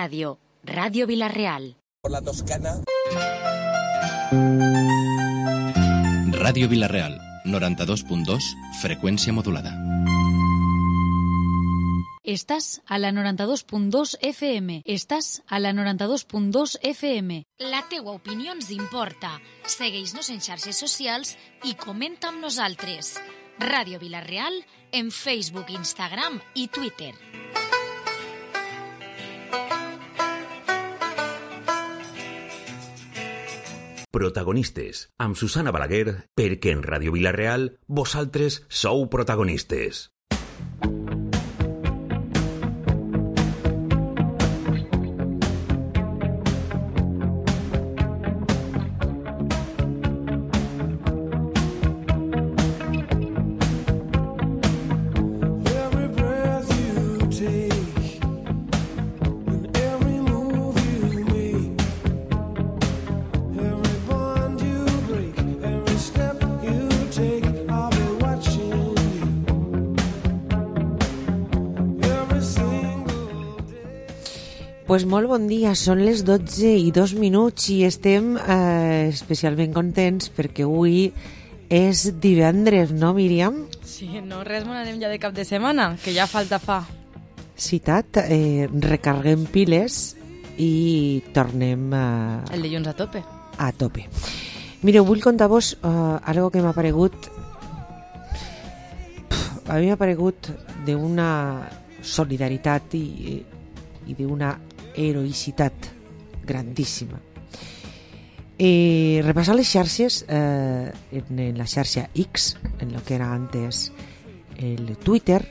Radio Vila-real. Por la Toscana. Ràdio Vila-real, 92.2, freqüència modulada. Estàs a la 92.2 FM. Estàs a la 92.2 FM. La teua opinió ens importa. Segueix-nos en xarxes socials i comenta amb nosaltres. Ràdio Vila-real en Facebook, Instagram i Twitter. Protagonistes, amb Susana Balaguer, perquè en Ràdio Vila-real vosaltres sou protagonistes. Pues molt bon dia, són les 12:02 i estem especialment contents perquè avui és divendres, no, Míriam? Sí, no res, anem ja de cap de setmana, que ja falta fa. Citat, recarguem piles i tornem el dilluns a tope. A tope. Mireu, vull contar-vos algo que m'ha aparegut. A mi m'ha aparegut d'una solidaritat i d'una heroïcitat grandíssima. Repassar les xarxes, en la xarxa X, en lo que era antes el Twitter,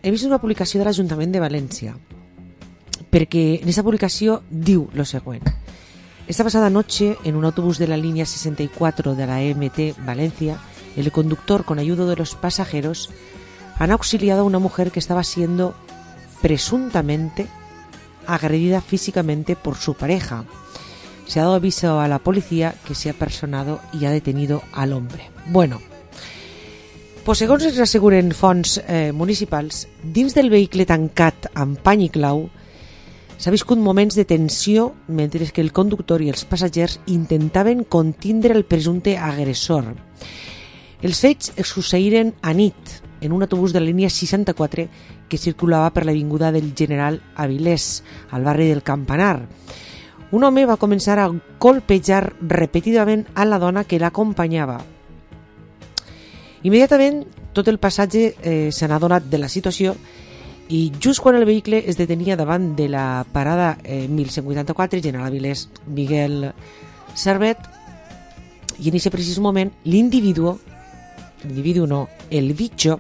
he vist una publicació de l'Ajuntament de València, perquè en aquesta publicació diu lo següent: esta pasada noche, en un autobús de la línea 64 de la MT Valencia, el conductor, con ayuda de los pasajeros, han auxiliado a una mujer que estaba siendo presuntamente agredida físicamente por su pareja. Se ha dado aviso a la policía, que se ha personado y ha detenido al hombre. Bueno, pues segons ens asseguren fonts municipals, dins del vehicle tancat amb pany i clau s'ha viscut moments de tensió mentre que el conductor i els passatgers intentaven contindre el presumpte agressor. Els fets succeïren a nit en un autobús de la línia 64 que circulava per l'avinguda del General Avilés, al barri del Campanar. Un home va començar a colpejar repetidament a la dona que l'acompanyava. Immediatament, tot el passatge se n'ha adonat de la situació i just quan el vehicle es detenia davant de la parada 1184, General Avilés, Miguel Servet, i en aquest precís moment l'individu no, el bitxo,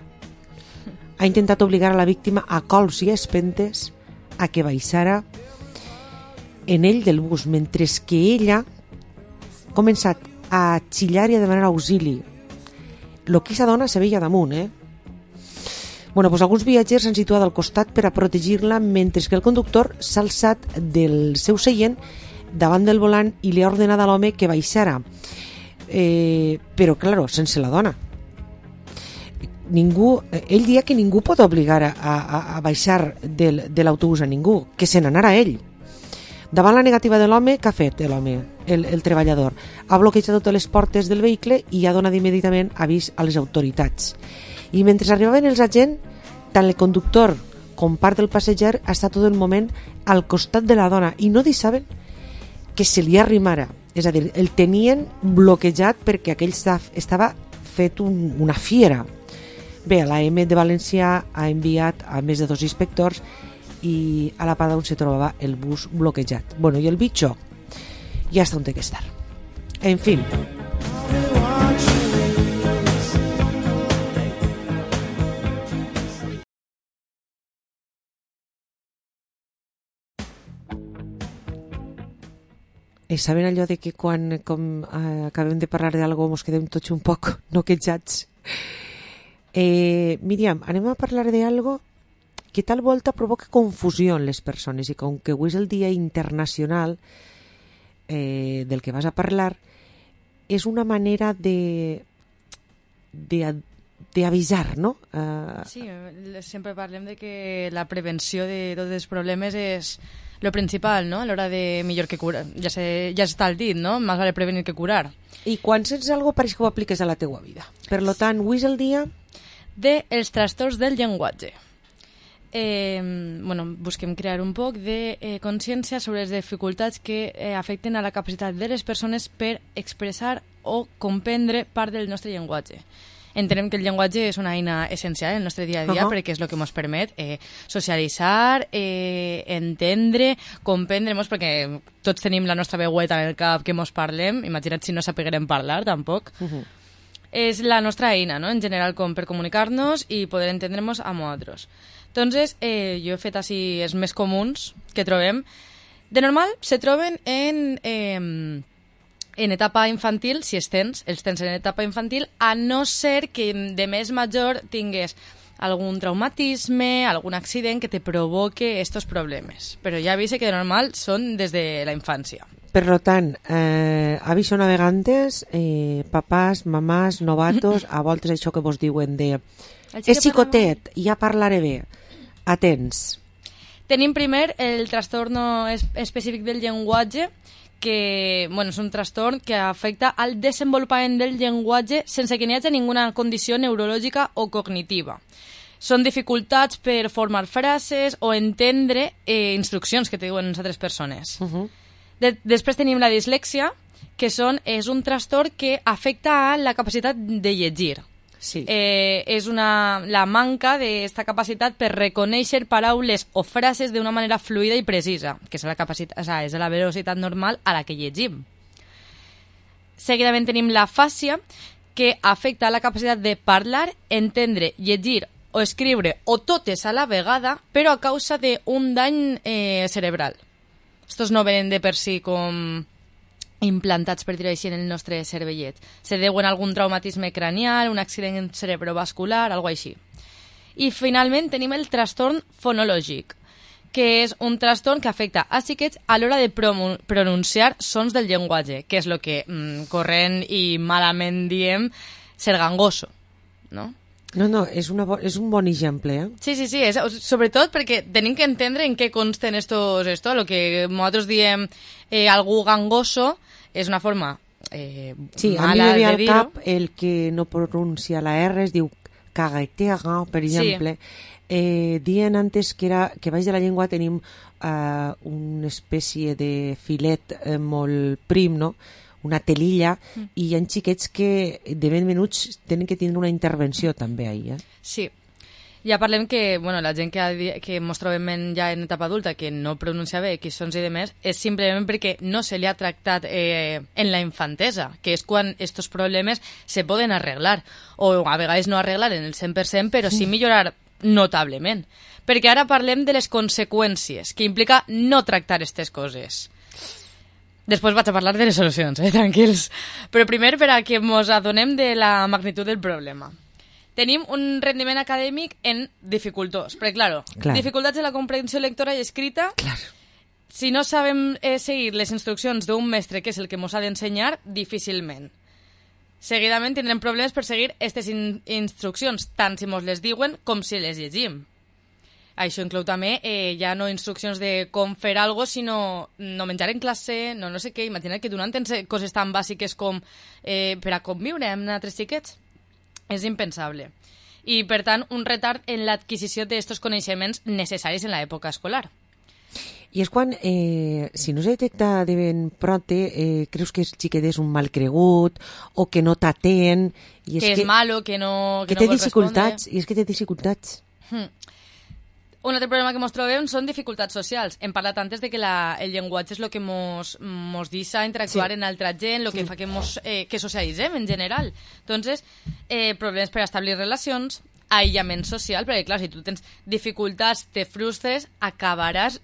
ha intentat obligar a la víctima a cols i espentes a que baixara en ell del bus, mentre que ella ha començat a xillar i a demanar auxili. Lo que aquesta dona se veia damunt, Bueno, pues alguns viatgers s'han situat al costat per a protegir-la, mentre que el conductor s'ha alçat del seu seient davant del volant i li ha ordenat a l'home que baixara. Però, claro, sense la dona. Ell dia que ningú pot obligar a baixar de l'autobús a ningú, que se n'anara ell. Davant la negativa de l'home, què ha fet l'home, el treballador? Ha bloquejat totes les portes del vehicle i ha donat immediatament avís a les autoritats. I mentre arribaven els agents, tant el conductor com part del passenger ha estat tot el moment al costat de la dona i no deixaven que se li arrimara. És a dir, el tenien bloquejat perquè aquell estava fet una fiera. Bé, l'AM de València ha enviat a més de 2 inspectors i a la parada on se trobava el bus bloquejat. Bueno, i el bitxo ja està on té que estar. En fi. Saben allò de que quan acabem de parlar d'algo mos quedem tots un poc noquejats? Míriam, anem a parlar d'algo que tal volta provoca confusió en les persones, i com que avui és el Dia Internacional del que vas a parlar, és una manera d'avisar, no? Sí, sempre parlem de que la prevenció de tots els problemes és lo principal, no? A l'hora de millor que curar. Ja està el dit, no? Més vale prevenir que curar. I quan sents alguna cosa pareix que ho apliques a la teua vida. Per lo tant, avui és el dia dels trastorns del llenguatge. Busquem crear un poc de consciència sobre les dificultats que afecten a la capacitat de les persones per expressar o comprendre part del nostre llenguatge. Entenem que el llenguatge és una eina essencial en el nostre dia a dia perquè és el que ens permet socialitzar, entendre, comprendre-nos, perquè tots tenim la nostra veueta en el cap que ens parlem, imagina't si no sapiguem parlar, tampoc. És la nostra eina, no? En general, com per comunicar-nos i poder entendre-nos amb altres. Entonces, jo he fet així els més comuns que trobem. De normal, se troben en etapa infantil, si els tens en etapa infantil, a no ser que de més major tingués algun traumatisme, algun accident que te provoque estos problemes. Però ja avise que de normal són des de la infància. Per tant, aviso navegantes, papàs, mamàs, novatos, a voltes això que vos diuen de és xicotet, ja parlaré bé. Atents. Tenim primer el trastorn específic del llenguatge, que és un trastorn que afecta al desenvolupament del llenguatge sense que n'hi hagi ninguna condició neurològica o cognitiva. Són dificultats per formar frases o entendre instruccions que te diuen les altres persones. Després tenim la dislèxia, que és un trastorn que afecta a la capacitat de llegir. Sí. És la manca d'esta capacitat per reconèixer paraules o frases d'una manera fluida i precisa, que és és la velocitat normal a la que llegim. Seguidament tenim l'afàsia, que afecta la capacitat de parlar, entendre, llegir o escriure o totes a la vegada, però a causa d'un dany cerebral. Estos no venen de per si com implantats, per dir-ho així, en el nostre cervellet. Se deuen a algun traumatisme cranial, un accident cerebrovascular, alguna així. I finalment tenim el trastorn fonològic, que és un trastorn que afecta a xiquets a l'hora de pronunciar sons del llenguatge, que és el que corrent i malament diem ser gangoso, no? No, és un bon exemple, eh? Sí, sobretot perquè tenim que entendre en què consten esto, el que nosaltres diem algú gangoso és una forma sí, mala de dir-ho. Sí, a mi me ve al cap el que no pronuncia la R, es diu caguetega, per exemple. Sí. Dien antes que baix de la llengua tenim una espècie de filet molt prim, no?, una telilla, i hi ha xiquets que de ben menuts tenen que tindre una intervenció també ahí. Sí. Ja parlem que la gent que ens trobem ja en etapa adulta que no pronuncia bé X sons i demés és simplement perquè no se li ha tractat en la infantesa, que és quan estos problemes se poden arreglar, o a vegades no arreglar en el 100%, però sí millorar notablement. Perquè ara parlem de les conseqüències que implica no tractar aquestes coses. Després vaig a parlar de les solucions, tranquils. Però primer, per a que ens adonem de la magnitud del problema. Tenim un rendiment acadèmic en dificultós. Perquè, clar, dificultats en la comprensió lectora i escrita. Clar. Si no sabem seguir les instruccions d'un mestre, que és el que ens ha d'ensenyar, difícilment. Seguidament tindrem problemes per seguir aquestes instruccions, tant si ens les diuen com si les llegim. Això inclou també ja no instruccions de com fer alguna cosa, sinó no menjar en classe, no sé què. Imagina't que tu no entens coses tan bàsiques com per a conviure amb altres xiquets. És impensable. I, per tant, un retard en l'adquisició d'aquests coneixements necessaris en l'època escolar. I és quan, si no se detecta de ben pronte, creus que el xiquet és un mal cregut o que no t'atén. Que és malo, que no té dificultats, i és que té dificultats. Un altre problema que ens trobem són dificultats socials. Hem parlat antes de que el llenguatge és el que ens deixa interactuar en altra gent, el que fa que socialitzem en general. Entonces, problemes per establir relacions, aïllament social, perquè clar, si tu tens dificultats, te frustres, acabaràs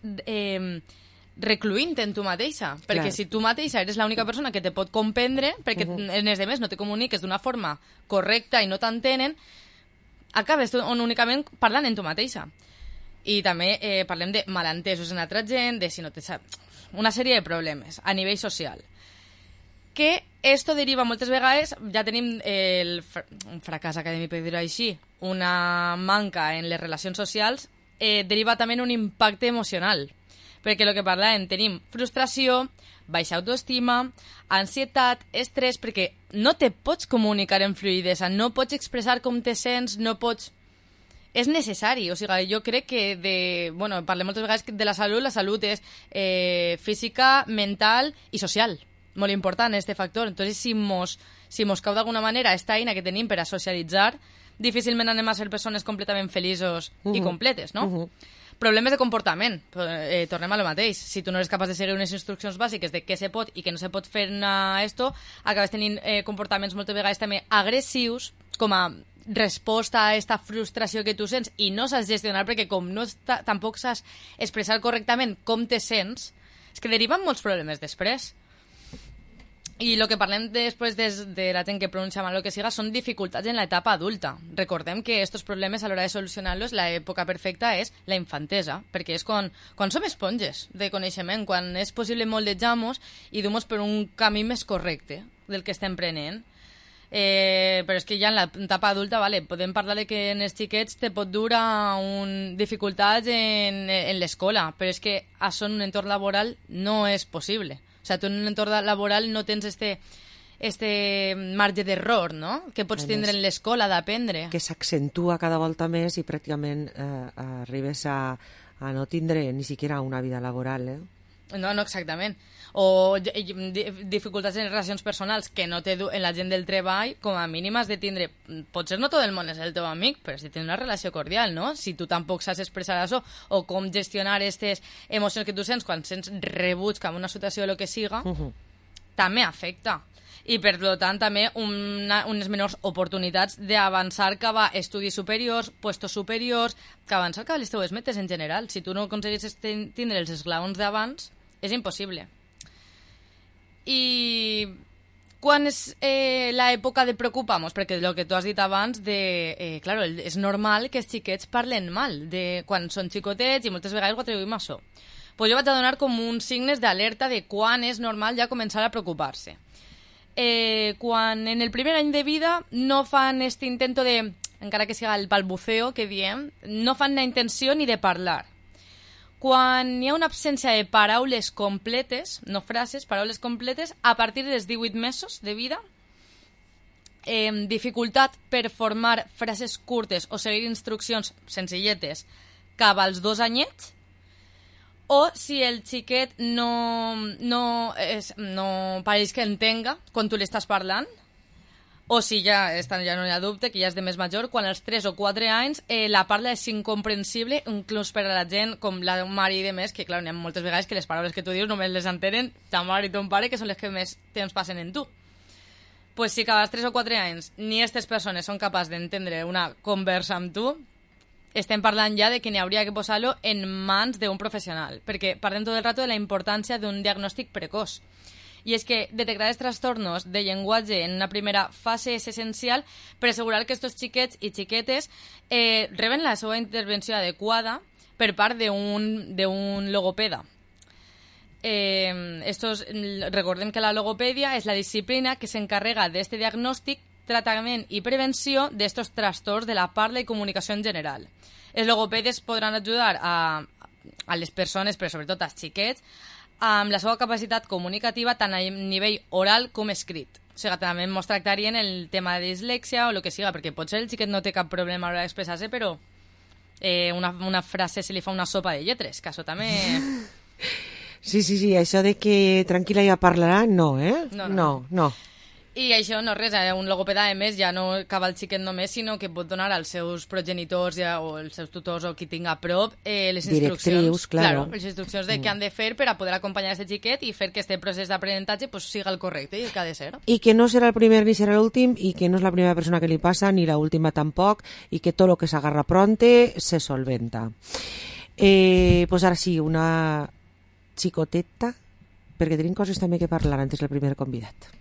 recluint en tu mateixa. Perquè si tu mateixa eres l'única persona que te pot comprendre, perquè en els demés no te comuniques d'una forma correcta i no t'entenen, acabes únicament parlant en tu mateixa. I també parlem de malentesos en altra gent, de si no te sap... Una sèrie de problemes a nivell social. Que esto deriva moltes vegades, ja tenim un fracàs acadèmic, per dir-ho així, una manca en les relacions socials, deriva també en un impacte emocional. Perquè el que parlàvem, tenim frustració, baixa autoestima, ansietat, estrès, perquè no te pots comunicar en fluïdesa, no pots expressar com te sents, no pots... És necessari, o sigui, jo crec que parlem moltes vegades de la salut és física, mental i social, molt important este factor. Entonces, si mos cau d'alguna manera esta eina que tenim per a socialitzar, difícilment anem a ser persones completament feliços i completes, no? Problemes de comportament, tornem a lo mateix. Si tu no eres capaç de seguir unes instruccions bàsiques de què se pot i què no se pot fer esto, acabes tenint comportaments moltes vegades també agressius, com a resposta a aquesta frustració que tu sents i no saps gestionar, perquè com tampoc saps expressar correctament com te sents, és que deriven molts problemes després. I el que parlem després de la gent que pronuncia mal el que siga són dificultats en l'etapa adulta. Recordem que aquests problemes, a l'hora de solucionar-los, l'època perfecta és la infantesa, perquè és quan som esponges de coneixement, quan és possible moldejar-nos i dur-nos per un camí més correcte del que estem prenent. Però és que ja en l'etapa adulta podem parlar de que en els xiquets te pot dur a dificultats en l'escola, però és que això en un entorn laboral no és possible. O sigui, tu en un entorn laboral no tens este marge d'error, no?, que pots tindre en l'escola d'aprendre. Que s'accentua cada volta més i pràcticament arribes a no tindre ni siquiera una vida laboral, No, exactament. O dificultats en relacions personals que no té en la gent del treball, com a mínim has de tindre... Potser no tot el món és el teu amic, però has de tenir una relació cordial, no? Si tu tampoc saps expressar això, o com gestionar aquestes emocions que tu sents quan sents rebuig cap a una situació o el que siga, també afecta. I, per tant, també unes menors oportunitats d'avançar cap a estudis superiors, puestos superiors, que avançar cap a les teves metes en general. Si tu no aconseguis tindre els esglaons d'abans, és impossible. I quan és l'època de preocupar-nos? Perquè el que tu has dit abans, claro, és normal que els xiquets parlen mal de quan són xicotets i moltes vegades ho atribuïm a això. Pues jo vaig a donar com uns signes d'alerta de quan és normal ja començar a preocupar-se. Quan en el primer any de vida no fan aquest intento de, encara que siga el balbuceo que diem, no fan la intenció ni de parlar. Quan hi ha una absència de paraules completes, no frases, paraules completes, a partir dels 18 mesos de vida, dificultat per formar frases curtes o seguir instruccions senzilletes cap als 2 anyets, o si el xiquet no pareix que entenga quan tu li estàs parlant, o si ja no hi ha dubte, que ja és de més major, quan als 3 o 4 anys la parla és incomprensible, inclús per a la gent com la d'un mare i de més, que clar, hi ha moltes vegades que les paraules que tu dius només les entenen ta mare i ton pare, que són les que més temps passen en tu. Pues si cada 3 o 4 anys ni aquestes persones són capaces d'entendre una conversa amb tu, estem parlant ja de que n'hi hauria que posar-lo en mans d'un professional, perquè parlem tot el rato de la importància d'un diagnòstic precoç. I és que detectar els trastornos de llenguatge en una primera fase és essencial per assegurar que aquests xiquets i xiquetes reben la seva intervenció adequada per part d'un logopeda. Recordem que la logopèdia és la disciplina que s'encarrega d'aquest diagnòstic, tractament i prevenció d'estos trastorns de la parla i comunicació en general. Els logopedes podran ajudar a les persones, però sobretot als xiquets, amb la seva capacitat comunicativa tant a nivell oral com escrit. O sigui, també ens tractarien el tema de dislèxia o el que siga, perquè potser el xiquet no té cap problema a l'hora d'expressar-se, però una frase se li fa una sopa de lletres, que això també... Sí, això de que tranquil·la ja parlarà, no, No. I això no res, un logopeda, a més, ja no acaba el xiquet només, sinó que pot donar als seus progenitors o als seus tutors o qui tinga a prop les instruccions. Claro. Les instruccions de què han de fer per a poder acompanyar aquest xiquet i fer que aquest procés d'aprenentatge siga el correcte i el que ha de ser. I que no serà el primer ni serà l'últim, i que no és la primera persona que li passa, ni l'última tampoc, i que tot el que s'agarra pronte se solventa. Pues ara sí, una xicoteta, perquè tenim coses també que parlar antes del primer convidat.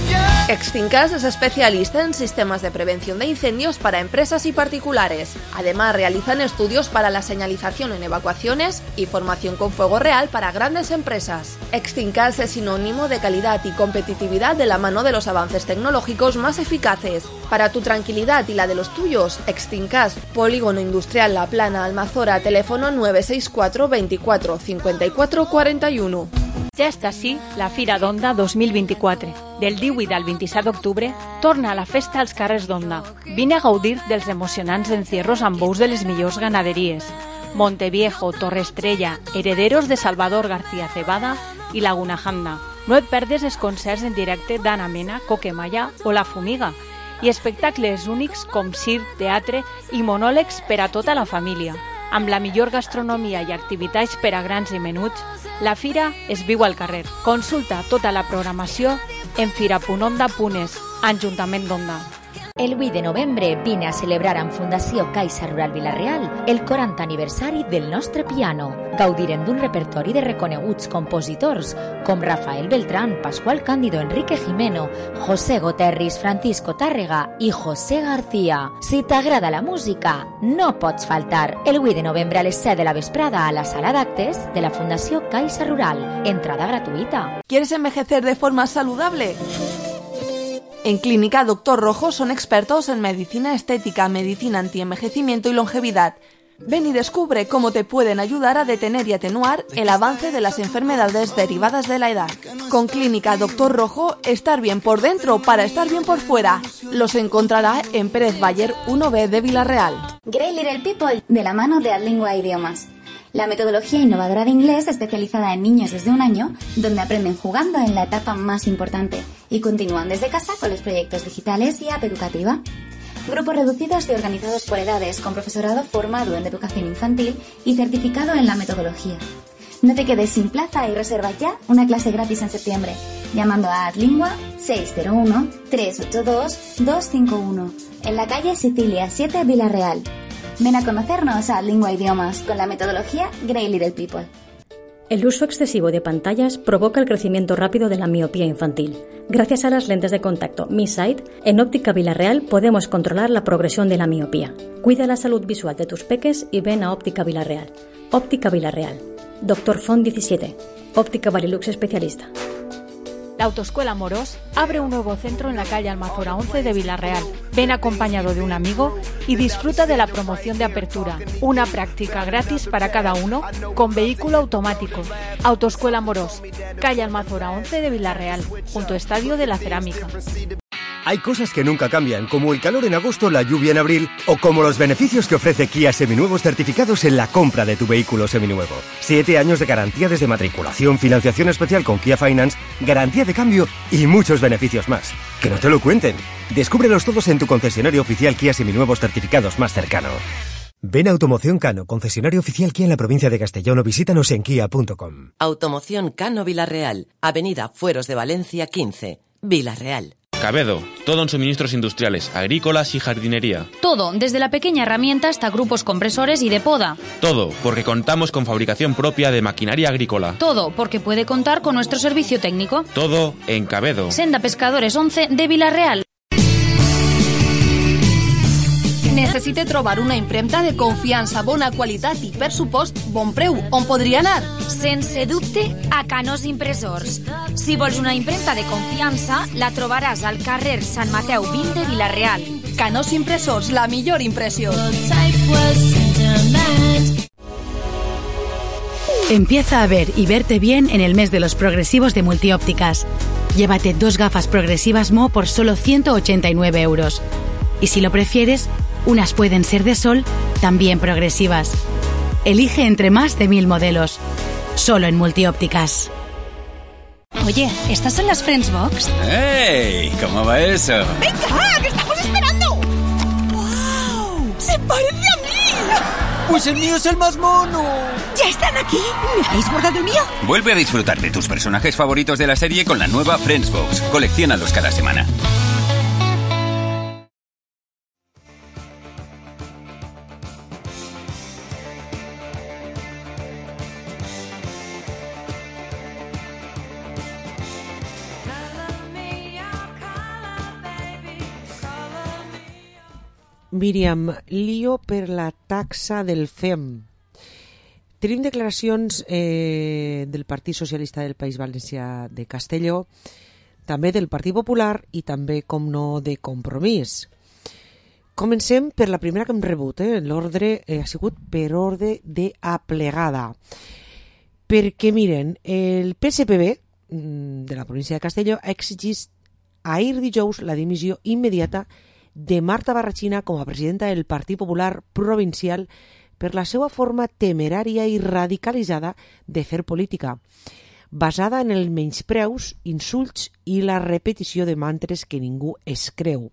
Yeah! Extincas es especialista en sistemas de prevención de incendios para empresas y particulares. Además, realizan estudios para la señalización en evacuaciones y formación con fuego real para grandes empresas. Extincas es sinónimo de calidad y competitividad de la mano de los avances tecnológicos más eficaces. Para tu tranquilidad y la de los tuyos, Extincas, Polígono Industrial La Plana, Almazora, teléfono 964 24 54 41. Ja està així la Fira d'Onda 2024. Del 18 al 27 d'octubre torna a la festa als carrers d'Onda. Vine a gaudir dels emocionants encierros amb bous de les millors ganaderies. Monteviejo, Torre Estrella, Herederos de Salvador García Cebada i Laguna Janda. No et perdes els concerts en directe d'Anna Mena, Coquemaya o La Fumiga i espectacles únics com circ, teatre i monòlegs per a tota la família. Amb la millor gastronomia i activitats per a grans i menuts, la fira es viu al carrer. Consulta tota la programació en fira.onda.es, Ajuntament d'Onda. El 8 de novembre vine a celebrar amb Fundació Caixa Rural Vila-real el 40 aniversari del nostre piano. Gaudirem d'un repertori de reconeguts compositors com Rafael Beltrán, Pascual Cándido, Enrique Jimeno, José Goterris, Francisco Tàrrega i José García. Si t'agrada la música, no pots faltar. El 8 de novembre a les 7 de la vesprada a la sala d'actes de la Fundació Caixa Rural. Entrada gratuïta. ¿Quieres envejecer de forma saludable? En Clínica Dr. Rojo son expertos en medicina estética, medicina antienvejecimiento y longevidad. Ven y descubre cómo te pueden ayudar a detener y atenuar el avance de las enfermedades derivadas de la edad. Con Clínica Dr. Rojo, estar bien por dentro para estar bien por fuera. Los encontrará en Pérez Bayer 1B de Vila-real. Great Little People, de la mano de Adlingua Idiomas. La metodología innovadora de inglés especializada en niños desde 1 año, donde aprenden jugando en la etapa más importante y continúan desde casa con los proyectos digitales y app educativa. Grupos reducidos y organizados por edades, con profesorado formado en educación infantil y certificado en la metodología. No te quedes sin plaza y reserva ya una clase gratis en septiembre, llamando a Adlingua 601-382-251, en la calle Sicilia 7, Vila-real. Ven a conocernos a Lingua Idiomas con la metodología Great Little People. El uso excesivo de pantallas provoca el crecimiento rápido de la miopía infantil. Gracias a las lentes de contacto Mi Sight, en Óptica Vila-real podemos controlar la progresión de la miopía. Cuida la salud visual de tus peques y ven a Óptica Vila-real. Óptica Vila-real. Dr. Font 17. Óptica Varilux especialista. La Autoescuela Amorós abre un nuevo centro en la calle Almazora 11 de Vila-real. Ven acompañado de un amigo y disfruta de la promoción de apertura. Una práctica gratis para cada uno con vehículo automático. Autoescuela Amorós, calle Almazora 11 de Vila-real, junto a Estadio de la Cerámica. Hay cosas que nunca cambian, como el calor en agosto, la lluvia en abril, o como los beneficios que ofrece Kia Seminuevos certificados en la compra de tu vehículo seminuevo. 7 años de garantía desde matriculación, financiación especial con Kia Finance, garantía de cambio y muchos beneficios más. ¡Que no te lo cuenten! Descúbrelos todos en tu concesionario oficial Kia Seminuevos certificados más cercano. Ven a Automoción Cano, concesionario oficial Kia en la provincia de Castellón, o visítanos en kia.com. Automoción Cano Vila-real, Avenida Fueros de Valencia 15, Vila-real. Cabedo, todo en suministros industriales, agrícolas y jardinería. Todo, desde la pequeña herramienta hasta grupos compresores y de poda. Todo, porque contamos con fabricación propia de maquinaria agrícola. Todo, porque puede contar con nuestro servicio técnico. Todo en Cabedo. Senda Pescadores 11 de Vila-real. Necessite trobar una impremta de confiança, bona qualitat i, per supost, bon preu. On podria anar? Sense dubte, a Canós Impressors. Si vols una impremta de confiança, la trobaràs al carrer Sant Mateu 20 de Vila-real. Canós Impressors, la millor impressió. Empieza a ver y verte bien en el mes de los progresivos de Multiópticas. Llévate 2 gafas progresivas Mo por solo 189 euros. Y si lo prefieres, unas pueden ser de sol, también progresivas. Elige entre más de 1000 modelos. Solo en Multiópticas. Oye, ¿estas son las Friends Box? ¡Hey! ¿Cómo va eso? ¡Venga, que estamos esperando! ¡Wow! ¡Se parece a mí! ¡Pues el mío es el más mono! ¿Ya están aquí? ¿Me habéis guardado el mío? Vuelve a disfrutar de tus personajes favoritos de la serie con la nueva Friends Box. Colecciónalos cada semana. Míriam, lío per la taxa del FEM. Tenim declaracions del Partit Socialista del País Valencià de Castelló, també del Partit Popular i també, com no, de Compromís. Comencem per la primera que hem rebut. L'ordre ha sigut per ordre d'aplegada. Perquè, miren, el PSPB de la província de Castelló ha exigit ahir dijous la dimissió immediata de Marta Barrachina com a presidenta del Partit Popular Provincial per la seva forma temerària i radicalitzada de fer política, basada en els menyspreus, insults i la repetició de mantres que ningú es creu.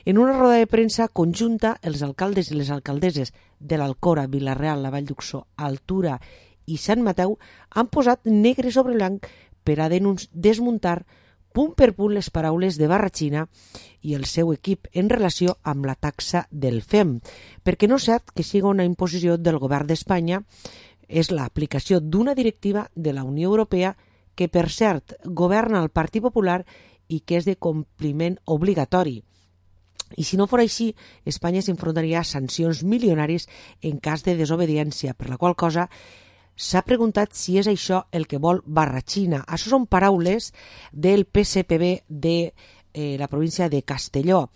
En una roda de premsa conjunta, els alcaldes i les alcaldesses de l'Alcora, Vila-real, la Vall d'Uxó, Altura i Sant Mateu han posat negre sobre blanc per a desmuntar punt per punt les paraules de Barrachina i el seu equip en relació amb la taxa del FEM, perquè no és cert que sigui una imposició del govern d'Espanya, és l'aplicació d'una directiva de la Unió Europea que, per cert, governa el Partit Popular i que és de compliment obligatori. I si no fos així, Espanya s'enfrontaria a sancions milionaris en cas de desobediència, per la qual cosa s'ha preguntat si és això el que vol Barrachina. Això són paraules del PSPB de la província de Castelló.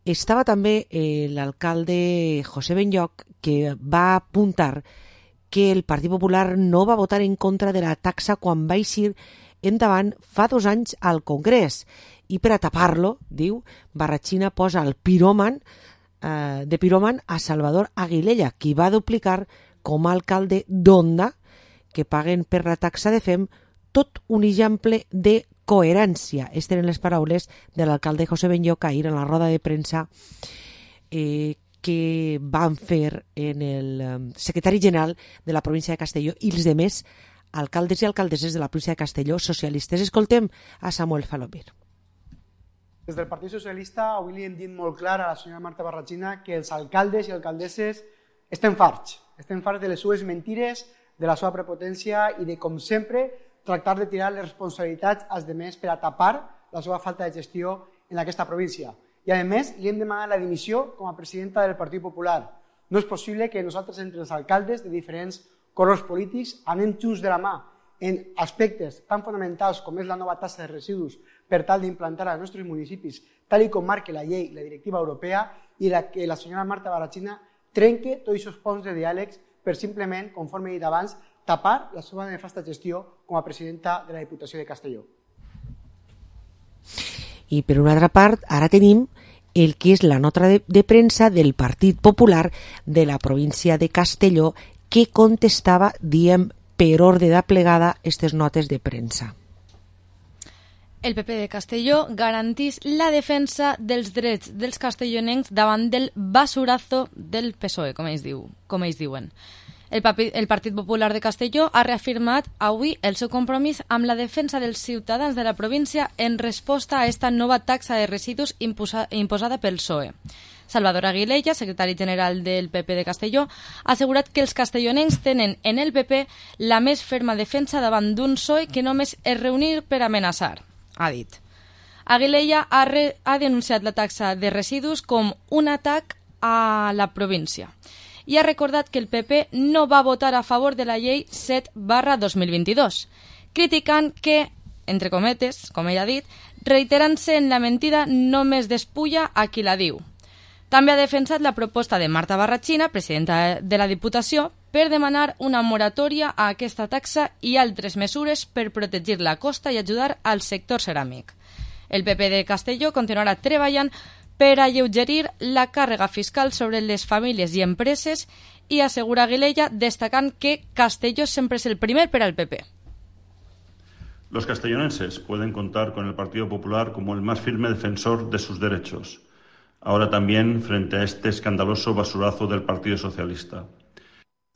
Estava també l'alcalde José Benlloch, que va apuntar que el Partit Popular no va votar en contra de la taxa quan va eixir endavant fa 2 anys al Congrés. I per a tapar-lo, diu, Barrachina posa el piròman a Salvador Aguilella, qui va duplicar com a alcalde d'Onda, que paguen per la taxa de FEM, tot un exemple de coherència. Aquestes eren les paraules de l'alcalde José Benlloch ahir en la roda de premsa que van fer en el secretari general de la província de Castelló i els demés alcaldes i alcaldesses de la província de Castelló socialistes. Escoltem a Samuel Falomir. Des del Partit Socialista avui li hem dit molt clar a la senyora Marta Barrachina que els alcaldes i alcaldesses estem farts de les seves mentires, de la seva prepotència i de, com sempre, tractar de tirar les responsabilitats als demés per a tapar la seva falta de gestió en aquesta província. I, a més, li hem demanat la dimissió com a presidenta del Partit Popular. No és possible que nosaltres, entre els alcaldes de diferents colors polítics, anem junts de la mà en aspectes tan fonamentals com és la nova taxa de residus per tal d'implantar als nostres municipis, tal com marca la llei i la directiva europea, i que la senyora Marta Barrachina trenque tots aquests ponts de diàlegs per simplement, conforme he dit abans, tapar la seva nefasta gestió com a presidenta de la Diputació de Castelló. I per una altra part, ara tenim el que és la nota de premsa del Partit Popular de la província de Castelló, que contestava, diem, per ordre d'aplegada aquestes notes de premsa. El PP de Castelló garantís la defensa dels drets dels castellonencs davant del basurazo del PSOE, com ells diuen. El Partit Popular de Castelló ha reafirmat avui el seu compromís amb la defensa dels ciutadans de la província en resposta a esta nova taxa de residus imposada pel PSOE. Salvador Aguilella, secretari general del PP de Castelló, ha assegurat que els castellonencs tenen en el PP la més ferma defensa davant d'un PSOE que només es reunir per amenaçar, ha dit. Aguilella ha denunciat la taxa de residus com un atac a la província i ha recordat que el PP no va votar a favor de la llei 7/2022, criticant que, entre cometes, com ell ha dit, reiterant-se en la mentida només despulla a qui la diu. També ha defensat la proposta de Marta Barrachina, presidenta de la Diputació, per demanar una moratòria a aquesta taxa i altres mesures per protegir la costa i ajudar al sector ceràmic. El PP de Castelló continuarà treballant per alleugerir la càrrega fiscal sobre les famílies i empreses i assegura Aguilella, destacant que Castelló sempre es el primer per al PP. Los castellonenses pueden contar con el Partido Popular como el más firme defensor de sus derechos, ahora también frente a este escandaloso basurazo del Partido Socialista.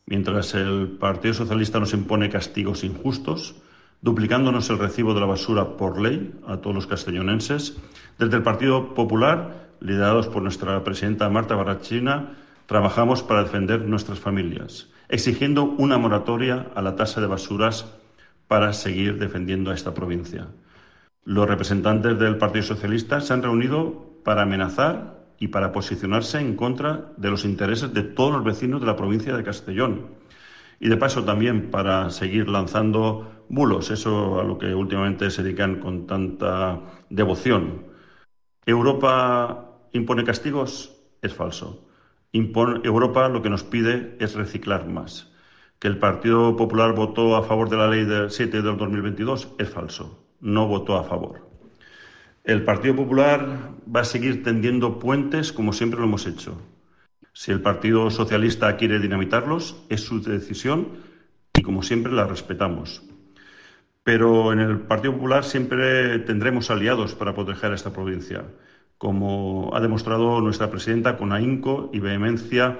Mientras el Partido Socialista nos impone castigos injustos, duplicándonos el recibo de la basura por ley a todos los castellonenses, desde el Partido Popular, liderados por nuestra presidenta Marta Barrachina, trabajamos para defender nuestras familias, exigiendo una moratoria a la tasa de basuras para seguir defendiendo a esta provincia. Los representantes del Partido Socialista se han reunido para amenazar y para posicionarse en contra de los intereses de todos los vecinos de la provincia de Castellón. Y de paso también para seguir lanzando bulos, eso a lo que últimamente se dedican con tanta devoción. ¿Europa impone castigos? Es falso. Europa lo que nos pide es reciclar más. ¿Que el Partido Popular votó a favor de la Ley 7 del 2022? Es falso. No votó a favor. El Partido Popular va a seguir tendiendo puentes como siempre lo hemos hecho. Si el Partido Socialista quiere dinamitarlos, es su decisión y como siempre la respetamos. Pero en el Partido Popular siempre tendremos aliados para proteger a esta provincia, como ha demostrado nuestra presidenta con ahínco y vehemencia,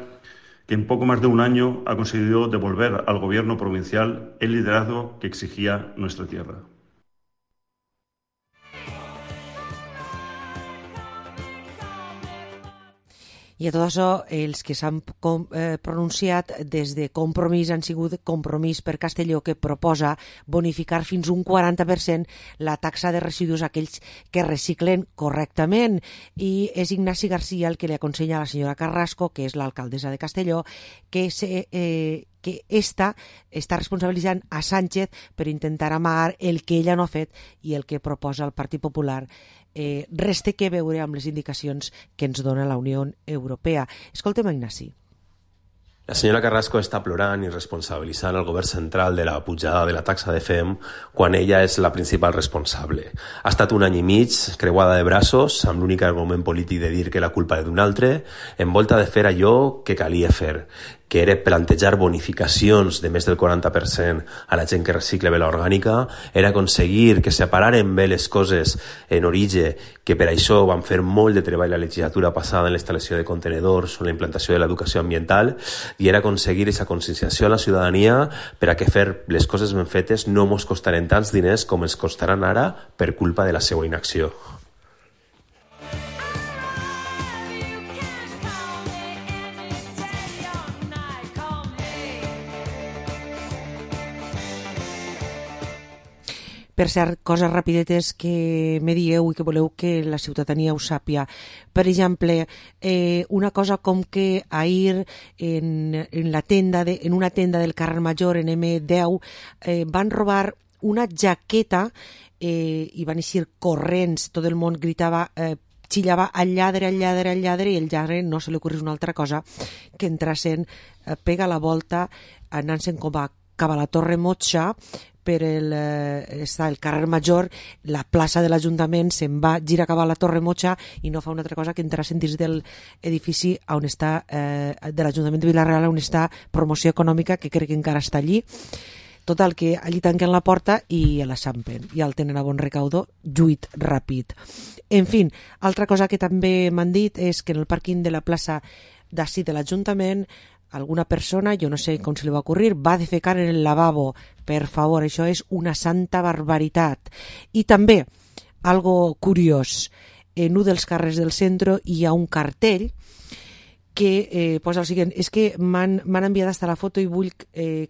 que en poco más de un año ha conseguido devolver al gobierno provincial el liderazgo que exigía nuestra tierra. I a tot això, els que s'han pronunciat des de Compromís han sigut Compromís per Castelló, que proposa bonificar fins un 40% la taxa de residus a aquells que reciclen correctament. I és Ignasi García el que li aconsella a la senyora Carrasco, que és l'alcaldessa de Castelló, que esta està responsabilitzant a Sánchez per intentar amagar el que ella no ha fet i el que proposa el Partit Popular. Resta que veure amb les indicacions que ens dona la Unió Europea. Escoltem a Ignasi. La senyora Carrasco està plorant i responsabilitzant el govern central de la pujada de la taxa de FEM quan ella és la principal responsable. Ha estat un any i mig creuada de braços amb l'únic argument polític de dir que la culpa és d'un altre, envolta de fer allò que calia fer, que era plantejar bonificacions de més del 40% a la gent que recicla vela orgànica, era aconseguir que separaren bé les coses en origen, que per això van fer molt de treball la legislatura passada en la instal·lació de contenedors o la implantació de l'educació ambiental, i era aconseguir aquesta conscienciació a la ciutadania per a que fer les coses ben fetes no ens costaren tants diners com ens costaran ara per culpa de la seva inacció. Per cert, coses rapidetes que me dieu i que voleu que la ciutadania ho sàpia. Per exemple, una cosa com que ahir en una tenda del carrer Major, en M10, van robar una jaqueta i van eixir corrents, tot el món gritava, xillava al lladre, i el lladre no se li ocorrís una altra cosa que entrassen, pega la volta, anant-se'n com a cap a la Torre Motxa, per està el carrer Major, la plaça de l'Ajuntament se'n va girar cap a la Torre Motxa i no fa una altra cosa que entrar dins del edifici on està, de l'Ajuntament de Vila-real, on està Promoció Econòmica, que crec que encara està allí. Total, que allí tanquen la porta i la xampen, i el tenen a bon recaudo, lluit ràpid. En fi, altra cosa que també m'han dit és que en el pàrquing de la plaça d'ací de l'Ajuntament alguna persona, jo no sé com se li va ocorrir, va defecar en el lavabo. Per favor, això és una santa barbaritat. I també, algo curiós, en un dels carrers del centre hi ha un cartell que posa el següent, és que m'han enviat hasta la foto i vull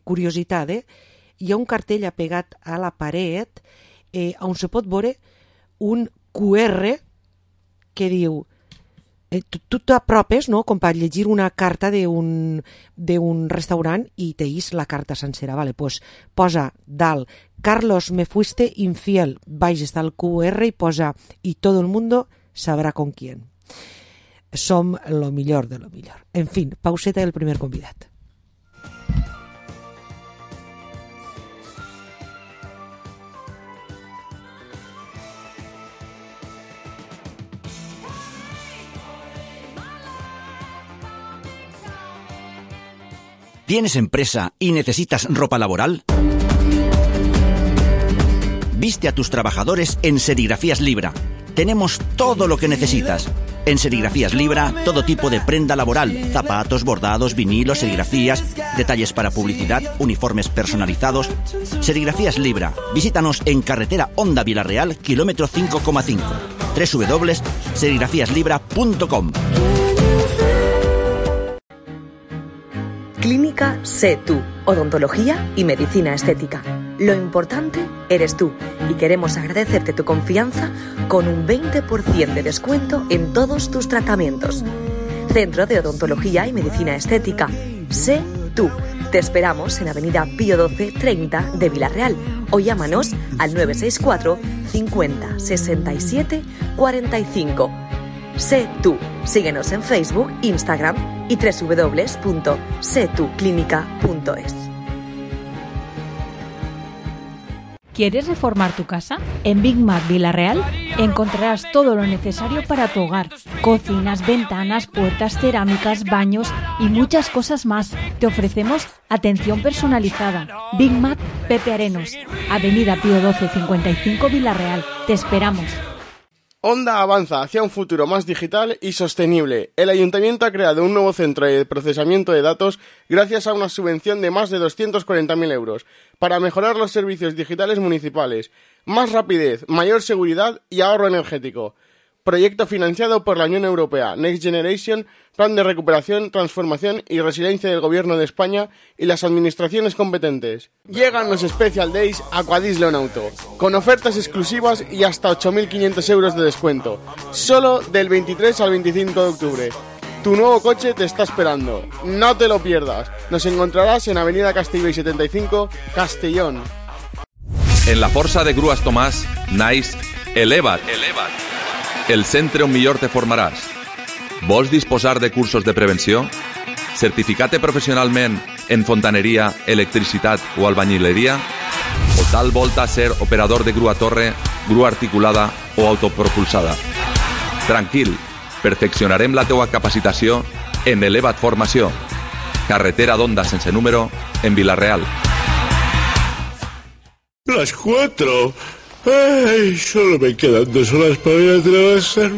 curiositat, hi ha un cartell apegat a la paret on se pot veure un QR que diu tu t'apropes, no?, com per llegir una carta d'un restaurant i teis la carta sencera. Vale, pues posa dalt, Carlos, me fuiste infiel, baix està el QR i posa, y todo el mundo sabrá con quién. Som lo millor de lo millor. En fin, pauseta del primer convidat. ¿Tienes empresa y necesitas ropa laboral? Viste a tus trabajadores en Serigrafías Libra. Tenemos todo lo que necesitas. En Serigrafías Libra, todo tipo de prenda laboral, zapatos, bordados, vinilos, serigrafías, detalles para publicidad, uniformes personalizados. Serigrafías Libra. Visítanos en carretera Honda Vila-real, kilómetro 5,5. www.serigrafiaslibra.com. Clínica Sé Tú, odontología y medicina estética. Lo importante eres tú y queremos agradecerte tu confianza con un 20% de descuento en todos tus tratamientos. Centro de Odontología y Medicina Estética. Sé tú. Te esperamos en Avenida Pío 12 30 de Vila-real o llámanos al 964 50 67 45. Sé tú. Síguenos en Facebook, Instagram y www.setuclínica.es. ¿Quieres reformar tu casa? En Big Mac Vila-real encontrarás todo lo necesario para tu hogar. Cocinas, ventanas, puertas, cerámicas, baños y muchas cosas más. Te ofrecemos atención personalizada. Big Mac Pepe Arenos, Avenida Pío 12 55 Vila-real. Te esperamos. Honda avanza hacia un futuro más digital y sostenible. El Ayuntamiento ha creado un nuevo centro de procesamiento de datos gracias a una subvención de más de 240.000 euros para mejorar los servicios digitales municipales, más rapidez, mayor seguridad y ahorro energético. Proyecto financiado por la Unión Europea, Next Generation, Plan de Recuperación, Transformación y Resiliencia del Gobierno de España y las administraciones competentes. Llegan los Special Days Aquadis Leonauto, con ofertas exclusivas y hasta 8.500 euros de descuento, solo del 23 al 25 de octubre. Tu nuevo coche te está esperando, no te lo pierdas. Nos encontrarás en Avenida Castellbell 75, Castellón. En la Força de Grues Tomàs, naix Eleva't. El centre on millor te formaràs. Vols disposar de cursos de prevenció? Certificar-te professionalment en fontaneria, electricitat o albañileria? O tal volta ser operador de grua torre, grua articulada o autopropulsada? Tranquil, perfeccionarem la teua capacitació en Eleva't Formació. Carretera d'Onda sense número en Vila-real. Las 4. Ay, solo me quedan 2 horas para ir a trabajar,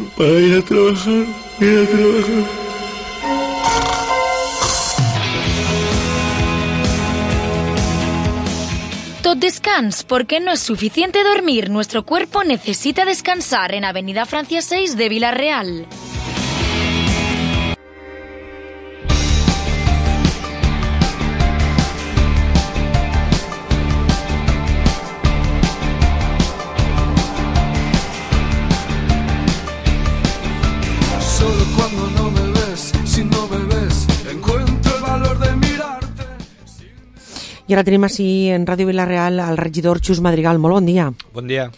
Tot descans, porque no es suficiente dormir. Nuestro cuerpo necesita descansar en Avenida Francia 6 de Vila-real. I ara tenim així en Ràdio Vila-real al regidor Xus Madrigal. Molt bon dia. Bon dia.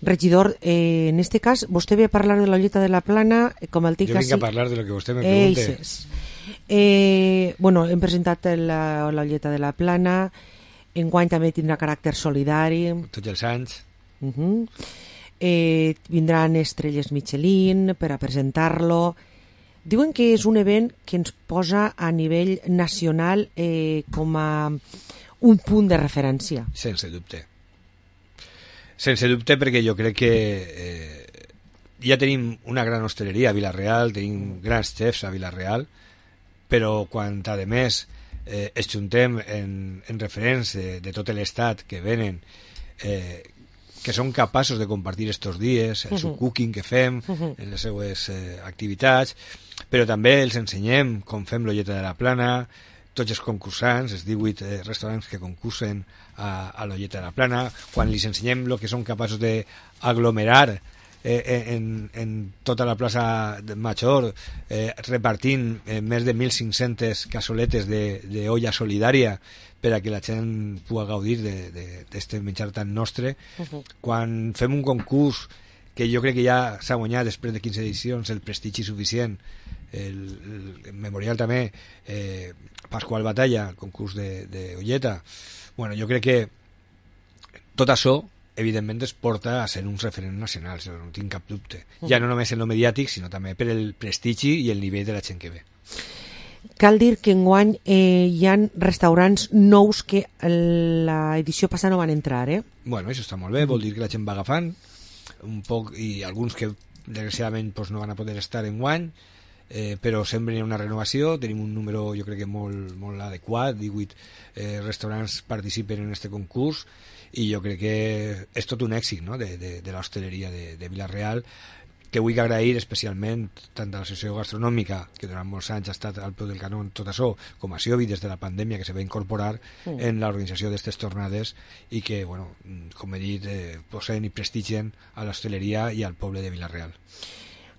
Regidor, en este cas, vostè ve a parlar de l'Olleta de la Plana, com el tic Jo vinc a parlar de lo que vostè me pregunte. Bueno, hem presentat l'Olleta de la Plana, enguany també tindrà caràcter solidari. Tots els anys. Vindran estrelles Michelin per a presentar-lo. Diuen que és un event que ens posa a nivell nacional com a un punt de referència. Sense dubte. Sense dubte, perquè jo crec que ja tenim una gran hostaleria a Vila-real, tenim grans xefs a Vila-real, però quan a més es juntem en referents de tot l'estat que venen, que són capaços de compartir estos dies, el subcooking que fem, en les seues activitats, però també els ensenyem com fem l'Olleta de la Plana, tots els concursants, els 18 restaurants que concursen a l'Olleta de la Plana, quan els ensenyem el que són capaços d'aglomerar en tota la plaça Major, repartint més de 1.500 cassoletes d'olla solidària per a que la gent pugui gaudir d'aquest menjar tan nostre. Quan fem un concurs que jo crec que ja s'ha guanyat després de 15 edicions el prestigi suficient, el memorial també, Pasqual Batalla, el concurs d'Olleta. Bueno, jo crec que tot això evidentment es porta a ser uns referents nacionals, no tinc cap dubte. Ja no només en lo mediàtic, sinó també per el prestigi i el nivell de la gent que ve. Cal dir que enguany hi ha restaurants nous que l'edició passada no van entrar, Bueno, això està molt bé, vol dir que la gent va agafant un poc, i alguns que desgraciadament no van a poder estar enguany, però sempre hi ha una renovació, tenim un número jo crec que molt adequat, 18 restaurants participen en aquest concurs, i jo crec que és tot un èxit, no?, de l'hostaleria de Vila-real, que vull agrair especialment tant a l'Associació Gastronòmica, que durant molts anys ha estat al peu del canó en tot això, com a Siobi des de la pandèmia, que se va incorporar en l'organització d'aquestes tornades i que, bueno, com he dit, posen i prestigien a l'hostaleria i al poble de Vila-real.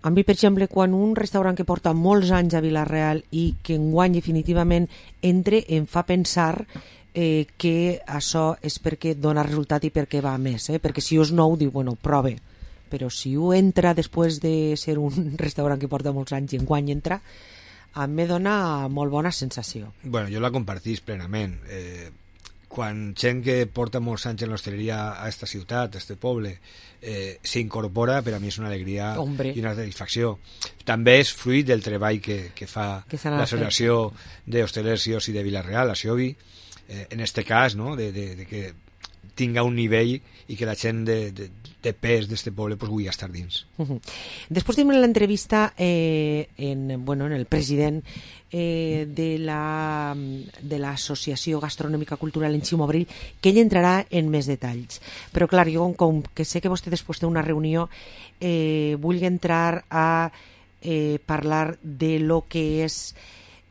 A mi, per exemple, quan un restaurant que porta molts anys a Vila-real i que enguany definitivament entre, em fa pensar que això és perquè dona resultat i perquè va més, perquè si és nou, diu, bueno, prove, però si ho entra després de ser un restaurant que porta molts anys i enguany entra, a mi dona molt bona sensació. Bueno, jo la compartís plenament. Quan gent que porta molts anys en l'hostaleria a esta ciutat, a este poble, s'incorpora, per a mi és una alegria i una satisfacció. També és fruit del treball que fa l'Associació d'Hostelers i Oci de Vila-real, la Siobi, en este cas, no?, de que tinga un nivell i que la gent de pes d'este poble pues, vulgui estar dins. Després tenim l'entrevista en el president de l'Associació Gastronòmica Cultural en Ximo Abril, que ell entrarà en més detalls. Però clar, jo com que sé que vostè després té una reunió, vull entrar a parlar de lo que és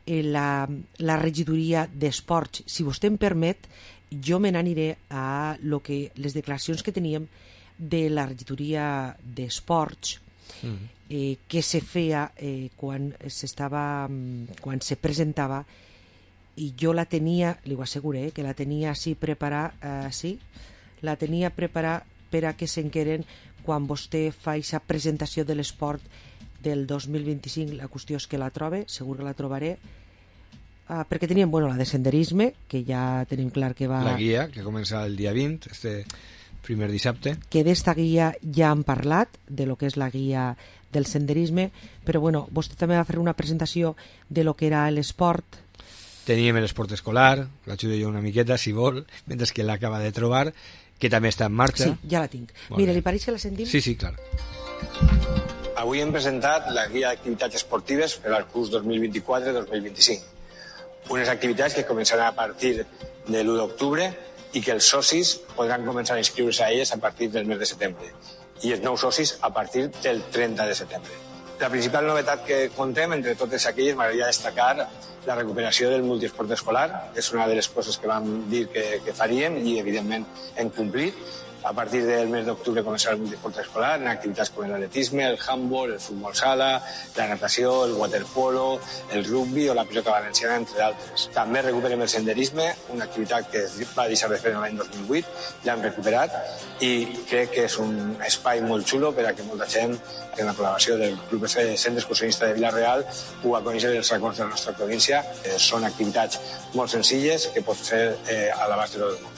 la regidoria d'esports. Si vostè em permet, jo me n'aniré a les declaracions que teníem de la regidoria d'esports que se feia quan se presentava, i jo la tenia, li ho asseguré, que la tenia així preparada, la tenia preparada per a que s'enqueren quan vostè fa aquesta presentació de l'esport del 2025. La qüestió és que la trobe, segur que la trobaré, perquè teníem la de senderisme, que ja tenim clar que va... La guia, que comença el dia 20, este primer dissabte. Que d'esta guia ja han parlat, de lo que és la guia del senderisme, però vostè també va fer una presentació de lo que era l'esport. Teníem l'esport escolar, l'ajudo jo una miqueta, si vol, mentre que l'acaba de trobar, que també està en marxa. Sí, ja la tinc. Mira, li pareix que la sentim? Sí, clar. Avui hem presentat la guia d'activitats esportives per al curs 2024-2025. Unes activitats que començaran a partir de l'1 d'octubre i que els socis podran començar a inscriure-se a elles a partir del mes de setembre i els nous socis a partir del 30 de setembre. La principal novetat que contem, entre totes aquelles, m'agradaria destacar la recuperació del multiesport escolar. És una de les coses que vam dir que faríem i, evidentment, hem complit. A partir del mes d'octubre començarà el multiesport escolar en activitats com l'atletisme, el handball, el futbol sala, la natació, el waterpolo, el rugby o la pilota valenciana, entre d'altres. També recuperem el senderisme, una activitat que es va deixar de fer l'any 2008, l'hem recuperat i crec que és un espai molt xulo per a que molta gent, en la col·laboració del Club Centre Excursionista de Vila-real, pugui conèixer els racons de la nostra província. Són activitats molt senzilles que pot ser a l'abast de tot el món.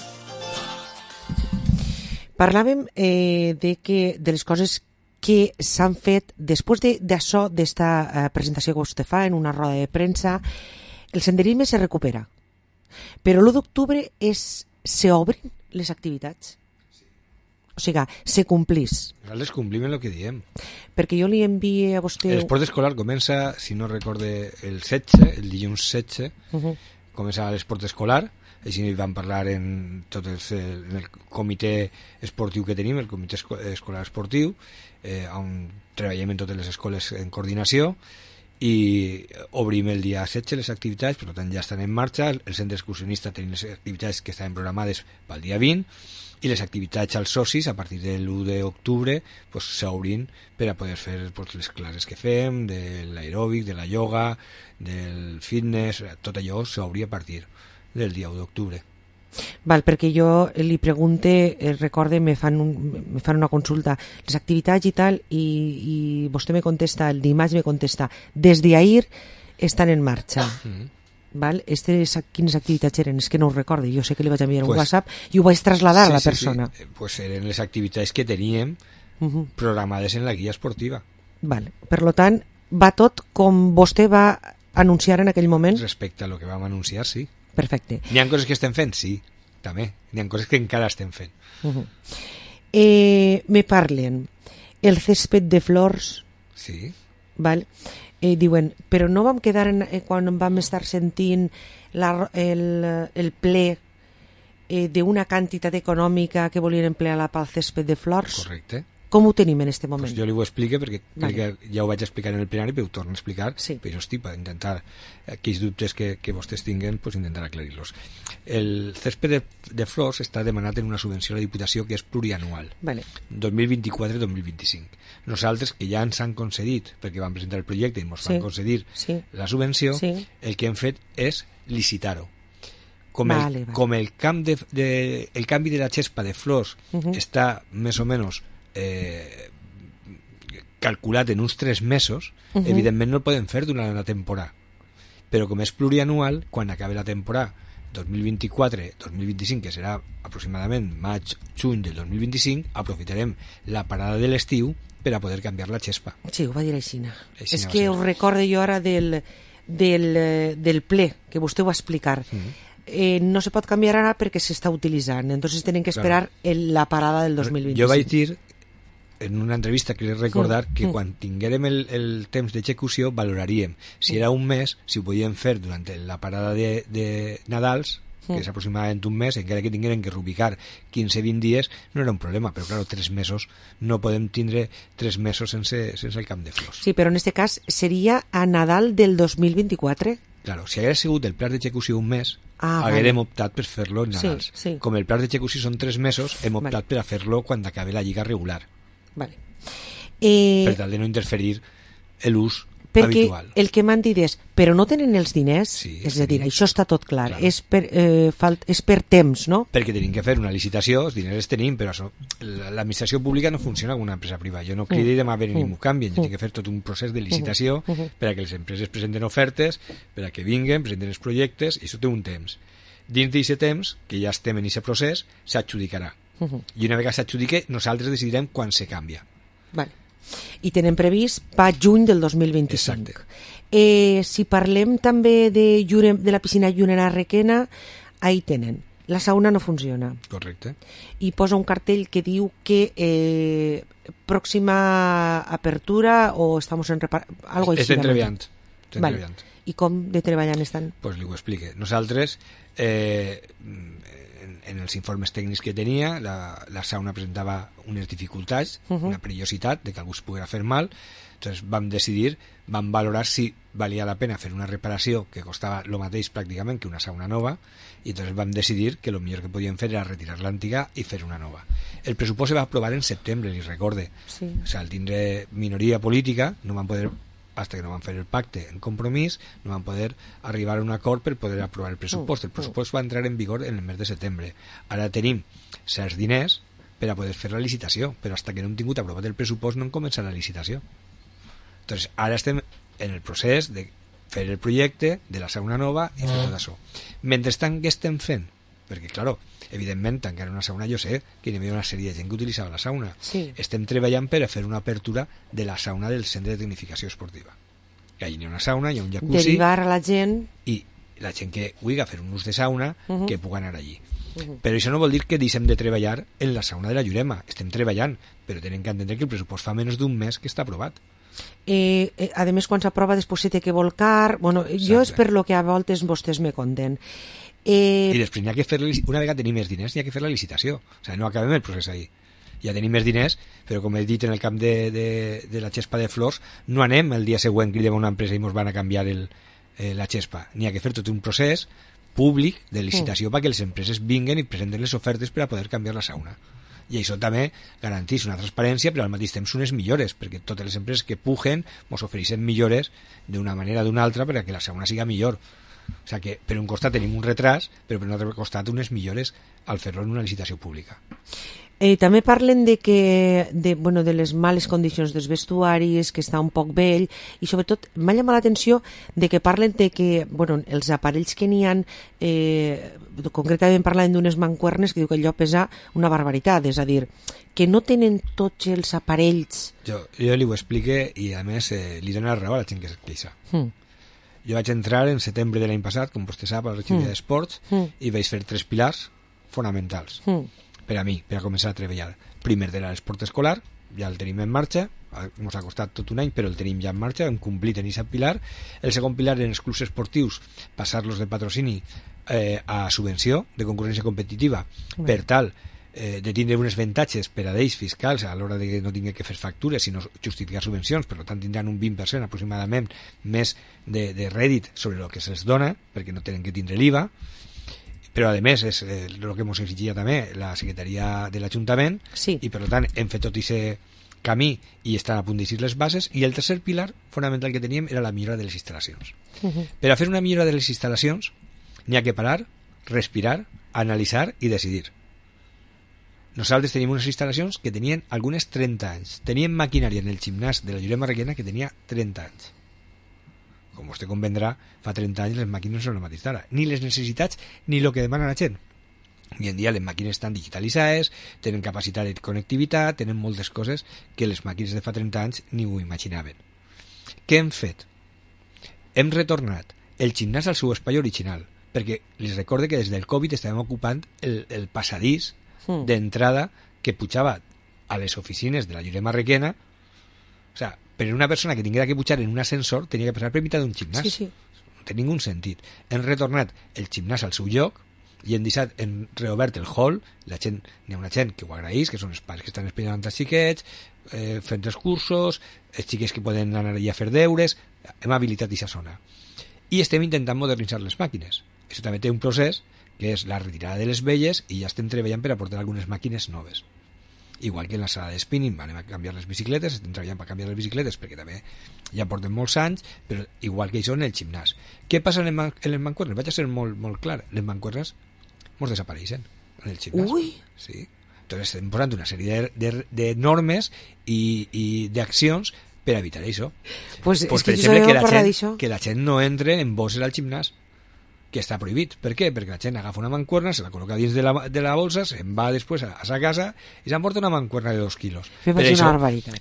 Parlàvem de les coses que s'han fet després d'això, d'esta presentació que vostè fa en una roda de premsa. El senderisme se recupera, però l'1 d'octubre s'obrin les activitats. O sigui, se complís. Nosaltres complim el que diem. Perquè jo li envie a vostè... L'esport escolar comença, si no recorde, el 16, el dilluns 16, comença l'esport escolar. Així vam parlar en el comitè esportiu que tenim, el comitè escolar esportiu, on treballem en totes les escoles en coordinació i obrim el dia 16 les activitats, per tant ja estan en marxa. El centre excursionista tenim les activitats que estaven programades pel dia 20 i les activitats als socis a partir de l'1 d'octubre s'obrin per a poder fer les classes que fem, de l'aeròbic, de la ioga, del fitness, tot allò s'obri a partir del dia 1 d'octubre. Val, perquè jo li pregunte, recorde, me fan una consulta, les activitats i tal, i vostè me contesta, el dimarts me contesta, des d'ahir estan en marxa. Val? Quines activitats eren? És que no ho recordo, jo sé que li vaig enviar un WhatsApp i ho vaig traslladar a la persona. Pues eren les activitats que teníem programades en la guia esportiva. Val. Per tant, va tot com vostè va anunciar en aquell moment? Respecte a lo que vam anunciar, sí. Perfecte. N'hi ha coses que estem fent? Sí, també. N'hi ha coses que encara estem fent. Me parlen el césped de flors. Sí. Val? Diuen, però no vam quedar quan vam estar sentint el ple d'una quantitat econòmica que volien emplear pel césped de flors? Correcte. Com ho tenim en aquest moment? Pues jo li ho explico perquè crec que ja ho vaig explicar en el plenari, però ho torno a explicar, però hosti, per intentar aquells dubtes que vostès tinguen, pues intentar aclarir-los. El césped de flors està demanat en una subvenció a la Diputació que és plurianual, 2024-2025. Nosaltres, que ja ens han concedit, perquè vam presentar el projecte i ens van concedir la subvenció, el que hem fet és licitar-ho. Com el canvi de la xespa de flors està més o menys calculat en uns 3 mesos, evidentment no el podem fer durant la temporada, però com és plurianual, quan acabi la temporada 2024-2025, que serà aproximadament maig-juny del 2025, aprofitarem la parada de l'estiu per a poder canviar la xespa. Sí, ho va dir així. És que us recordo jo ara del ple, que vostè ho va explicar. No se pot canviar ara perquè s'està utilitzant, entonces tenen que esperar la parada del 2025. Jo vaig dir en una entrevista que recordar que quan tinguérem el temps d'execució valoraríem si era un mes, si ho podíem fer durant la parada de Nadals, que és aproximadament un mes, encara que tinguérem que rubicar 15-20 dies, no era un problema, però clar, 3 mesos, no podem tindre 3 mesos sense el camp de flors. Sí, però en aquest cas seria a Nadal del 2024? Claro, si hagués sigut el pla d'execució un mes, haguérem optat per fer-lo en Nadals. Com el pla d'execució són 3 mesos, hem optat per a fer-lo quan acabi la lliga regular. Per tal de no interferir l'ús habitual. Perquè el que m'han dit és, però no tenen els diners, és a dir, això està tot clar, és per temps, no? Perquè tenim que fer una licitació, els diners els tenim, però l'administració pública no funciona com una empresa privada. Jo no cridi demà a venir i m'ho canvien, jo tinc que fer tot un procés de licitació per a que les empreses presenten ofertes, per a que vinguen, presenten els projectes, i això té un temps. Dins d'aquest temps, que ja estem en aquest procés, s'adjudicarà. I una vegada s'adjudique, nosaltres decidirem quan se canvia. I tenen previst per juny del 2025. Si parlem també de la piscina Llunera Requena, ahí tenen. La sauna no funciona. Correcte. I posa un cartell que diu que pròxima apertura o estamos en algo així. Estem treballant. I com de treballant estan? Pues li ho explique. Nosaltres en els informes tècnics que tenia, la sauna presentava unes dificultats, una perillositat de que algú es poguera fer mal, entonces vam valorar si valia la pena fer una reparació que costava el mateix pràcticament que una sauna nova, i entonces vam decidir que el millor que podíem fer era retirar l'antiga i fer una nova. El pressupost se va aprovar en setembre, li recorde. O sigui, al tindre minoria política, no van poder, hasta que no van fer el pacte en compromís, no van poder arribar a un acord per poder aprovar el pressupost. El pressupost va entrar en vigor en el mes de setembre. Ara tenim certs diners per a poder fer la licitació, però hasta que no hem tingut aprovat el pressupost no hem començat la licitació. Entonces, ara estem en el procés de fer el projecte de la sauna nova i fer tot això. Mentrestant, què estem fent? Perquè, claro, evidentment, tancar una sauna, jo sé que hi havia una sèrie de gent que utilitzava la sauna. Estem treballant per a fer una apertura de la sauna del centre de tecnificació esportiva. Que allà hi ha una sauna, hi ha un jacuzzi... Derivar a la gent... I la gent que vulgui fer un ús de sauna, que pugui anar allí. Però això no vol dir que deixem de treballar en la sauna de la Llurema. Estem treballant, però tenen que entendre que el pressupost fa menys d'un mes que està aprovat. A més, quan s'aprova després se té que volcar... Bueno, jo és per lo que a voltes vostès me conten. I després n'hi ha que fer, una vegada tenim més diners, n'hi ha que fer la licitació. O sigui, no acabem el procés ahí. Ja tenim més diners, però com he dit en el camp de la xespa de flors, no anem el dia següent, cridem a una empresa i ens van a canviar la xespa. N'hi ha que fer tot un procés públic de licitació perquè les empreses vinguen i presenten les ofertes per a poder canviar la sauna. I això també garanteix una transparència, però al mateix temps unes millores, perquè totes les empreses que puguen ens ofereixen millores d'una manera o d'una altra per a que la sauna siga millor. O sigui que per un costat tenim un retras, però per un altre costat unes millores al fer-lo en una licitació pública. També parlen de les males condicions dels vestuaris, que està un poc vell, i sobretot m'ha llamat l'atenció de que parlen de que els aparells que n'hi ha, concretament parlen d'unes mancuernes que diu que allò pesa una barbaritat, és a dir, que no tenen tots els aparells... Jo li ho explique i a més li dono la raó a la gent que es queixa. Jo vaig entrar en setembre de l'any passat, com vostè sap, a la regió d'esports, i vaig fer 3 pilars fonamentals per a mi, per a començar a treballar. Primer de l'esport escolar, ja el tenim en marxa, ens ha costat tot un any, però el tenim ja en marxa, hem complit en aquest pilar. El segon pilar en els clubs esportius, passar-los de patrocini a subvenció, de concurrència competitiva, per tal de tindre uns avantatges per a ells fiscals a l'hora de que no tingui que fer factures sinó justificar subvencions, per tant tindran un 20% aproximadament més de rèdit sobre el que se'ls dona perquè no tenen que tindre l'IVA, però a més és el que ens exigia també la secretaria de l'Ajuntament i per tant hem fet tot aquest camí i estan a punt d'eixir les bases. I el tercer pilar fonamental que teníem era la millora de les instal·lacions. Per a fer una millora de les instal·lacions n'hi ha que parar, respirar, analitzar i decidir. Nosaltres tenim unes instal·lacions que tenien algunes 30 anys. Teníem maquinària en el gimnàs de la Jurema Requena que tenia 30 anys. Com vostè convendrà, fa 30 anys les màquines no són el mateix d'ara. Ni les necessitats ni el que demana la gent. Avui en dia les màquines estan digitalitzades, tenen capacitat de connectivitat, tenen moltes coses que les màquines de fa 30 anys ni ho imaginaven. Què hem fet? Hem retornat el gimnàs al seu espai original, perquè les recorde que des del Covid estàvem ocupant el passadís d'entrada que pujava a les oficines de la Jurema Requena. O sea, per una persona que tinguera que pujar en un ascensor tenia que passar per mitjà d'un gimnàs. No té ningú sentit. Hem retornat el gimnàs al seu lloc i hem reobert el hall. N'hi ha una gent que ho agraeix, que són els pares que estan esperant els xiquets, fent els cursos, els xiquets que poden anar allà a fer deures. Hem habilitat aquesta zona i estem intentant modernitzar les màquines. Això també té un procés que és la retirada de les velles i ja estem treballant per aportar algunes màquines noves. Igual que en la sala de spinning anem a canviar les bicicletes, estem treballant per canviar les bicicletes perquè també ja porten molts anys, però igual que això en el gimnàs. Què passa en les mancuernes? Vaig a ser molt clar. Les mancuernes ens desapareixen en el gimnàs. Sí. Entonces estem posant una sèrie de normes i d'accions per evitar això. Pues per exemple, que la gent no entre en bosses al gimnàs, que està prohibit. Per què? Perquè la gent agafa una mancuerna, se la col·loca dins de la bolsa, se'n va després a sa casa i s'emporta una mancuerna de 2 quilos. Per això,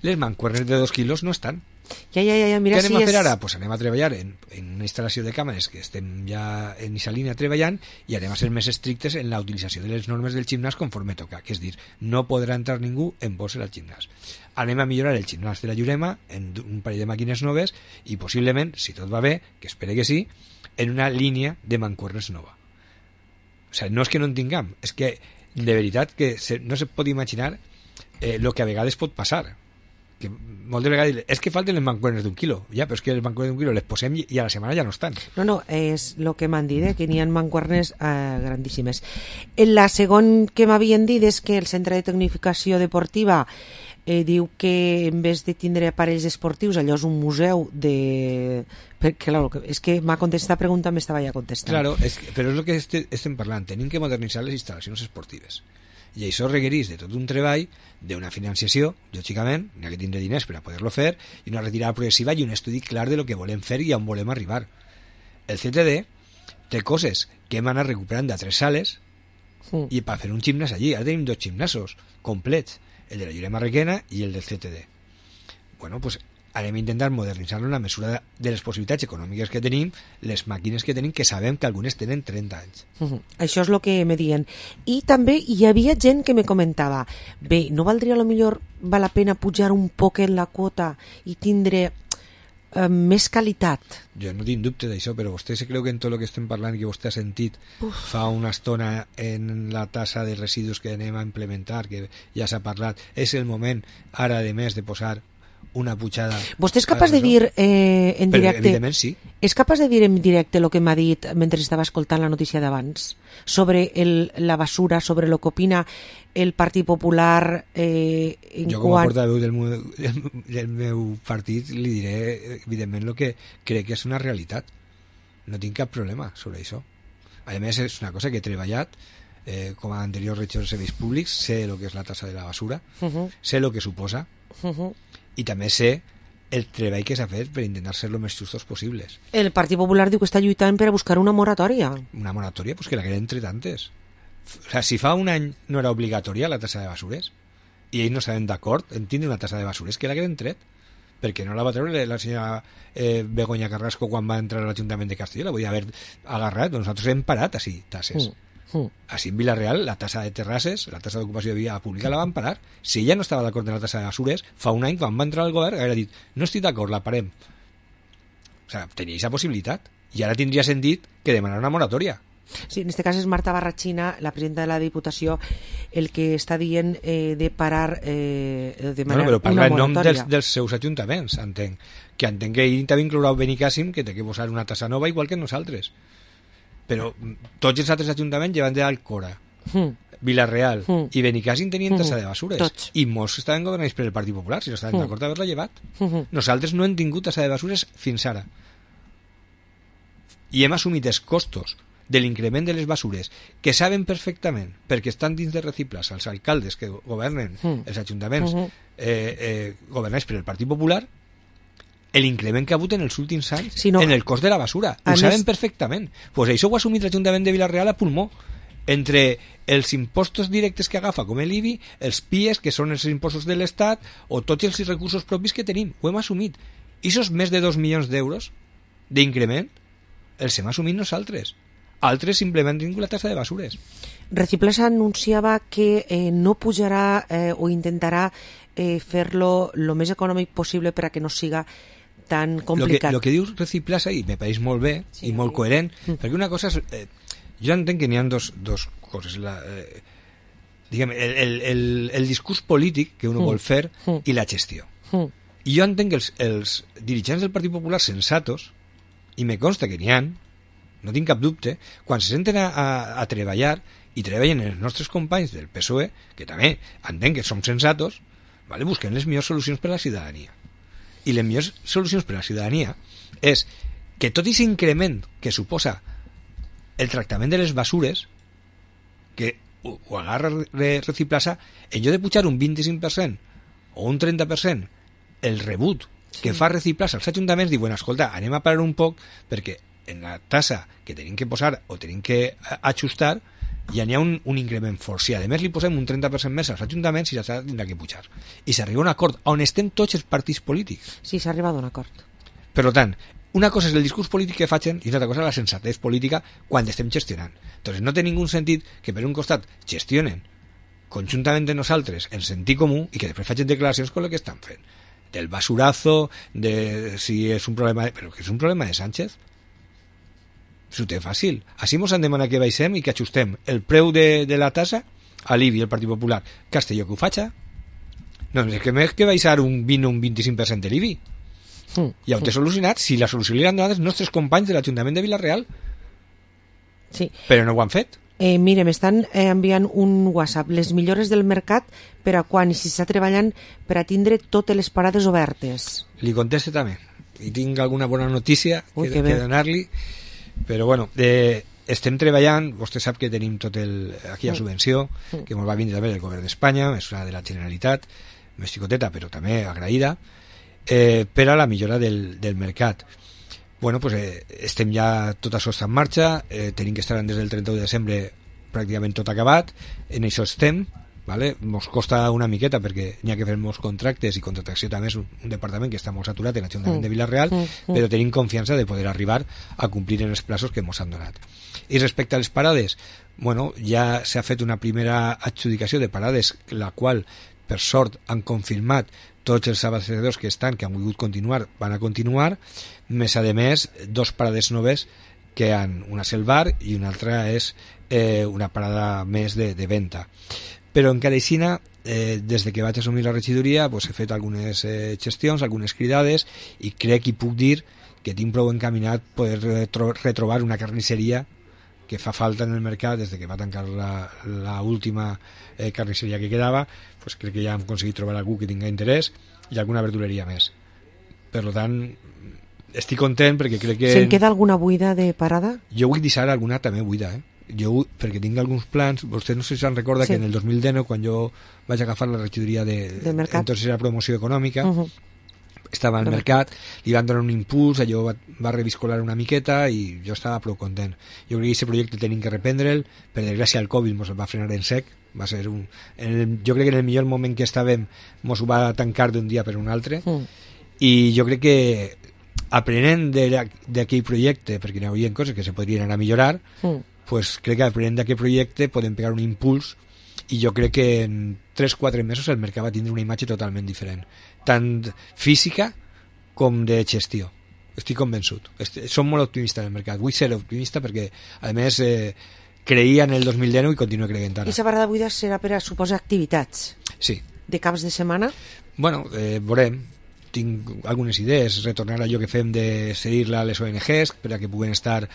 les mancuernes de 2 quilos no estan. Ja, mira, què anem a fer ara? Pues anem a treballar en una instal·lació de càmeres que estem ja en aquesta línia treballant i anem a ser més estrictes en la utilització de les normes del gimnàs conforme toca, que és dir, no podrà entrar ningú en bossa al gimnàs. Anem a millorar el gimnàs de la Jurema en un parell de màquines noves i possiblement, si tot va bé, que espere que sí, en una línia de mancuernes nova. O sigui, no és que no en tinguem, és que de veritat que no se pot imaginar el que a vegades pot passar. Que moltes vegades és que falten les mancuernes d'1 quilo, ja, però és que les mancuernes d'1 quilo les posem i a la setmana ja no estan. No, és el que m'han dit, que n'hi ha mancuernes grandíssimes. La segon que m'havien dit és que el Centre de Tecnificació Deportiva diu que en vez de tindre aparells esportius allò és un museu de... Perquè, claro, és que m'ha contestat la pregunta, m'estava ja contestant. Claro, però és el que estem parlant, tenim que modernitzar les instal·lacions esportives i això requereix de tot un treball, d'una financiació, lògicament, n'hi ha que tindre diners per a poder-lo fer, i una retirada progressiva i un estudi clar de lo que volem fer i on volem arribar. El CTD té coses que hem anat recuperant d'altres sales i per fer un gimnàs allí. Ara tenim 2 gimnasos complets, el de la Jurema Requena i el del CTD. Bueno, pues anem a intentar modernitzar-lo en la mesura de les possibilitats econòmiques que tenim, les màquines que tenim, que sabem que algunes tenen 30 anys. Això és el que me diuen. I també hi havia gent que me comentava, bé, no valdria millor val la pena pujar un poc en la quota i tindre més qualitat? Jo no tinc dubte d'això, però vostè se creu que en tot el que estem parlant i que vostè ha sentit fa una estona en la tassa de residus que anem a implementar, que ja s'ha parlat, és el moment ara de més de posar una pujada... Vostè és capaç de dir en directe... Evidentment sí. És capaç de dir en directe el que m'ha dit mentre estava escoltant la notícia d'abans sobre la basura, sobre el que opina el Partit Popular jo com a portaveu del meu partit li diré evidentment el que crec que és una realitat. No tinc cap problema sobre això. A més és una cosa que he treballat com a anterior regidor de serveis públics, sé el que és la tassa de la basura, sé el que suposa i també sé el treball que s'ha fet per intentar ser lo més justos possibles. El Partit Popular diu que està lluitant per a buscar una moratòria. Una moratòria? Pues que la queden entre tantes. O sea, si fa un any no era obligatòria la tassa de basures i ells no estaven d'acord en tindre una tassa de basures, que la queden tret. Perquè no la va treure la senyora Begoña Carrasco quan va entrar a l'Ajuntament de Castelló, la podia haver agarrat. Nosaltres hem parat així tasses. Així en Vila-real la tassa de terrasses, la tassa d'ocupació de via pública la van parar. Si ella no estava d'acord amb la tassa de basures, fa un any quan va entrar al govern hauria dit, no estic d'acord, la parem. O sigui, tenia aquesta possibilitat i ara tindria sentit que demanar una moratòria, Sí, en este cas és Marta Barrachina, la presidenta de la Diputació, el que està dient de parar de manera però parla en nom moratòria. dels seus ajuntaments, entenc. Que entenc que ell també inclourà Benicàssim, que té que posar una tassa nova igual que nosaltres. Però tots els altres ajuntaments llevan d'Alcora, Vila-real i Benicàssim tenien tassa de basures. Tots. I molts estaven governats per el Partit Popular, si no estaven d'acord d'haver-la llevat. Nosaltres no hem tingut tassa de basures fins ara. I hem assumit els costos de l'increment de les basures, que saben perfectament, perquè estan dins de Reciclas, els alcaldes que governen els ajuntaments governats per el Partit Popular, l'increment que ha hagut en els últims anys en el cost de la basura. Ho saben perfectament. Pues això ho ha assumit l'Ajuntament de Vila-real a pulmó. Entre els impostos directes que agafa, com l'IBI, els PIEs, que són els impostos de l'Estat, o tots els recursos propis que tenim. Ho hem assumit. I esos més de 2 milions d'euros d'increment els hem assumit nosaltres. Altres simplement tingut la tassa de basures. Reciclas anunciava que no pujarà o intentarà fer-lo lo més econòmic possible per a que no siga tan complicat. Lo que diu Reciclas ahí me pareix molt bé i molt coherent, perquè una cosa és... jo entenc que n'hi ha dos coses. Diguem, el discurs polític que uno vol fer i la gestió. I jo entenc que els dirigents del Partit Popular sensatos, i me consta que n'hi ha, no tinc cap dubte, quan se senten a treballar i treballen els nostres companys del PSOE, que també entenc que som sensatos, vale, busquen les millors solucions per a la ciutadania. I les millors solucions per a la ciutadania és que tot aquest increment que suposa el tractament de les basures, que ho agarra Reciplasa, en lloc de pujar un 25% o un 30% el rebut que fa Reciplasa als ajuntaments, diuen, escolta, anem a parar un poc perquè en la tassa que tenim que posar o tenim que ajustar ja n'hi ha un increment fort. Si a més li posem un 30% més als ajuntaments, i s'ha tindrà que pujar. I s'arriba a un acord on estem tots els partits polítics. Sí, s'ha arribat a un acord. Per tant, una cosa és el discurs polític que facin i una altra cosa és la sensatez política quan estem gestionant. Entonces no té ningú sentit que per un costat gestionen conjuntament de nosaltres en sentit comú i que després facin declaracions con el que estan fent. Del basurazo, de si és un problema... Però que és un problema de Sánchez? S'ho té fàcil. Així mos han demanat que baixem i que ajustem el preu de la tassa a l'IBI, el Partit Popular. Castelló que ho faig? No, és que més que baixar un 20 o un 25% de l'IBI. Ja ho té solucionat. Si la solució li han donat els nostres companys de l'Ajuntament de Vila-real. Sí. Però no ho han fet. Mire, m'estan enviant un WhatsApp. Les millores del mercat per a quan i si s'està treballant per a tindre totes les parades obertes. Li conteste també. I tinc alguna bona notícia que donar-li. Però bueno, estem treballant, vostè sap que tenim tot aquí la subvenció que ens va vindre també del govern d'Espanya, és una de la Generalitat, més xicoteta però també agraïda, per a la millora del mercat. Bueno, pues estem ja, tot això està en marxa, tenim que estar des del 31 de desembre pràcticament tot acabat, en això estem, vale? Mos costa una miqueta perquè n'hi ha que fer molts contractes i contractació també és un departament que està molt saturat en l'Ajuntament de Vila-real, però tenim confiança de poder arribar a complir en els plazos que mos han donat. I respecte a les parades, bueno, ja s'ha fet una primera adjudicació de parades, la qual, per sort, han confirmat tots els abastecedors que han volgut continuar, van a continuar, més a més, 2 parades noves que han, una és el bar i una altra és una parada més de venda. Però encara així, des que vaig assumir la regidoria, he fet algunes gestions, algunes cridades, i crec i puc dir que tinc prou encaminat poder retrobar una carnisseria que fa falta en el mercat des que va tancar l'última carnisseria que quedava. Crec que ja hem aconseguit trobar algú que tinga interès i alguna verduleria més. Per tant, estic content perquè crec que... Se'n queda alguna buida de parada? Jo vull deixar alguna també buida, Jo, perquè tinc alguns plans, vostè no sé si se'n recorda que en el 2019, quan jo vaig agafar la regidoria entonces era promoció econòmica, estava al mercat, li van donar un impuls, allò va reviscolar una miqueta i jo estava prou content. Jo crec que aquest projecte tenim que reprendre'l, per desgràcia el Covid ens va frenar en sec, va ser jo crec que en el millor moment que estàvem ens ho va tancar d'un dia per un altre, i jo crec que aprenent d'aquell projecte, perquè hi hauria coses que se podrien anar a millorar, pues crec que aprenent d'aquest projecte podem pegar un impuls i jo crec que en 3-4 mesos el mercat va tindre una imatge totalment diferent, tant física com de gestió, estic convençut. Som molt optimistes en el mercat. Vull ser optimista perquè, a més, creia en el 2019 i continuo creient ara. I la parada buida serà per a suposar activitats? Sí. De caps de setmana? Bueno, veurem. Tinc algunes idees, retornar a allò que fem de cedir-la a les ONGs per a que puguen estar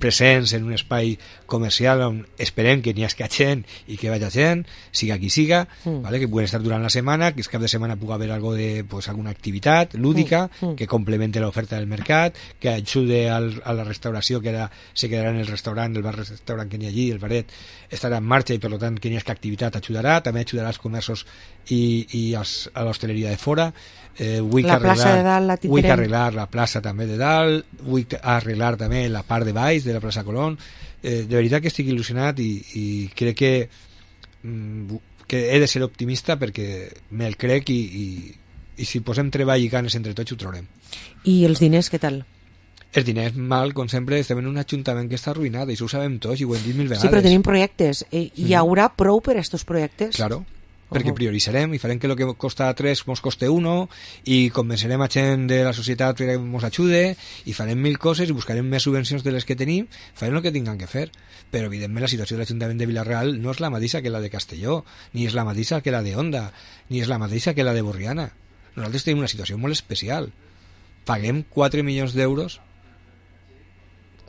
presents en un espai comercial on esperem que n'hi hagi gent i que vagi gent, siga qui siga, ¿vale? Que puguen estar durant la setmana, que el cap de setmana pugui haver algo de, pues, alguna activitat lúdica que complemente l'oferta del mercat, que ajude a la restauració, que ara se quedarà en el restaurant, el bar-restaurant que n'hi ha allí, el baret, estarà en marxa i per tant que n'hi hagi activitat ajudarà, també ajudarà als comerços i a l'hostaleria de fora. Vull arreglar la plaça també de dalt, vull arreglar també la part de baix de la plaça Colón. De veritat que estic il·lusionat i crec que he de ser optimista perquè me'l crec i si posem treball i ganes entre tots ho trobarem. I els diners què tal? Els diners mal, com sempre, estem en un ajuntament que està arruïnat, i això ho sabem tots i ho hem dit 1000 vegades. Sí, però tenim projectes. Hi haurà prou per a aquests projectes? Claro. Perquè prioritzarem i farem que el que costa 3 mos coste 1 i convencerem a gent de la societat que ens ajude i farem 1000 coses i buscarem més subvencions de les que tenim, farem el que tinguem que fer. Però evidentment la situació de l'Ajuntament de Vila-real no és la mateixa que la de Castelló, ni és la mateixa que la de Onda, ni és la mateixa que la de Borriana. Nosaltres tenim una situació molt especial. Paguem 4 milions d'euros,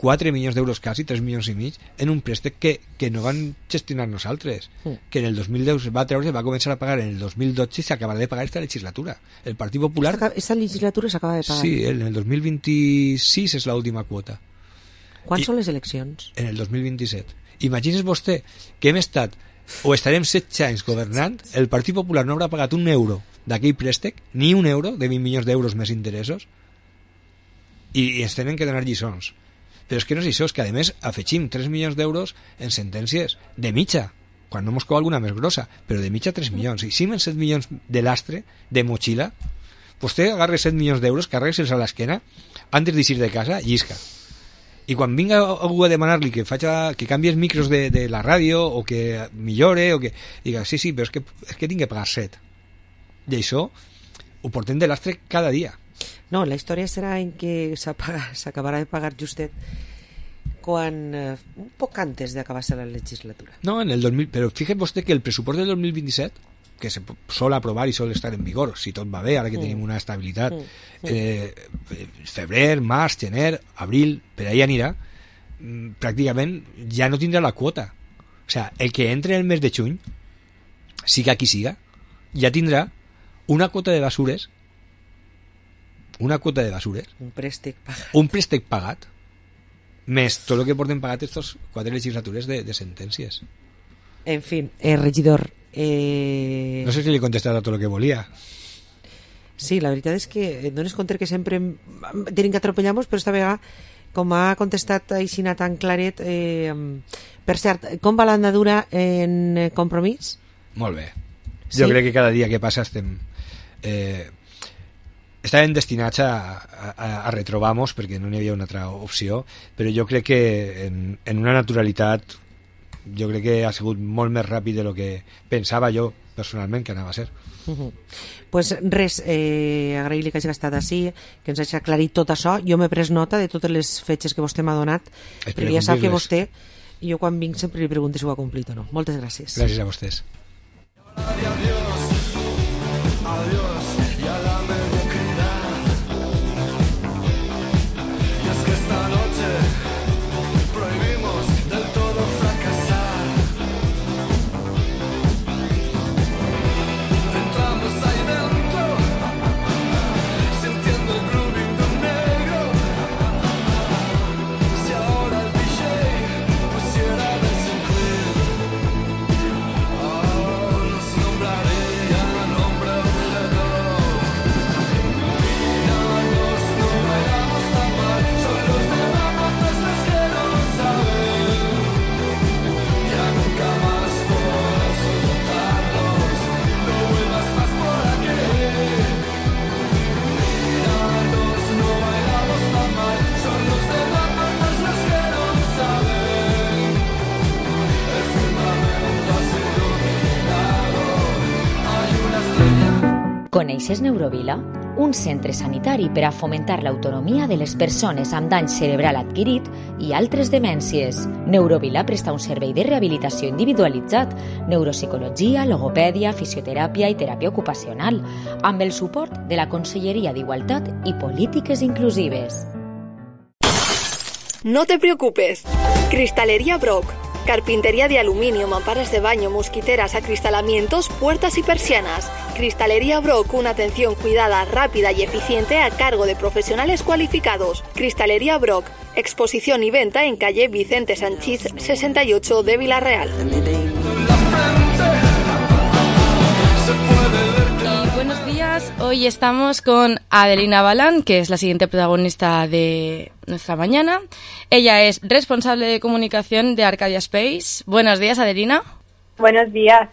4 milions d'euros quasi, 3 milions i mig, en un préstec que no van gestionar nosaltres, que en el 2010 se va treure, se va començar a pagar en el 2012 i s'acabarà de pagar esta legislatura. El Partit Popular... Esta legislatura s'acaba de pagar? Sí, en el 2026 és l'última quota. Quan són les eleccions? En el 2027. Imagines vostè que hem estat, o estarem 16 anys governant, el Partit Popular no haurà pagat un euro d'aquell préstec, ni un euro de 20 milions d'euros més interessos, i ens tenen que donar lliçons. Però és que no és això, és que a més afegim 3 milions d'euros en sentències de mitja, quan no mos cau alguna més grossa, però de mitja 3 milions. I si en 7 milions de lastre, de motxilla, vostè agarra 7 milions d'euros, carrega-se'ls a l'esquena, antes d'eixir de casa, llisca. I quan vinga algú a demanar-li que canvi els micros de la ràdio, o que millore, o que diga, sí, però és que tinc que pagar 7. I això ho portem de lastre cada dia. No, la història serà en què s'acabarà de pagar justet quan un poc antes d'acabar-se la legislatura. No, en el 2000, però fíjate vostè que el pressupost del 2027, que se sol aprovar i sol estar en vigor, si tot va bé, ara que tenim una estabilitat, febrer, març, gener, abril, per ahí anirà, pràcticament ja no tindrà la quota. O sea, el que entre el mes de juny, siga qui siga, ja tindrà una quota de basures, un préstec pagat, més tot el que porten pagat estos 4 legislatures de sentències. En fi, regidor, no sé si li he contestat a tot el que volia. Sí, la veritat és que et dones compte que sempre tenim que atropellar-nos, però esta vegada, com ha contestat Aixina tan claret, per cert, com va l'andadura en Compromís? Molt bé. Jo crec que cada dia que passa estàvem destinats a retrobar-nos perquè no n'hi havia una altra opció, però jo crec que en una naturalitat jo crec que ha sigut molt més ràpid de lo que pensava jo personalment que anava a ser. Pues res, agrair-li que hagi estat així, que ens hagi aclarit tot això. Jo m'he pres nota de totes les fetges que vostè m'ha donat, perquè ja sap que vostè, jo quan vinc sempre li pregunto si ho ha complit o no. Moltes gràcies. Gràcies a vostès. Coneixes Neurovila? un centre sanitari per a fomentar l'autonomia de les persones amb dany cerebral adquirit i altres demències. Neurovila presta un servei de rehabilitació individualitzat, neuropsicologia, logopèdia, fisioteràpia i teràpia ocupacional, amb el suport de la Conselleria d'Igualtat i Polítiques Inclusives. No te preocupes. Cristalería Brock. Carpintería de aluminio, mamparas de baño, mosquiteras, acristalamientos, puertas y persianas. Cristalería Brock, una atención cuidada, rápida y eficiente a cargo de profesionales cualificados. Cristalería Brock, exposición y venta en calle Vicente Sanchís 68 de Villarreal. Buenos días, hoy estamos con Adelina Balán, que es la siguiente protagonista de nuestra mañana. Ella es responsable de comunicación de Arcadia Space. Buenos días, Adelina. Buenos días.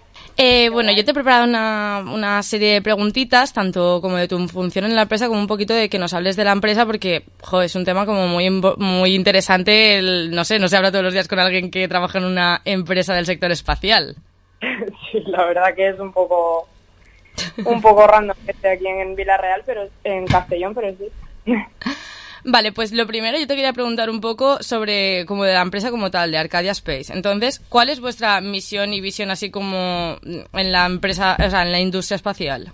Bueno, yo te he preparado una serie de preguntitas, tanto como de tu función en la empresa, como un poquito de que nos hables de la empresa, porque es un tema como muy interesante. No se habla todos los días con alguien que trabaja en una empresa del sector espacial. Sí, la verdad que es un poco random que esté aquí en Villarreal, pero en Castellón, pero sí. Vale, pues lo primero yo te quería preguntar un poco sobre como de la empresa como tal, de Arcadia Space. Entonces, ¿cuál es vuestra misión y visión así como en la empresa, o sea, en la industria espacial?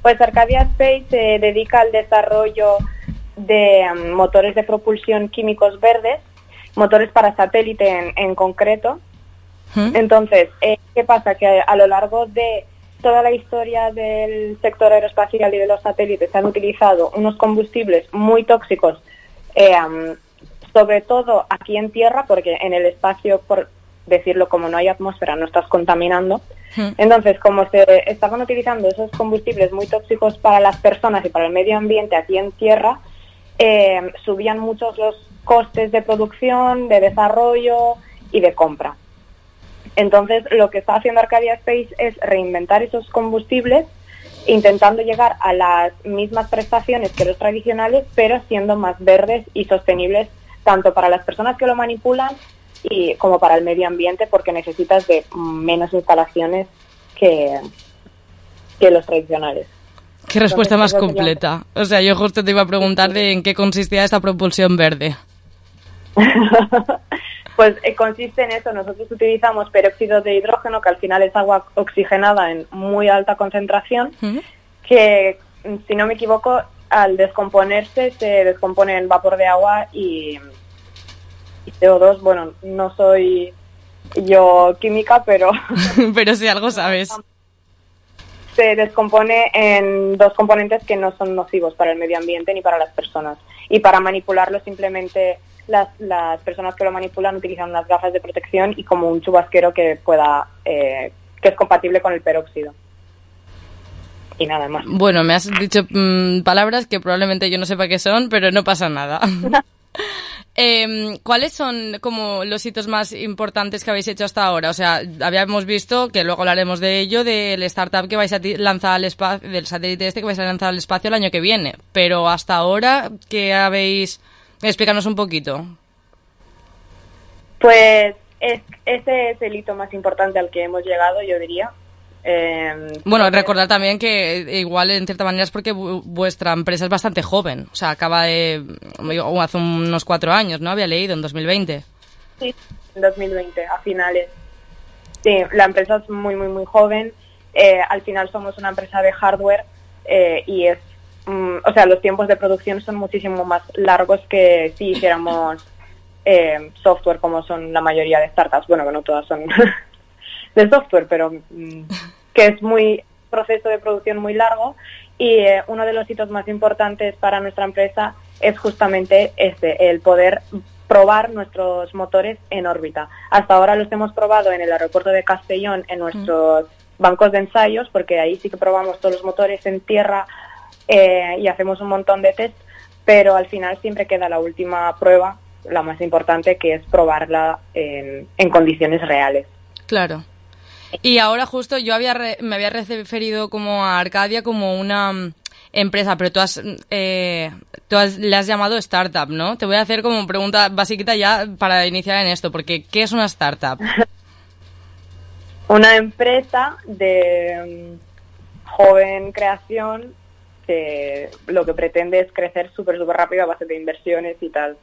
Pues Arcadia Space se dedica al desarrollo de motores de propulsión químicos verdes, motores para satélite en concreto. Entonces, ¿qué pasa? Que a lo largo de toda la historia del sector aeroespacial y de los satélites se han utilizado unos combustibles muy tóxicos, sobre todo aquí en tierra, porque en el espacio, por decirlo, como no hay atmósfera, no estás contaminando. Entonces, como se estaban utilizando esos combustibles muy tóxicos para las personas y para el medio ambiente aquí en tierra, subían muchos los costes de producción, de desarrollo y de compra. Entonces, lo que está haciendo Arcadia Space es reinventar esos combustibles, intentando llegar a las mismas prestaciones que los tradicionales, pero siendo más verdes y sostenibles tanto para las personas que lo manipulan y como para el medio ambiente, porque necesitas de menos instalaciones que los tradicionales. Qué respuesta más completa. O sea, yo justo te iba a preguntar de en qué consistía esta propulsión verde. Pues consiste en eso. Nosotros utilizamos peróxido de hidrógeno, que al final es agua oxigenada en muy alta concentración, que, si no me equivoco, al descomponerse se descompone en vapor de agua y CO2. Bueno, no soy yo química, pero... pero si algo sabes. Se descompone en dos componentes que no son nocivos para el medio ambiente ni para las personas. Y para manipularlo simplemente... Las personas que lo manipulan utilizan unas gafas de protección y como un chubasquero que es compatible con el peróxido. Y nada más. Bueno, me has dicho palabras que probablemente yo no sepa qué son, pero no pasa nada. ¿Cuáles son como los hitos más importantes que habéis hecho hasta ahora? O sea, habíamos visto, que luego hablaremos de ello, del startup que vais a lanzar al espacio, del satélite que vais a lanzar al espacio el año que viene. Pero hasta ahora, ¿qué habéis...? Explícanos un poquito. Pues ese es el hito más importante al que hemos llegado, yo diría. Bueno, recordar también que igual en cierta manera es porque vuestra empresa es bastante joven. O sea, acaba de... hace unos 4 años, ¿no? Había leído, en 2020. Sí, en 2020, a finales. Sí, la empresa es muy, muy, muy joven. Al final somos una empresa de hardware y es... o sea, los tiempos de producción son muchísimo más largos que si hiciéramos software, como son la mayoría de startups. Bueno, que no todas son de software, pero que es proceso de producción muy largo. Y uno de los hitos más importantes para nuestra empresa es justamente el poder probar nuestros motores en órbita. Hasta ahora los hemos probado en el aeropuerto de Castellón, en nuestros bancos de ensayos, porque ahí sí que probamos todos los motores en tierra y hacemos un montón de test, pero al final siempre queda la última prueba, la más importante, que es probarla en condiciones reales. Claro. Y ahora justo yo me había referido como a Arcadia como una empresa, pero le has llamado startup, ¿no? Te voy a hacer como pregunta básica ya para iniciar en esto, porque ¿qué es una startup? Una empresa de joven creación que lo que pretende es crecer súper rápido a base de inversiones y tal.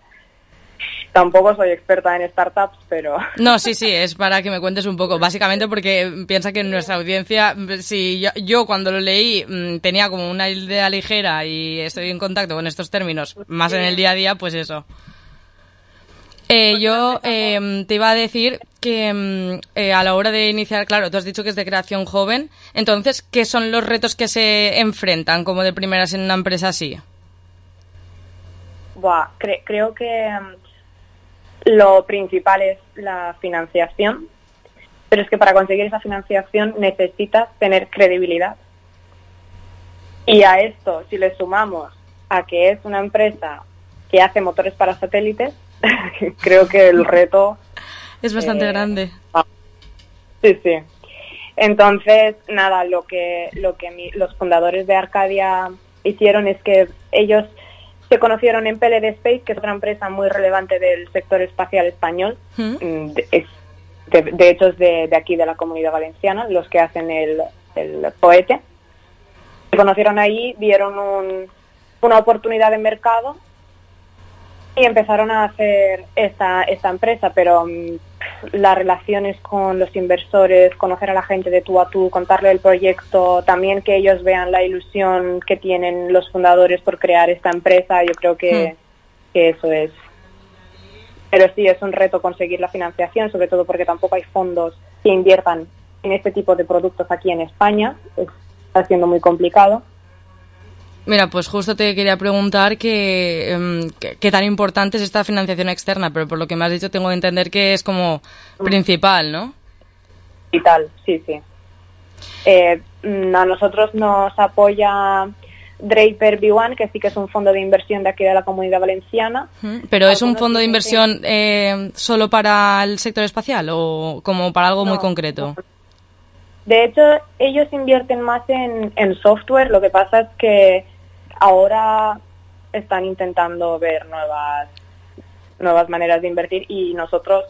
Tampoco soy experta en startups, pero... No, sí, es para que me cuentes un poco. Básicamente porque piensa que en nuestra audiencia, si yo cuando lo leí tenía como una idea ligera y estoy en contacto con estos términos más en el día a día, pues eso. Yo te iba a decir que a la hora de iniciar, claro, tú has dicho que es de creación joven, entonces, ¿qué son los retos que se enfrentan como de primeras en una empresa así? Creo que lo principal es la financiación, pero es que para conseguir esa financiación necesitas tener credibilidad. Y a esto, si le sumamos a que es una empresa que hace motores para satélites, creo que el reto es bastante grande. Sí. Entonces, nada, lo que los fundadores de Arcadia hicieron es que ellos se conocieron en PLD Space, que es otra empresa muy relevante del sector espacial español. De hecho, es de aquí, de la Comunidad Valenciana, los que hacen el Poete. Se conocieron ahí, vieron una oportunidad de mercado y empezaron a hacer esta empresa, pero las relaciones con los inversores, conocer a la gente de tú a tú, contarle el proyecto, también que ellos vean la ilusión que tienen los fundadores por crear esta empresa, yo creo que eso es. Pero sí, es un reto conseguir la financiación, sobre todo porque tampoco hay fondos que inviertan en este tipo de productos aquí en España, está siendo muy complicado. Mira, pues justo te quería preguntar qué tan importante es esta financiación externa, pero por lo que me has dicho tengo que entender que es como principal, ¿no? Vital, sí. A nosotros nos apoya Draper B1, que sí que es un fondo de inversión de aquí de la Comunidad Valenciana. ¿Pero es un fondo de inversión solo para el sector espacial o como para algo muy concreto? De hecho, ellos invierten más en software, lo que pasa es que ahora están intentando ver nuevas maneras de invertir y nosotros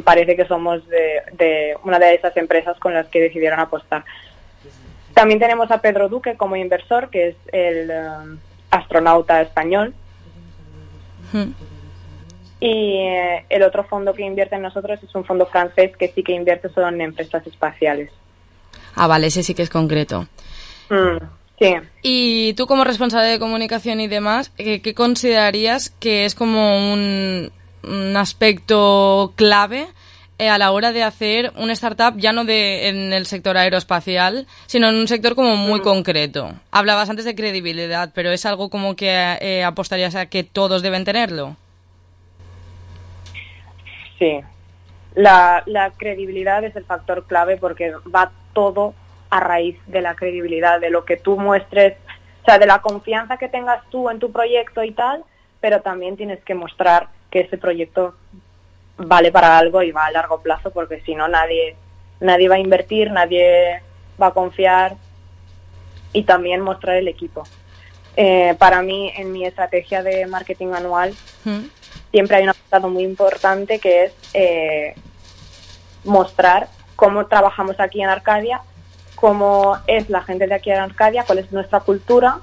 parece que somos de una de esas empresas con las que decidieron apostar. También tenemos a Pedro Duque como inversor, que es el astronauta español. Y el otro fondo que invierte en nosotros es un fondo francés que sí que invierte solo en empresas espaciales. Ah, vale, ese sí que es concreto. Sí. Y tú como responsable de comunicación y demás, ¿qué considerarías que es como un aspecto clave a la hora de hacer una startup ya no en el sector aeroespacial, sino en un sector como muy concreto? Hablabas antes de credibilidad, pero ¿es algo como que apostarías a que todos deben tenerlo? Sí, la credibilidad es el factor clave porque va todo a raíz de la credibilidad, de lo que tú muestres, o sea, de la confianza que tengas tú en tu proyecto y tal, pero también tienes que mostrar que ese proyecto vale para algo y va a largo plazo, porque si no nadie va a invertir, nadie va a confiar, y también mostrar el equipo. Para mí, en mi estrategia de marketing anual, siempre hay un apartado muy importante que es mostrar cómo trabajamos aquí en Arcadia, cómo es la gente de aquí en Arcadia, cuál es nuestra cultura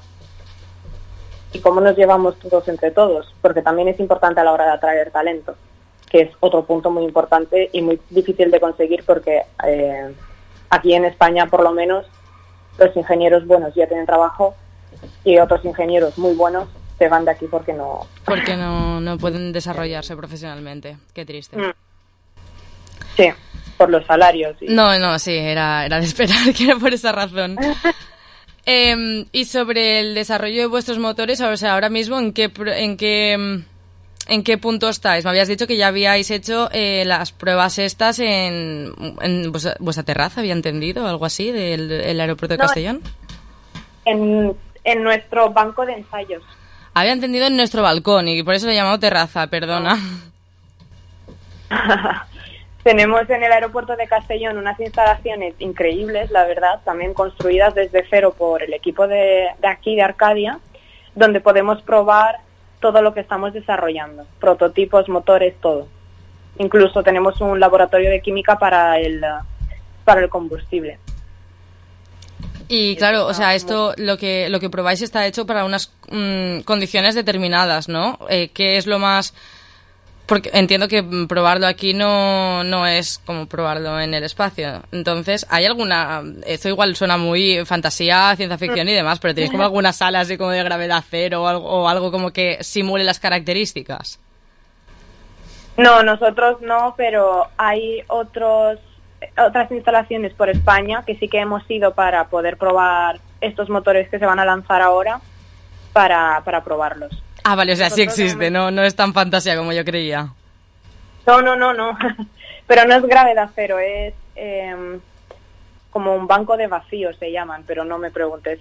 y cómo nos llevamos todos entre todos, porque también es importante a la hora de atraer talento, que es otro punto muy importante y muy difícil de conseguir porque aquí en España, por lo menos, los ingenieros buenos ya tienen trabajo y otros ingenieros muy buenos se van de aquí porque no pueden desarrollarse profesionalmente. Qué triste. Sí, por los salarios. No, sí, era de esperar que era por esa razón. Y sobre el desarrollo de vuestros motores, o sea, ahora mismo, ¿en qué punto estáis? Me habías dicho que ya habíais hecho las pruebas estas en vuestra terraza, había entendido, algo así, del aeropuerto de Castellón. En nuestro banco de ensayos. Había entendido en nuestro balcón y por eso lo he llamado terraza, perdona. Tenemos en el aeropuerto de Castellón unas instalaciones increíbles, la verdad, también construidas desde cero por el equipo de aquí, de Arcadia, donde podemos probar todo lo que estamos desarrollando, prototipos, motores, todo. Incluso tenemos un laboratorio de química para el combustible. Y claro, o sea, esto, lo que probáis está hecho para unas condiciones determinadas, ¿no? ¿Qué es lo más...? Porque entiendo que probarlo aquí no es como probarlo en el espacio. Entonces, ¿hay alguna...? Esto igual suena muy fantasía, ciencia ficción y demás, pero ¿tenéis como alguna sala así como de gravedad cero o algo como que simule las características? No, nosotros no, pero hay otras instalaciones por España que sí que hemos ido para poder probar estos motores que se van a lanzar ahora para probarlos. Ah, vale, o sea, sí existe, no es tan fantasía como yo creía. No. Pero no es gravedad cero, es como un banco de vacío se llaman, pero no me preguntes.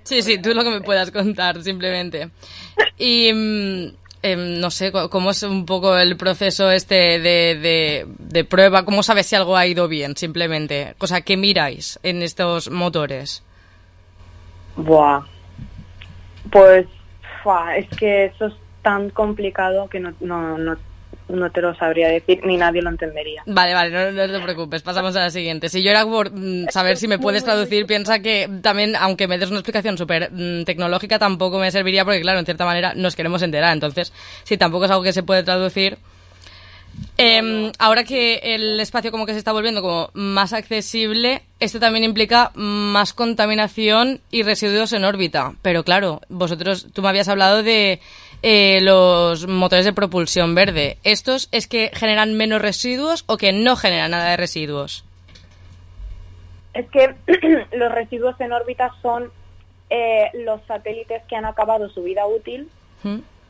Sí, tú lo que me puedas contar, simplemente. Y no sé, ¿cómo es un poco el proceso de prueba? ¿Cómo sabes si algo ha ido bien, simplemente? O sea, ¿qué miráis en estos motores? Buah. Pues... es que eso es tan complicado que no te lo sabría decir, ni nadie lo entendería. Vale, no te preocupes, pasamos a la siguiente. Si yo era por saber si me puedes traducir, piensa que también, aunque me des una explicación súper tecnológica, tampoco me serviría porque, claro, en cierta manera nos queremos enterar. Entonces, si tampoco es algo que se puede traducir... Ahora que el espacio como que se está volviendo como más accesible, esto también implica más contaminación y residuos en órbita. Pero claro, tú me habías hablado de los motores de propulsión verde. ¿Estos es que generan menos residuos o que no generan nada de residuos? Es que los residuos en órbita son los satélites que han acabado su vida útil,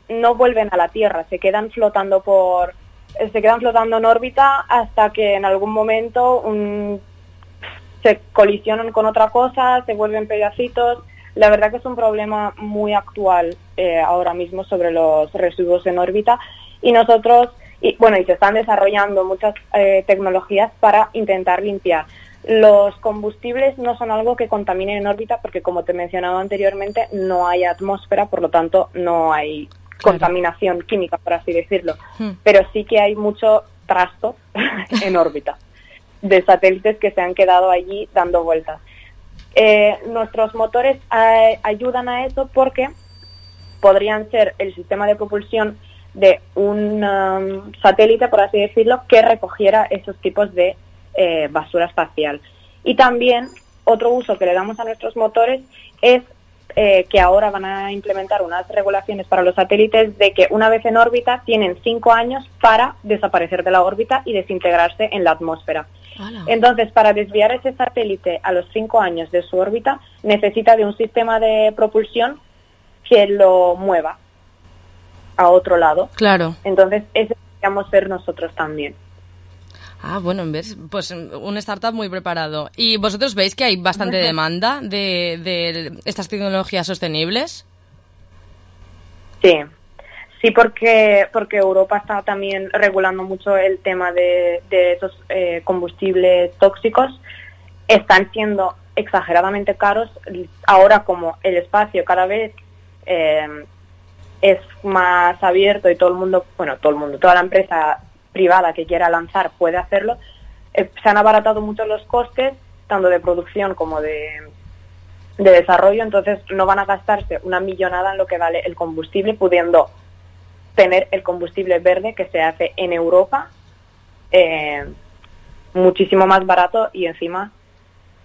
no vuelven a la Tierra, se quedan flotando en órbita hasta que en algún momento se colisionan con otra cosa, se vuelven pedacitos. La verdad que es un problema muy actual ahora mismo sobre los residuos en órbita y se están desarrollando muchas tecnologías para intentar limpiar. Los combustibles no son algo que contaminen en órbita porque, como te he mencionado anteriormente, no hay atmósfera, por lo tanto no hay contaminación química, por así decirlo. Pero sí que hay mucho trasto en órbita de satélites que se han quedado allí dando vueltas. Nuestros motores ayudan a eso porque podrían ser el sistema de propulsión de un satélite, por así decirlo, que recogiera esos tipos de basura espacial. Y también otro uso que le damos a nuestros motores es que ahora van a implementar unas regulaciones para los satélites de que una vez en órbita tienen 5 años para desaparecer de la órbita y desintegrarse en la atmósfera. Entonces, para desviar ese satélite a los 5 años de su órbita, necesita de un sistema de propulsión que lo mueva a otro lado. Claro. Entonces, ese deberíamos ser nosotros también. Ah, bueno, ¿ves? Pues un startup muy preparado. ¿Y vosotros veis que hay bastante demanda de estas tecnologías sostenibles? Sí, porque Europa está también regulando mucho el tema de esos combustibles tóxicos. Están siendo exageradamente caros. Ahora, como el espacio cada vez es más abierto y toda la empresa privada que quiera lanzar puede hacerlo, se han abaratado mucho los costes, tanto de producción como de desarrollo, entonces no van a gastarse una millonada en lo que vale el combustible, pudiendo tener el combustible verde que se hace en Europa muchísimo más barato y encima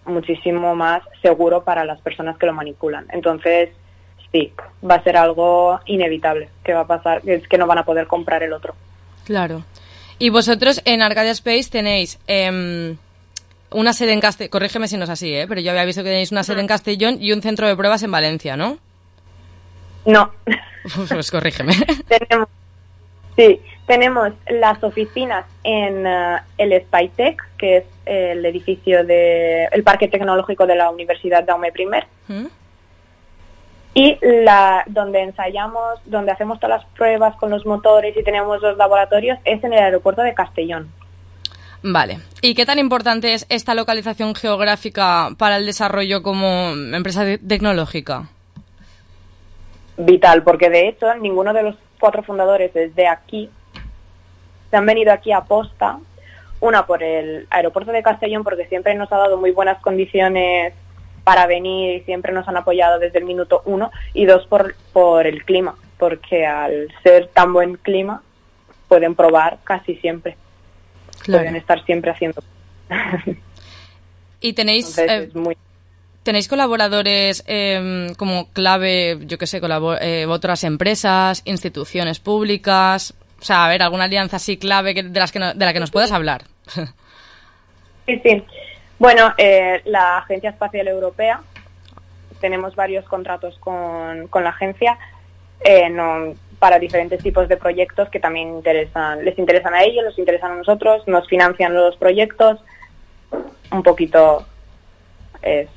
muchísimo más seguro para las personas que lo manipulan. Entonces, sí, va a ser algo inevitable que va a pasar, es que no van a poder comprar el otro. Claro. Y vosotros en Arcadia Space tenéis una sede en Castellón, corrígeme si no es así, pero yo había visto que tenéis una sede en Castellón y un centro de pruebas en Valencia, ¿no? No. Pues corrígeme. Tenemos las oficinas en el SpyTech, que es el edificio el Parque Tecnológico de la Universidad Jaume I. Y donde ensayamos, donde hacemos todas las pruebas con los motores y tenemos los laboratorios, es en el aeropuerto de Castellón. Vale. ¿Y qué tan importante es esta localización geográfica para el desarrollo como empresa tecnológica? Vital, porque de hecho ninguno de los 4 fundadores es de aquí. Se han venido aquí a posta, una por el aeropuerto de Castellón, porque siempre nos ha dado muy buenas condiciones para venir y siempre nos han apoyado desde el minuto 1, y 2 por el clima, porque al ser tan buen clima pueden probar casi siempre. Claro. Pueden estar siempre haciendo. ¿Y tenéis, Entonces, tenéis colaboradores como clave, yo qué sé, otras empresas, instituciones públicas? O sea, a ver, alguna alianza así clave de la que nos puedas hablar. Sí. Bueno, la Agencia Espacial Europea, tenemos varios contratos con la agencia para diferentes tipos de proyectos que también les interesan a ellos, les interesan a nosotros, nos financian los proyectos, un poquito,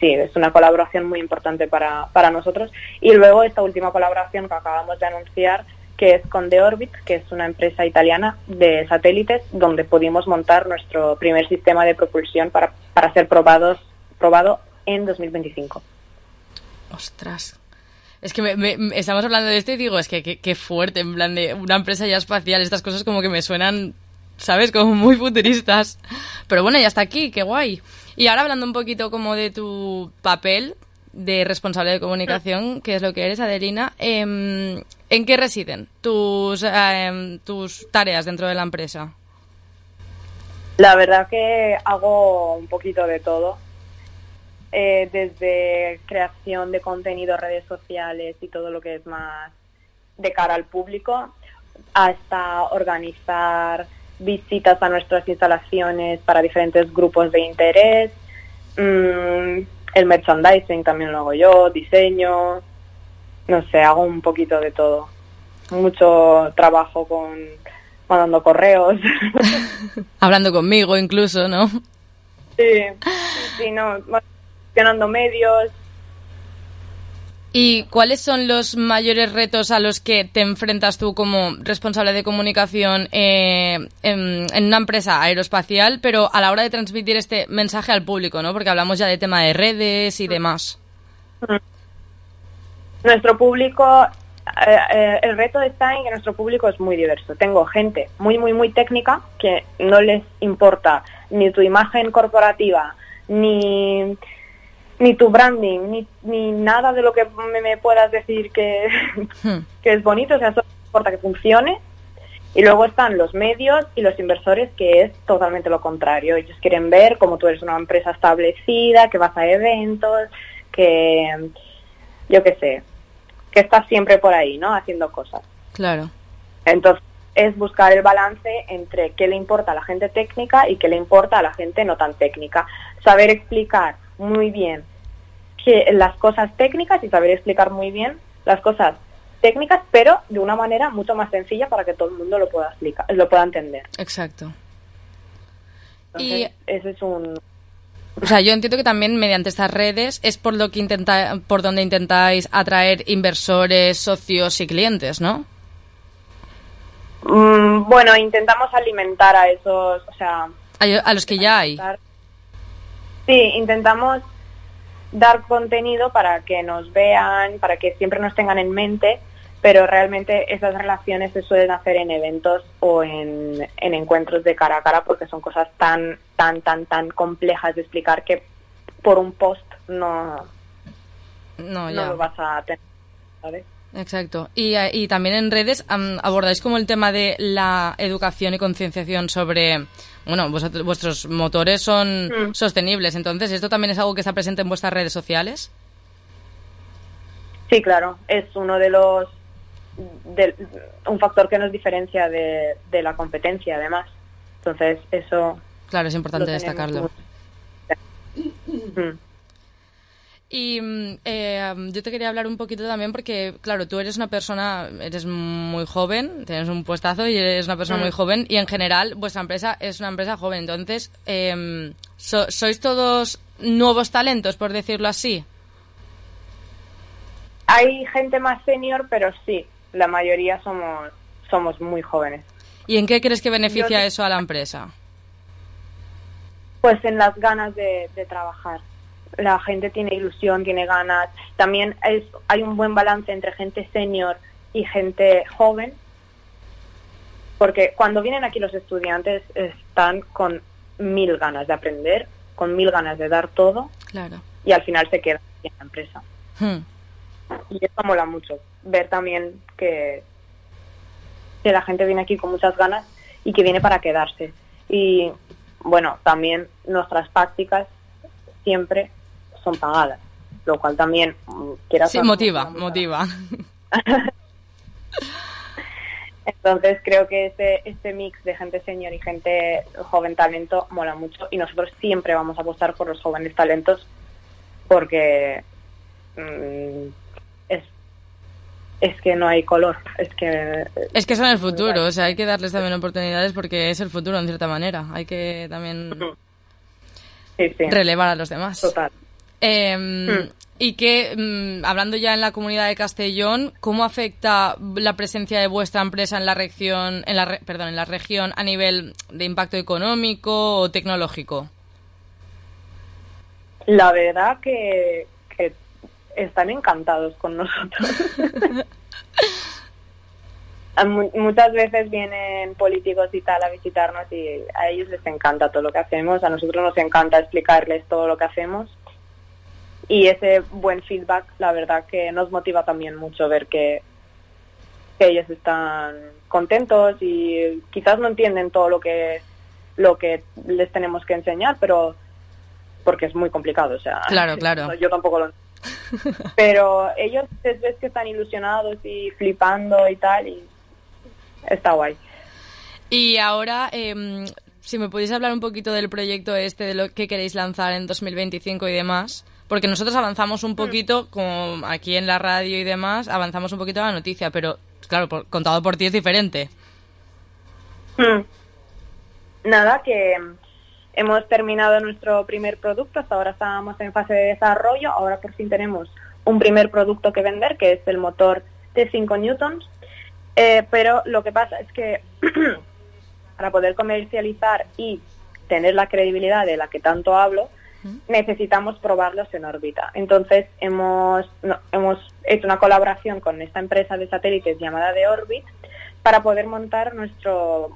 sí, es una colaboración muy importante para nosotros. Y luego esta última colaboración que acabamos de anunciar, que es con The Orbit, que es una empresa italiana de satélites, donde pudimos montar nuestro primer sistema de propulsión para ser probado en 2025. Ostras. Es que estamos hablando de esto y digo, es que qué fuerte, en plan de una empresa ya espacial, estas cosas como que me suenan, ¿sabes? Como muy futuristas. Pero bueno, ya está aquí, qué guay. Y ahora hablando un poquito como de tu papel de responsable de comunicación, que es lo que eres, Adelina, ¿en qué residen tus tareas dentro de la empresa? La verdad que hago un poquito de todo, desde creación de contenido, redes sociales y todo lo que es más de cara al público, hasta organizar visitas a nuestras instalaciones para diferentes grupos de interés. El merchandising también lo hago yo, diseño, no sé, hago un poquito de todo. Mucho trabajo mandando correos. Hablando conmigo incluso, ¿no? Sí, no, gestionando medios. ¿Y cuáles son los mayores retos a los que te enfrentas tú como responsable de comunicación en una empresa aeroespacial, pero a la hora de transmitir este mensaje al público, ¿no? Porque hablamos ya de tema de redes y demás. Nuestro público, el reto está en que nuestro público es muy diverso. Tengo gente muy, muy, muy técnica que no les importa ni tu imagen corporativa, ni tu branding, ni nada de lo que me puedas decir que es bonito, o sea, solo importa que funcione. Y luego están los medios y los inversores, que es totalmente lo contrario. Ellos quieren ver cómo tú eres una empresa establecida, que vas a eventos, que, yo qué sé, que estás siempre por ahí, ¿no?, haciendo cosas. Claro. Entonces, es buscar el balance entre qué le importa a la gente técnica y qué le importa a la gente no tan técnica. Saber explicar muy bien las cosas técnicas y saber explicar muy bien las cosas técnicas, pero de una manera mucho más sencilla para que todo el mundo lo pueda explicar, lo pueda entender. Exacto. Entonces, y ese es un... O sea, yo entiendo que también mediante estas redes es por donde intentáis atraer inversores, socios y clientes, ¿no? Bueno, intentamos alimentar a esos, o sea... A los que ya hay. Sí, intentamos dar contenido para que nos vean, para que siempre nos tengan en mente, pero realmente esas relaciones se suelen hacer en eventos o en encuentros de cara a cara, porque son cosas tan complejas de explicar que por un post no lo vas a tener, ¿sabes? Exacto. Y también en redes abordáis como el tema de la educación y concienciación sobre... Bueno, vuestros motores son sostenibles, entonces, ¿esto también es algo que está presente en vuestras redes sociales? Sí, claro. Es uno de los... un factor que nos diferencia de la competencia, además. Entonces, eso... Claro, es importante destacarlo. Y yo te quería hablar un poquito también porque, claro, tú eres eres muy joven, tienes un puestazo y eres una persona muy joven y en general vuestra empresa es una empresa joven. Entonces, ¿sois todos nuevos talentos, por decirlo así? Hay gente más senior, pero sí, la mayoría somos muy jóvenes. ¿Y en qué crees que beneficia eso a la empresa? Pues en las ganas de trabajar. La gente tiene ilusión, tiene ganas. También hay un buen balance entre gente senior y gente joven, porque cuando vienen aquí los estudiantes están con 1000 ganas de aprender, con 1000 ganas de dar todo. Claro. y al final se queda en la empresa. Y eso mola mucho, ver también que la gente viene aquí con muchas ganas y que viene para quedarse. Y bueno, también nuestras prácticas siempre son pagadas, lo cual también sí, motiva. Entonces creo que este mix de gente senior y gente joven talento mola mucho, y nosotros siempre vamos a apostar por los jóvenes talentos porque es que no hay color, es que son el futuro, o sea, hay que darles también oportunidades porque es el futuro en cierta manera, hay que también relevar a los demás. Total. Y que, hablando ya en la comunidad de Castellón, ¿cómo afecta la presencia de vuestra empresa en la región, en la región a nivel de impacto económico o tecnológico? La verdad que están encantados con nosotros. Muchas veces vienen políticos y tal a visitarnos y a ellos les encanta todo lo que hacemos, a nosotros nos encanta explicarles todo lo que hacemos, y ese buen feedback la verdad que nos motiva también mucho ver que ellos están contentos y quizás no entienden todo lo que les tenemos que enseñar, pero porque es muy complicado, o sea, claro. Yo tampoco lo entiendo. Pero ellos ves que están ilusionados y flipando y tal, y está guay. Y ahora, si me podéis hablar un poquito del proyecto de lo que queréis lanzar en 2025 y demás, porque nosotros avanzamos un poquito, como aquí en la radio y demás, avanzamos un poquito la noticia, pero claro, contado por ti es diferente. Nada, que hemos terminado nuestro primer producto, hasta ahora estábamos en fase de desarrollo, ahora por fin tenemos un primer producto que vender, que es el motor de 5 newtons, pero lo que pasa es que para poder comercializar y tener la credibilidad de la que tanto hablo, necesitamos probarlos en órbita. Entonces hemos hecho una colaboración con esta empresa de satélites llamada The Orbit para poder montar nuestro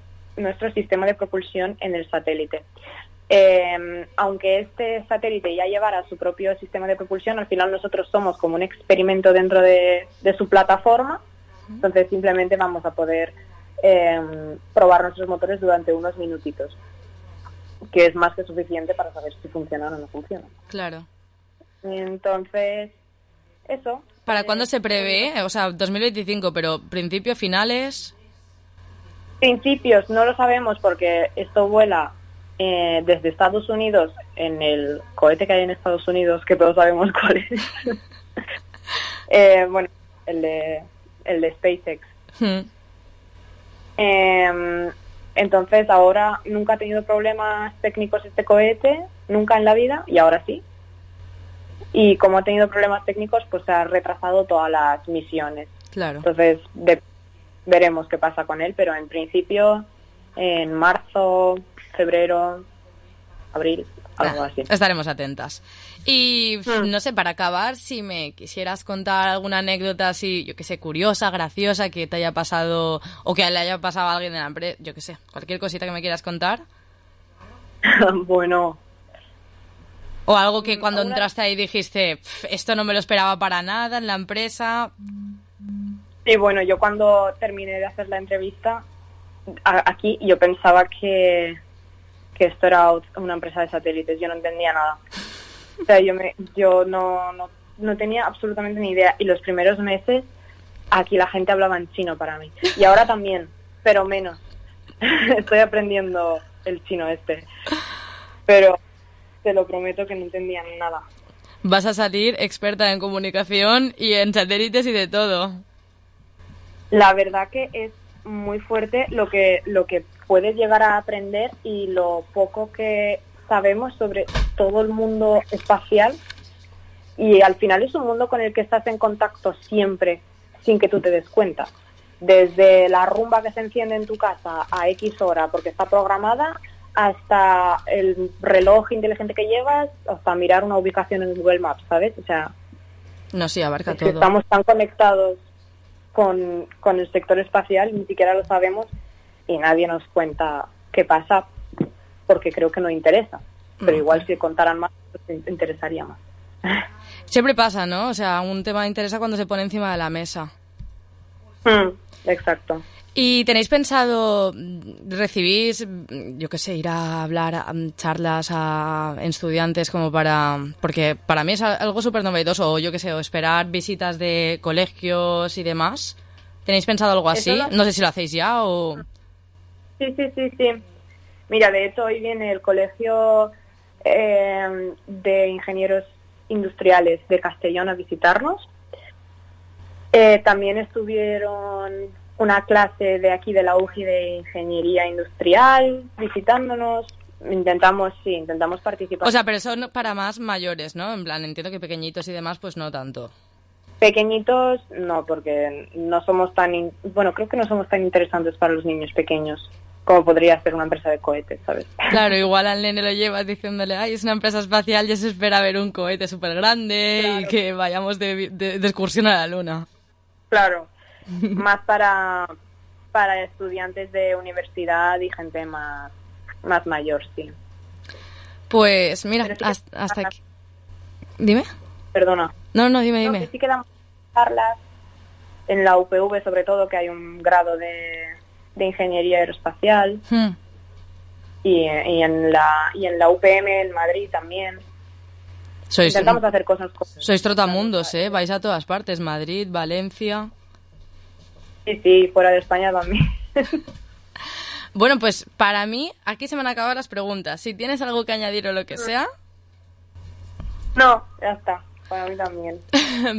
sistema de propulsión en el satélite. Aunque este satélite ya llevara su propio sistema de propulsión, al final nosotros somos como un experimento dentro de su plataforma, entonces simplemente vamos a poder probar nuestros motores durante unos minutitos, que es más que suficiente para saber si funcionan o no funcionan. Claro. Entonces, eso. ¿Para cuándo se prevé? O sea, 2025, pero ¿principios, finales? Principios, no lo sabemos porque esto vuela desde Estados Unidos en el cohete que hay en Estados Unidos, que todos sabemos cuál es. Bueno, el de SpaceX. Entonces ahora nunca ha tenido problemas técnicos este cohete, nunca en la vida, y ahora sí. Y como ha tenido problemas técnicos, pues se ha retrasado todas las misiones. Claro. Entonces veremos qué pasa con él, pero en principio en marzo, febrero, abril, algo así. Estaremos atentas. Y no sé, para acabar, si me quisieras contar alguna anécdota así, yo que sé, curiosa, graciosa, que te haya pasado o que le haya pasado a alguien de la empresa, yo que sé, cualquier cosita que me quieras contar. Bueno. O algo que cuando entraste ahí dijiste, esto no me lo esperaba para nada en la empresa. Sí, bueno, yo cuando terminé de hacer la entrevista aquí, yo pensaba que esto era una empresa de satélites, yo no entendía nada. O sea, yo no tenía absolutamente ni idea, y los primeros meses aquí la gente hablaba en chino para mí, y ahora también, pero menos. Estoy aprendiendo el chino pero te lo prometo que no entendía nada. Vas a salir experta en comunicación y en satélites y de todo. La verdad que es muy fuerte lo que puedes llegar a aprender y lo poco que sabemos sobre todo el mundo espacial, y al final es un mundo con el que estás en contacto siempre sin que tú te des cuenta, desde la rumba que se enciende en tu casa a X hora porque está programada, hasta el reloj inteligente que llevas, hasta mirar una ubicación en Google Maps, ¿sabes? O sea, no, sí, abarca es todo. que estamos tan conectados con el sector espacial, ni siquiera lo sabemos, y nadie nos cuenta qué pasa porque creo que no interesa, pero igual si contaran más, pues interesaría más. Siempre pasa, ¿no? O sea, un tema interesa cuando se pone encima de la mesa. Exacto. ¿Y tenéis pensado, recibís, yo qué sé, ir a hablar a charlas en estudiantes como para... Porque para mí es algo súper novedoso, o yo qué sé, o esperar visitas de colegios y demás. ¿Tenéis pensado algo así? No sé si lo hacéis ya o... Sí. Mira, de hecho hoy viene el Colegio de Ingenieros Industriales de Castellón a visitarnos. También estuvieron una clase de aquí de la UGI de Ingeniería Industrial visitándonos. Intentamos participar. O sea, pero son para más mayores, ¿no? En plan, entiendo que pequeñitos y demás, pues no tanto. Pequeñitos no, porque no somos tan... creo que no somos tan interesantes para los niños pequeños como podría ser una empresa de cohetes, ¿sabes? Claro, igual al nene lo llevas diciéndole, ay, es una empresa espacial, ya se espera ver un cohete súper grande y que vayamos de excursión a la luna. Claro, más para estudiantes de universidad y gente más mayor, sí. Pues mira, hasta aquí. Dime. Perdona. No, dime. Que sí que damos charlas en la UPV, sobre todo, que hay un grado de ingeniería aeroespacial. Y en la UPM en Madrid también. Intentamos hacer cosas. Sois trotamundos, ¿eh? Vais a todas partes, Madrid, Valencia. Sí, fuera de España también. Bueno, pues para mí, aquí se me han acabado las preguntas. Si tienes algo que añadir o lo que sea... No, ya está. Para mí también.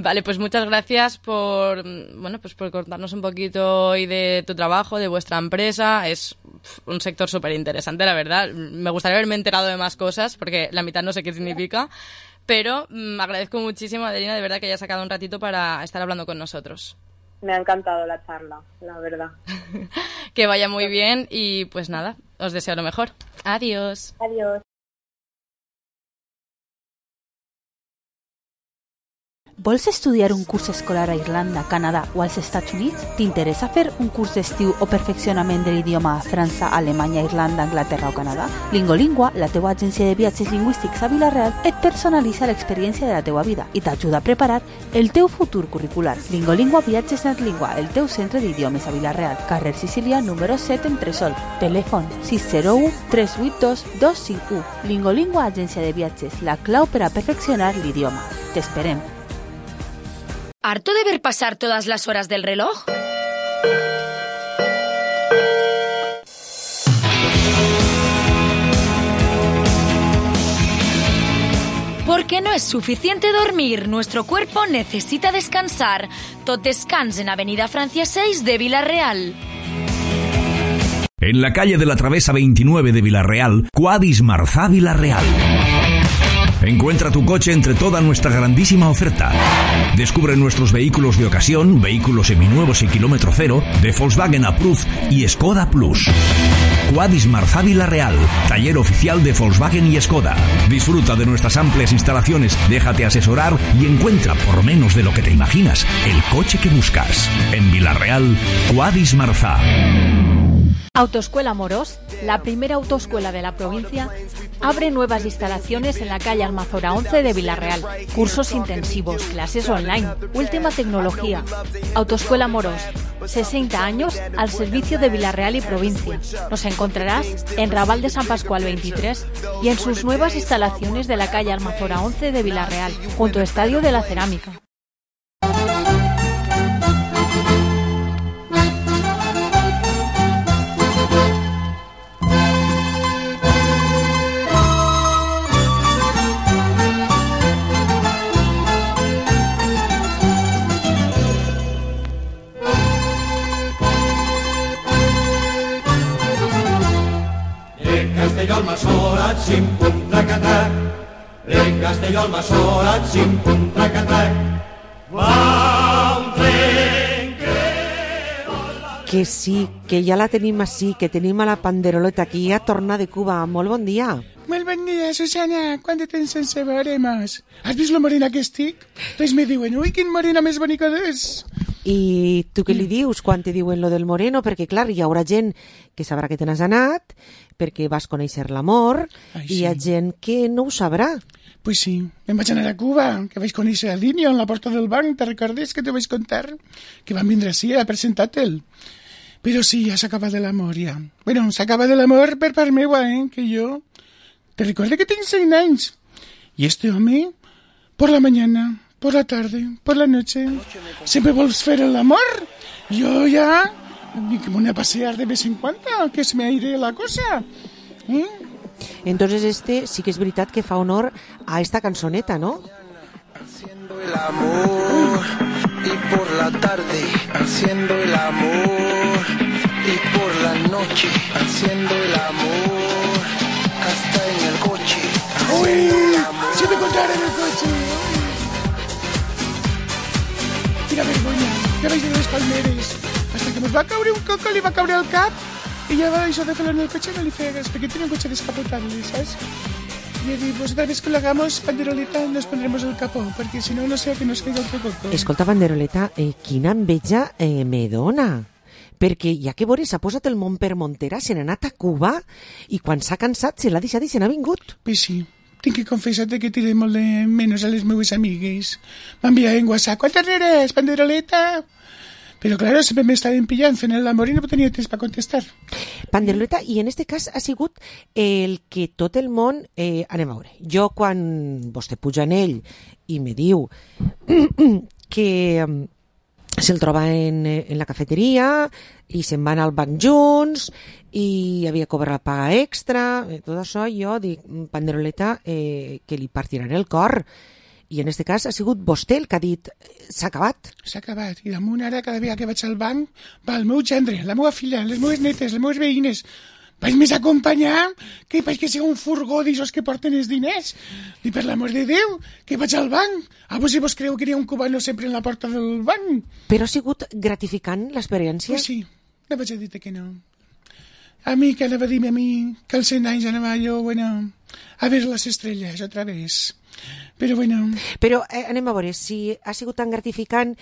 Vale, pues muchas gracias por contarnos un poquito hoy de tu trabajo, de vuestra empresa. Es un sector súper interesante, la verdad. Me gustaría haberme enterado de más cosas, porque la mitad no sé qué significa. Pero agradezco muchísimo, Adelina, de verdad que hayas sacado un ratito para estar hablando con nosotros. Me ha encantado la charla, la verdad. Que vaya muy bien y pues nada, os deseo lo mejor. Adiós. Adiós. Vols estudiar un curs escolar a Irlanda, Canadà o als Estats Units? T'interessa fer un curs d'estiu o perfeccionament de l'idioma a França, Alemanya, Irlanda, Anglaterra o Canadà? Lingolingua, la teua agència de viatges lingüístics a Vila-real, et personalitza l'experiència de la teua vida i t'ajuda a preparar el teu futur curricular. Lingolingua Viatges Netlingua, el teu centre d'idiomes a Vila-real, carrer Sicília, número 7, Entresol. Telèfon 601 382 251. Lingolingua, agència de viatges, la clau per a perfeccionar l'idioma. T'esperem. ¿Harto de ver pasar todas las horas del reloj? Porque no es suficiente dormir, nuestro cuerpo necesita descansar. Tot descans en Avenida Francia 6 de Vila-real. En la calle de la Travesa 29 de Vila-real, Quadis Marzà Vila-real. Encuentra tu coche entre toda nuestra grandísima oferta. Descubre nuestros vehículos de ocasión, vehículos seminuevos y kilómetro cero, de Volkswagen Approved y Skoda Plus. Quadis Marzà Vila-real, taller oficial de Volkswagen y Skoda. Disfruta de nuestras amplias instalaciones, déjate asesorar y encuentra, por menos de lo que te imaginas, el coche que buscas. En Vila-real, Quadis Marzà. Autoescuela Morós, la primera autoescuela de la provincia, abre nuevas instalaciones en la calle Almazora 11 de Vila-real. Cursos intensivos, clases online, última tecnología. Autoescuela Morós, 60 años al servicio de Vila-real y provincia. Nos encontrarás en Raval de San Pascual 23 y en sus nuevas instalaciones de la calle Almazora 11 de Vila-real, junto al Estadio de la Cerámica. Castelló al Masora, xim-pum, trac-a-trac. De Castelló al Masora, xim-pum, trac-a-trac. Va un tren que sí, que ja la tenim així, que tenim a la panderoleta aquí a tornar de Cuba. Molt bon dia. Molt bon dia, Susana. Quant de temps sense veuremos? Has vist la morena que estic? Res me diuen, ui, quin morena més bonica és. I tu què li dius quan te diuen lo del moreno? Perquè, clar, hi haurà gent que sabrà que te n'has anat, perquè vas conèixer l'amor, i hi ha gent que no ho sabrà. Pues sí, me'n vaig anar a Cuba, que vaig conèixer a Linio en la porta del banc, te recordes que te vaig contar? Que van vindre així a presentar-te'l. Però sí, ja s'acaba de l'amor, ja. Bueno, s'acaba de l'amor per part meua, que jo... Te recordo que tinc 100 anys. Y este home, por la mañana, por la tarde, por la noche, siempre vols fer el amor. Yo ya, me voy a pasear de vez en cuando, que se me aire la cosa. Entonces sí que es veritat que fa honor a esta cançoneta, ¿no? Haciendo el amor y por la tarde haciendo el amor y por la noche haciendo el amor hasta en el coche. ¡Uy! ¡Si me contara en el coche! Quina vergonya, ja vaig de les Palmeres. Hasta que nos va caure un coco, li va caure al cap i ja va això de fer-lo en el cotxe no li feia res, perquè tenia un cotxe descapotable, ¿sabes? Y he dit, pues otra vez que lo hagamos, Panderoleta, nos pondremos el capó, porque si no, no sé que nos caiga otro coco. Escolta, Panderoleta, quina enveja me dona. Perquè ja que veure, s'ha posat el món per Montera, se n'ha anat a Cuba i quan s'ha cansat se l'ha deixat i se n'ha vingut. Pues sí, tinc que confessar-te que tiré molt de menys a les meves amigues. M'envia en WhatsApp, ¿cuántas eres, Panderoleta? Pero claro, siempre me estaven pillant fent l'amor i no tenia temps per contestar. Panderoleta, i en este cas ha sigut el que tot el món... anem a veure, jo quan vostè puja en ell i me diu que se'l troba en la cafeteria i se'n van al banc junts i havia cobrat la paga extra, tot això jo dic, Panderoleta, que li partiran el cor. I en este cas ha sigut vostè el que ha dit s'ha acabat. S'ha acabat. I damunt ara, cada vegada que vaig al banc, va el meu gendre, la meva filla, les meves netes, les meves veïnes. Vaig més acompanyar que vaig que sigui un furgó d'aixòs que porten els diners. I per l'amor de Déu, que vaig al banc. Vos si vos creu que hi ha un cubano sempre en la porta del banc. Però ha sigut gratificant l'experiència? Pues sí, no vaig a dir-te que no. A mi, que anava a dir-me a mi, que als 100 anys anava jo, bueno, a ver les estrelles otra vez. Però bueno... Però anem a veure, si ha sigut tan gratificant,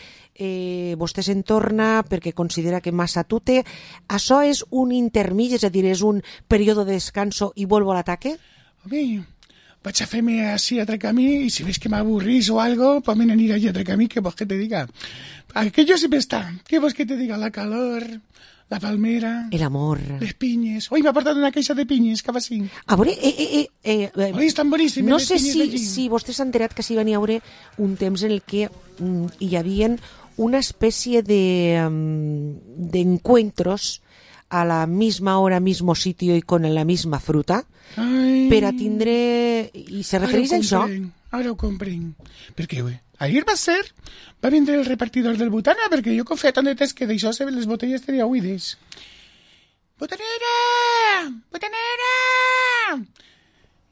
vostè se'n torna perquè considera que massa tute, això és un intermig, és a dir, és un període de descanso i vuelvo a l'ataque? Home, vaig a fer-me així a camí i si ves que m'avorrís o algo, pues me n'aniré allí a camí, que vols que te diga. Aquello siempre está, que vols que te diga, la calor... La palmera... El amor... Les pinyes... Ui, m'ha portat una caixa de pinyes, cap així. A veure... Ui, estan boníssimes no les sé pinyes si vostè s'ha enterat que s'hi va haver un temps en el que hi havia una espècie d'encuentros a la misma hora, mismo sitio y con la misma fruta per a tindre... I se refereix a això? Ara ho comprenc. Perquè, ahir va vindre el repartidor del Butana, perquè jo confia tant de temps que d'això les botelles tenia buides. Butanera! Butanera!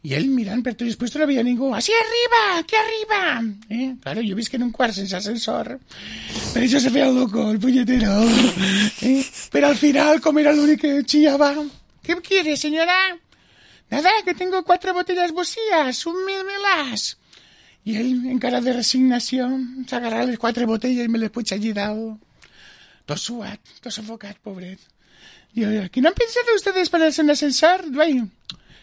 I ell mirant per tot després no havia ningú. Així arriba! Aquí arriba! Claro, jo visc en un quart sense ascensor. Per això se feia el loco, el puñetero. Pero al final, com era l'únic que chillaba, ¿qué quiere, señora? Nada, que tengo 4 botellas vacías, un melàs. I ell, en cara de resignació, s'agarra les 4 botellas i me les puig allí dalt. Tot suat, tot sofocat, pobret. Y ¿qué no han pensado ustedes ponerse en ascensor?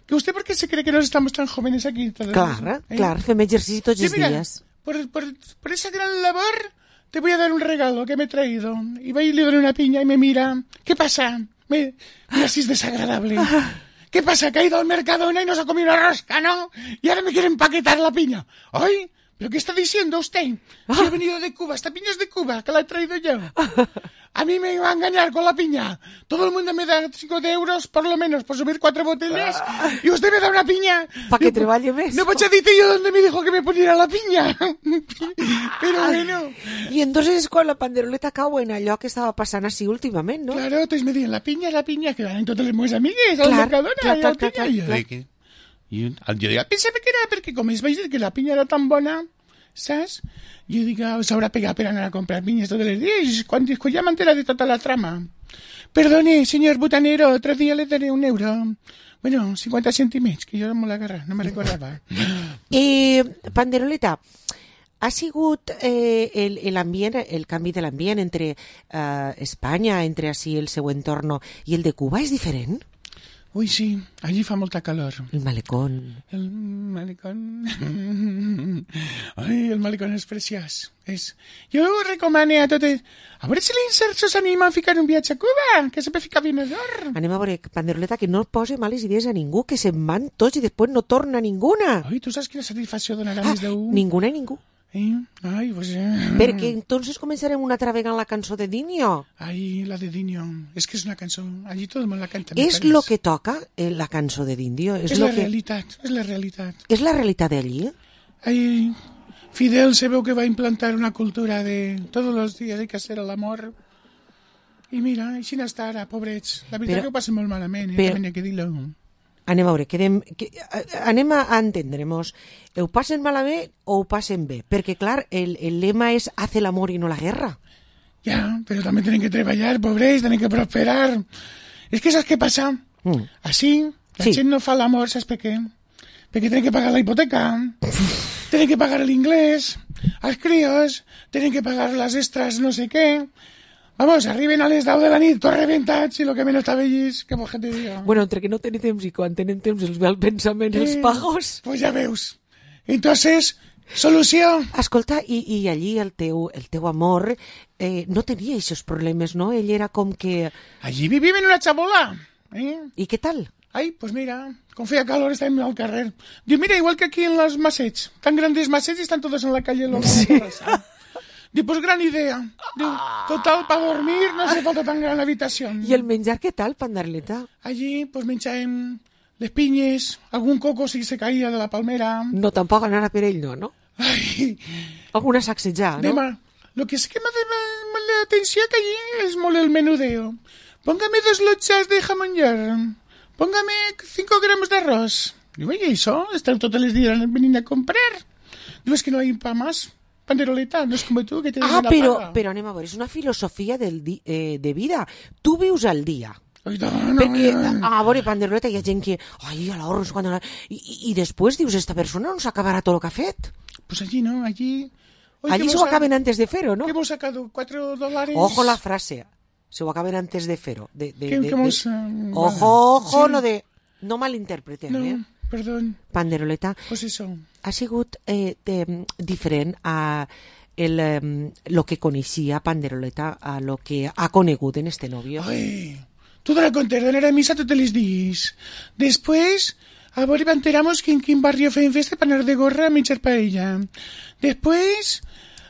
Que usted, ¿por qué se cree que nos estamos tan jóvenes aquí? Claro, fem exercici tots els días. Por esa gran labor te voy a dar un regalo que me he traído. Y va y le doy una piña y me mira. ¿Qué pasa? Mira si es desagradable. ¿Qué pasa? Que ha ido al Mercadona y nos ha comido una rosca, ¿no? Y ahora me quiere empaquetar la piña. ¡Ay! ¿Pero qué está diciendo usted? Si he venido de Cuba, esta piña es de Cuba, que la he traído yo. A mí me iba a engañar con la piña. Todo el mundo me da 5 euros, por lo menos, por subir 4 botellas. Y usted me da una piña. Para que treballe més. No vaig a dir yo dónde me dijo que me pusiera la piña. Pero bueno. Y entonces quan la Panderoleta cau en allò que estava passant així últimament, no? Claro, entonces me diuen la piña, que van totes les meves amigues al Mercadona. Clar. Jo pensava que era perquè com es vaig dir que la pinya era tan bona, saps? Jo dic, s'haurà pegat per anar a comprar pinyes tots els dies, quan ja m'entera de tota la trama. Perdone, señor butanero, otro día le daré 1 euro. Bueno, 50 cèntims, que jo no me l'agarra, no me recordava. Panderoleta, ha sigut l'ambient, el canvi de l'ambient entre Espanya, entre així el seu entorn i el de Cuba, és diferent? Ui, sí, allí fa molta calor. El malecón. El malecón... Ai, el malecón és preciós. Jo recomano a totes... A veure si l'Inserso s'anima a ficar un viatge a Cuba, que sempre fica vinador. Anem a veure, Panderoleta, que no posi males idees a ningú, que se'n van tots i després no torna ninguna. Ai, tu saps quina satisfacció donarà més d'un? Ninguna i ningú. Ai, pues... Perquè entonces començarem una altra vegada la cançó de Dinio. Ai, la de Dinio. És que és una cançó... Allí tot el món la canta. És lo que toca la cançó de Dinio. És la realitat, és la realitat. És la realitat d'allí? Ai, Fidel se veu que va implantar una cultura de todos los días hay que hacer el amor. I mira, així n'està ara, pobrets. La veritat que ho passen molt malament, també n'hi ha que dir-lo. Anem a veure, anem a entendre-nos. Ho passen malament o ho passen bé? Perquè, clar, el lema és hace el amor i no la guerra. Ja, però també tenen que treballar, pobrets, tenen que prosperar. És que saps què passa? Així, la gent no fa l'amor, saps per què? Perquè tenen que pagar la hipoteca, tenen que pagar l'inglès, als crios, tenen que pagar les extras no sé què. Vamos, arriben a les 10 de la nit, tots rebentats, i el que menys està vellis, què vols que te diga? Bueno, entre que no tenen temps i quan tenen temps els ve el pensament, els pagos. Pues ja veus. Entonces, solució. Escolta, i allí el teu amor no tenia aquests problemes, no? Ell era com que... Allí vivim en una xabola. I què tal? Ai, pues mira, con feia calor estàvem al carrer. Diu, mira, igual que aquí en los Masets, tan grandes Masets y están todos en la calle. Sí. Diu, pues gran idea. Diu, total, para dormir no hace falta tan gran habitación. I el menjar què tal, Panderleta? Allí, pues menjàvem les pinyes, algun coco si se caía de la palmera. No, tampoc anar a per ell, no? Ai. Alguna sacsejar, no? Demà, lo que sí que me llama la atención que allí es molt el menudeo. Póngame 2 lochas de jamón york. Póngame 5 gramos de arroz. Digo, oye, ¿eso? Están todos los días veniendo a comprar. Digo, es que no hay para más. Panderoleta, no es como tú que te den la paga. Però anem a veure, és una filosofia de vida. Tu vius al dia. Ai, no. Perquè, a veure, Panderoleta, hi ha gent que... Ai, a l'horro, no sé I després dius, esta persona no s'acabarà tot el que ha fet. Pues allí no, allí... Allí s'ho acaben antes de fer-ho, no? ¿Qué hemos sacado? $4. Ojo la frase. Se ho acaben antes de fer-ho. Ojo, sí. Lo de... No malinterpretem, no, perdón. Panderoleta. Pues eso. Ha sigut diferent a lo que coneixia Panderoleta a lo que ha conegut en este novio. Ay, tú te la conté, d'anar a misa totes les dies. Després, a veure, enteramos que en quin barrio feien festa per anar de gorra a menjar paella. Després...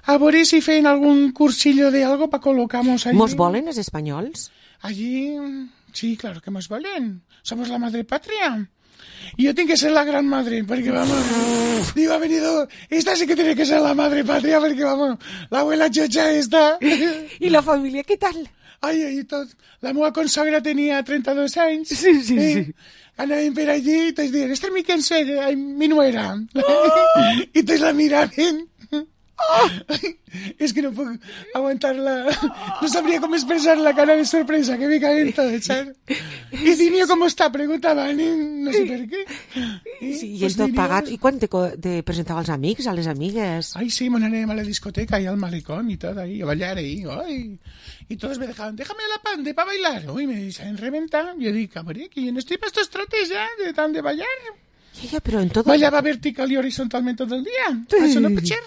A veure si feien algún cursillo de algo para colocamos allí. ¿Mos volen los españoles? Allí, sí, claro que mos volen. Somos la madre patria. Y yo tengo que ser la gran madre, porque vamos, digo, ha venido, esta sí que tiene que ser la madre patria, porque vamos, la abuela chocha esta. ¿Y la familia qué tal? Ai, tot. La meva consagra tenia 32 anys. Sí. Anàvem per allí i tots diuen, esta és mi nuera. I tots la miraven. Es que no puedo aguantarla. No sabría cómo expresar la cara de sorpresa que me caen todos, ¿sabes? ¿Y Dinio cómo está? Preguntaban, no sé per què. Sí, i ell tot pagat. I quan te presentava als amics, a les amigues? Ay, sí, anàvem a la discoteca y al malecón y todo ahí, a bailar ahí. Ay. Y todos me dejaban, déjame la pande para bailar. Uy, me saben reventar. Yo digo, cabrón, que yo no estoy para estos trotes ya, de tan de bailar. Ja, però en tot... Ballava vertical y horizontalmente todo el día. Eso no pot ser.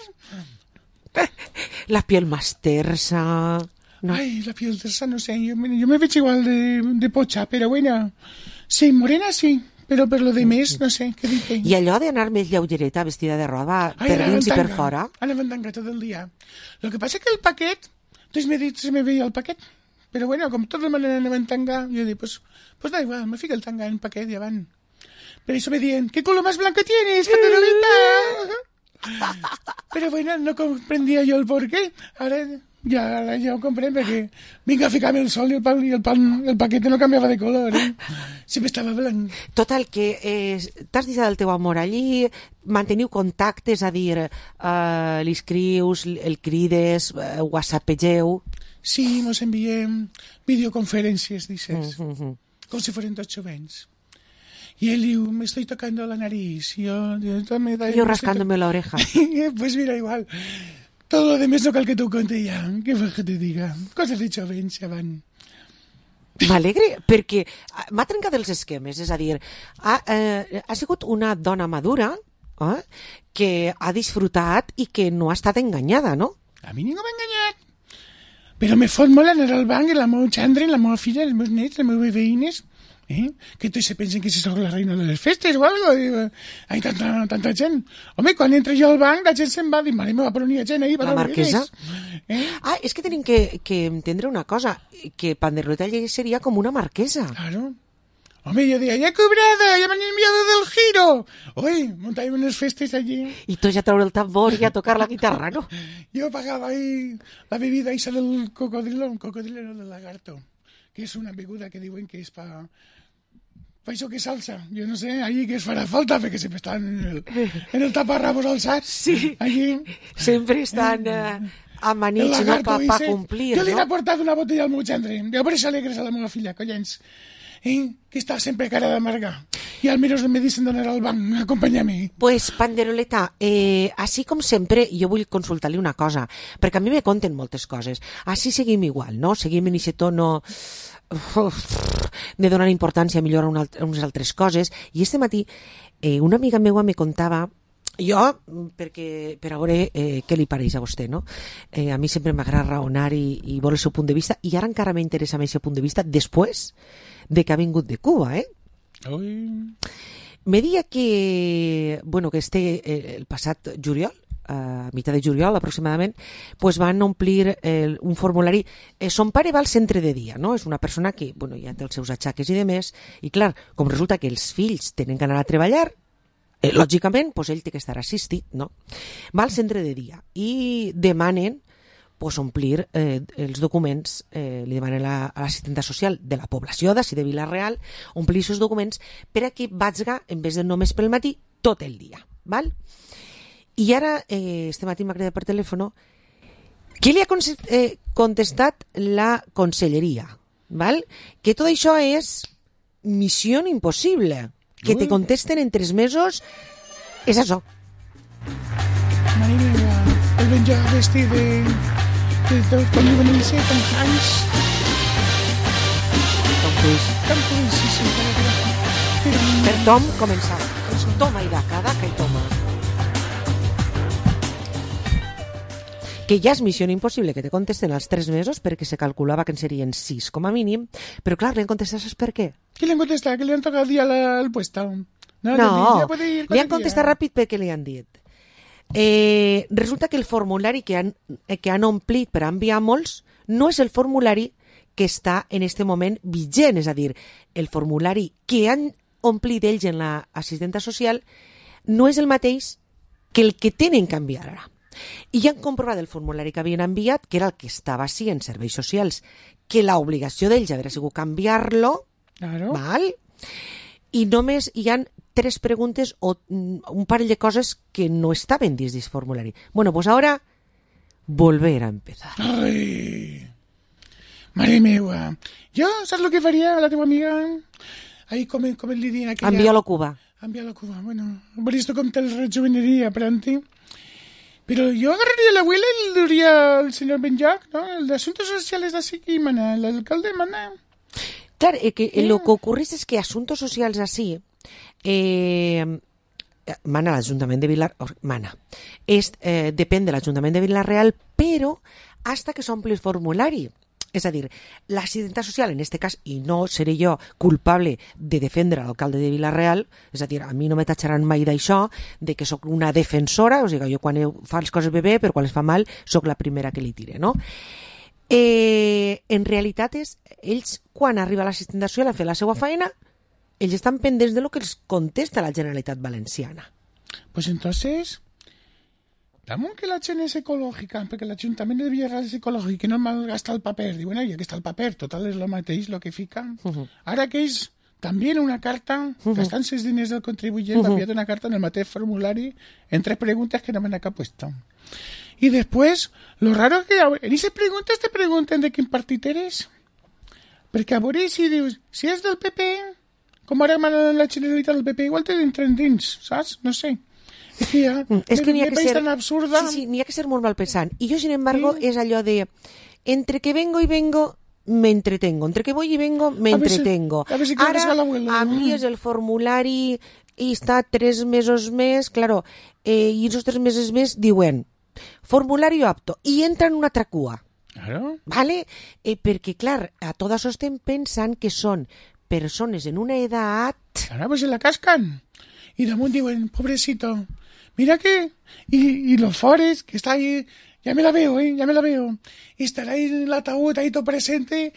La piel más tersa... No. Ay, la piel tersa, no sé, yo me veig igual de pocha, pero bueno, sí, morena sí, pero per lo de més, no sé, què dic? I allò d'anar més lleugereta, vestida de roba, per dins i per fora? Anava en tanga tot el dia. Lo que pasa es que el paquet, entonces me dit, se me veía el paquet, pero bueno, com tot el món anava en tanga, yo dic, pues da igual, me fica el tanga en paquet i avant. Pero eso me diuen, ¿qué color más blanco tienes, Panderoleta? Pero bueno, no comprendía yo el porqué. Ahora ya ho compré perquè vinga a ficar-me el sol i el paquete no canviava de color, sempre estava blanc. Total, que t'has deixat el teu amor allí, manteniu contactes, a dir, li escrius, el crides, whatsappegeu... Sí, mos enviem videoconferències, dices, com si fueren tots jovens. Y él dijo, me estoy tocando la nariz. Yo rascándome la oreja. Pues mira, igual. Todo lo demás no cal que tú conte ya. ¿Qué fue que te diga? Cosas de chovens ya van. M'alegre, perquè m'ha trencat els esquemes, és a dir, ha sigut una dona madura que ha disfrutat i que no ha estat enganyada, no? A mi ningú m'ha enganyat. Però me fot molt anar al banc i la meva xandra, la meva filla, els meus nets, les meves veïnes, que tots se pensen que si soc la reina de les festes o algo. Hay tanta gent. Home, quan entra jo al banc, la gent se'n va a dir, mare meva, però n'hi ha gent ahí. La marquesa? És que tenim que entendre una cosa, que Panderoleta seria com una marquesa. Claro. Home, yo decía, ya he cobrado, ya me han enviado del giro. Oye, montáis unas festas allí. Y tú ya traure el tambor y a tocar la guitarra, ¿no? Yo pagaba ahí la bebida esa del cocodrilo del lagarto, que es una beguda que diuen que es para això que salsa. Yo no sé, allí que es farà falta, perquè sempre estan en el taparrabos alçats. Sí, allí. Sempre estan amanits, no, per complir, jo no? li he portat una botella al meu gendre. Jo per això alegres a la meva filla, collons. Que està sempre cara d'amargar. I almenys me dicen d'anar al banc, acompanyar-me. Pues, Panderoleta, així com sempre, jo vull consultar-li una cosa, perquè a mi me conten moltes coses. Així seguim igual, no? Seguim en aquest tono de donar importància a millorar unes altres coses. I este matí una amiga meua me contava, jo, per a veure què li pareix a vostè, no? A mi sempre m'agrada raonar i veure el seu punt de vista, i ara encara m'interessa més el punt de vista després de que ha vingut de Cuba, Me deia que, bueno, que el passat juliol, a mitjà de juliol aproximadament, pues van omplir un formulari. Son pare va al centre de dia, no? És una persona que, bueno, ja té els seus atxaques i demés, i clar, com resulta que els fills tenen que anar a treballar, lògicament, pues ell té que estar assistit, no? Va al centre de dia i demanen pues, omplir els documents, li demanen a l'assistenta social de la població d'ací de Vila-real, omplir aquests documents per a que vagin, en vez de només pel matí, tot el dia, val? I ara, este matí m'ha cridat per telèfon, què li ha contestat la conselleria, val? Que tot això és missió impossible, que te contesten en 3 mesos, és això. Mare meva, el venjar vestit de tot, com diuen ells, Tom Hanks. Tom Cruise, sí. Per Tom, començar. Toma i daca i toma. Que ja és missió impossible que te contesten als 3 mesos, perquè se calculava que en serien 6 com a mínim, però clar, li han contestat, saps per què? Qui li han contestat? Que li han tocat dia al puesto? No, li han contestat ràpid perquè li han dit. Resulta que el formulari que han omplit per enviar molts no és el formulari que està en este moment vigent, és a dir, el formulari que han omplit ells en l'assistenta social no és el mateix que el que tenen que enviar ara. I ja han comprovat el formulari que havien enviat, que era el que estava així en serveis socials, que l'obligació d'ells hauria sigut canviar-lo, val? I només hi han 3 preguntes o un parell de coses que no estaven dins d'aquest formulari. Bueno, pues ahora volver a empezar. Ai, mare meua. Jo, saps el que faria la teva amiga? Ahí com li diuen aquella... Enviar-lo a Cuba. Enviar-lo a Cuba, bueno. Por esto com te rejuvenería, Pranti. Pero yo agarraría a la abuela y le diría al señor Benjac, ¿no? El de Asuntos Sociales de así que mana, el alcalde mana. Claro, que lo que ocurre es que Asuntos Socials así mana l'Ajuntament de Vila-real, depèn de l'Ajuntament de Vila-real, però hasta que s'ompli el formulari. És a dir, l'assistenta social, en aquest cas, i no seré jo culpable de defendre l'alcalde de Vila-real, és a dir, a mi no me tatxaran mai d'això, de que sóc una defensora, o sigui, jo quan fa les coses bé, però quan les fa mal, sóc la primera que li tire, no? En realitat, ells, quan arriba l'assistenta social a fer la seva feina, ells estan pendents de lo que els contesta la Generalitat Valenciana. Pues entonces... Damunt que la gent és ecològica, perquè l'Ajuntament de Villarreal és ecològic, que no malgasta el paper. Diuen, ja que està el paper, total és el mateix el que fiquen. Ara que ells també en una carta, gastant-se els diners del contribuyent, han enviat una carta en el mateix formulari en 3 preguntes que no me han acá puesto. Y después, lo raro es que en esas preguntas te pregunten de quin partit eres. Perquè a veure si dius, si és del PP, com ara manen la Generalitat del PP, igual te entren dins, saps? No sé. És que n'hi ha que ser tan absurda. Sí, n'hi ha que ser molt mal pensant. I jo, sin embargo, és allò de entre que vengo i vengo, m'entretengo. Entre que voy y vengo, m'entretengo. A ver si Ara, l'abuelo. envies el formulari i està 3 mesos més, claro, i esos 3 mesos més diuen formulario apto, i entra en una altra cua. Claro. ¿Vale? Perquè, clar, a todas estem pensant que són persones en una edat... Ahora pues se la cascan. Y damunt diuen, pobrecito, mira que... Y los Forest, que está ahí, ya me la veo, ya me la veo. Y estará ahí en el ataúd, ahí todo presente.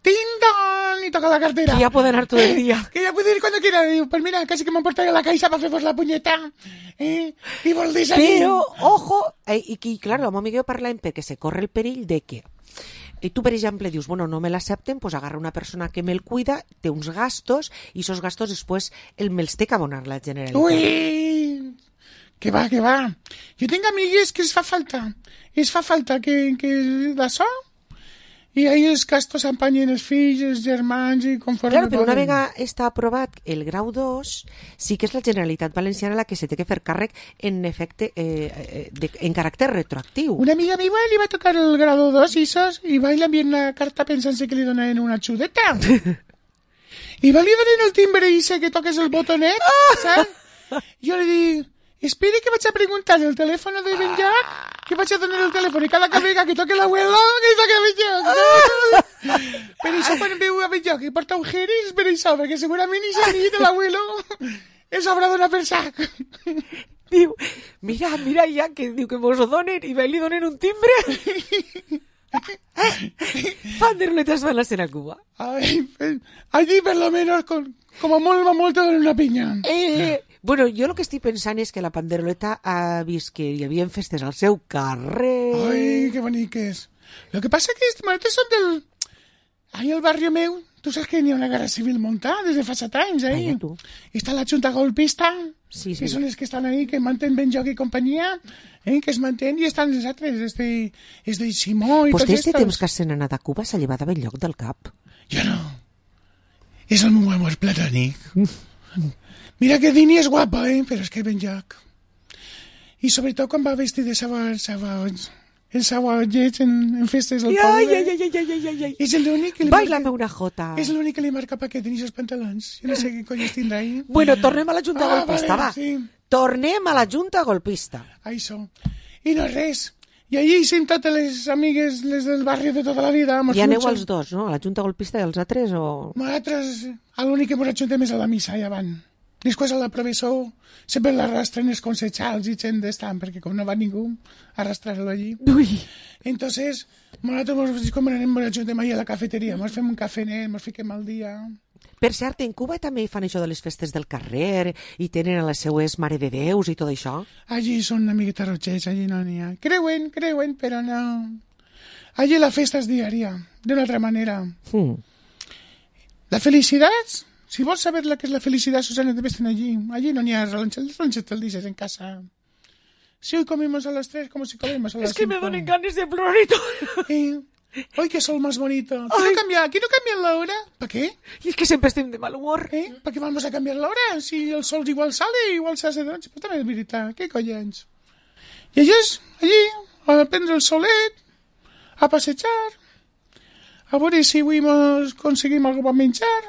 ¡Ting-dong! Y toca la cartera. Que ya puede anar todo el día. Que ya puede ir cuando quiera. Digo, pues mira, casi que me portaré a la caixa para haceros la punyeta. I vol dir Però, ojo, i clar, amb mi que jo parlàvem perquè se corre el perill de que tu, per exemple, dius, bueno, no me l'accepten, pues agarra una persona que me'l cuida, té uns gastos, i esos gastos després me'ls té que abonar la Generalitat. Ui! Que va. Jo tinc amigues que es fa falta que d'això, i ahí els gastos empanyen els fills, els germans, i conforme... Claro, però una vegada està aprovat el grau 2, sí que és la Generalitat Valenciana la que se té que fer càrrec en efecte, en caràcter retroactiu. Una amiga meva li va tocar el grado 2 i va i li enviar una carta pensant-se que li donaven una xudeta. I va li donar el timbre i sé que toques el botonet, saps? Jo li dic, espere que vaig a preguntar el telèfon de Benlloc, que vaig a donar el telèfon i cada vegada que toque l'abuelo, que toque Benlloc. Per això quan veu a Benlloc i porta ujeres, per això, perquè segurament i nit de l'abuelo és haurà donar per sac. Diu, mira ja, que diu que mos ho donen i li donen un timbre. Panderoletas van a ser a Cuba. Ay, allí per lo menos com a molt te donen una pinya. Bueno, jo el que estic pensant és que la Panderoleta ha vist que hi havia festes al seu carrer. Ai, que boniques. Lo que pasa que estos son del... Ahí al barrio meu, tu saps que hi ha una guerra civil muntada des de fa 7 anys, ahí. I està la junta golpista, que són els que estan ahí, que mantenen Benlloc i companyia, que es mantenen, i estan els altres, és de Simó i tots estos. Pues este temps que s'han anat a Cuba s'ha llevat a Benlloc del cap. Jo no. És el meu amor platònic. Mira que Dini és guapa, però és que Benlloc. I sobretot quan va vestir de sabots. El sabollets en festes al poble. Ai. És l'únic que li Bailame una jota. És l'únic que li marca paquet en aquests pantalons. Jo no sé què conyes tindrà ahí. Bueno, tornem a la junta golpista, vale, va. Sí. Tornem a la junta golpista. Això. I no res. I allí som totes les amigues, les del barri de tota la vida. I aneu els dos, no? A la junta golpista i els altres, o...? Nosaltres, l'únic que ens ajuntem és a la missa, ja van. Després a la professor sempre l'arrastren els consejals i gent d'estant, perquè com no va ningú, arrastrar-lo allí. Ui. Entonces, nosaltres com anem a ajuntem ahí a la cafeteria, ens fem un cafenet, ens fiquem al dia. Per cert, en Cuba també fan això de les festes del carrer i tenen a les seues Mare de Déus i tot això? Allí són una miqueta rotxers, allí no n'hi ha. Creuen, però no. Allí la festa és diària, d'una altra manera. La felicitat... Si vols saber la que és la felicitat, Susana, debes estar allí. Allí no n'hi ha ranxes del dices en casa. Si hoy comemos a las 3, como si comemos a las 5. Es que me donen ganas de plorar y todo. Hoy qué sol más bonito. ¿Aquí no cambian la hora? ¿Para qué? Y es que siempre estoy de mal humor. ¿Para qué vamos a cambiar la hora? Si el sol igual sale, igual se hace de noche. Pues también es veritat. Què collons? I ellos, allí, a prendre el solet, a passejar, a veure si avui aconseguim alguna cosa per menjar.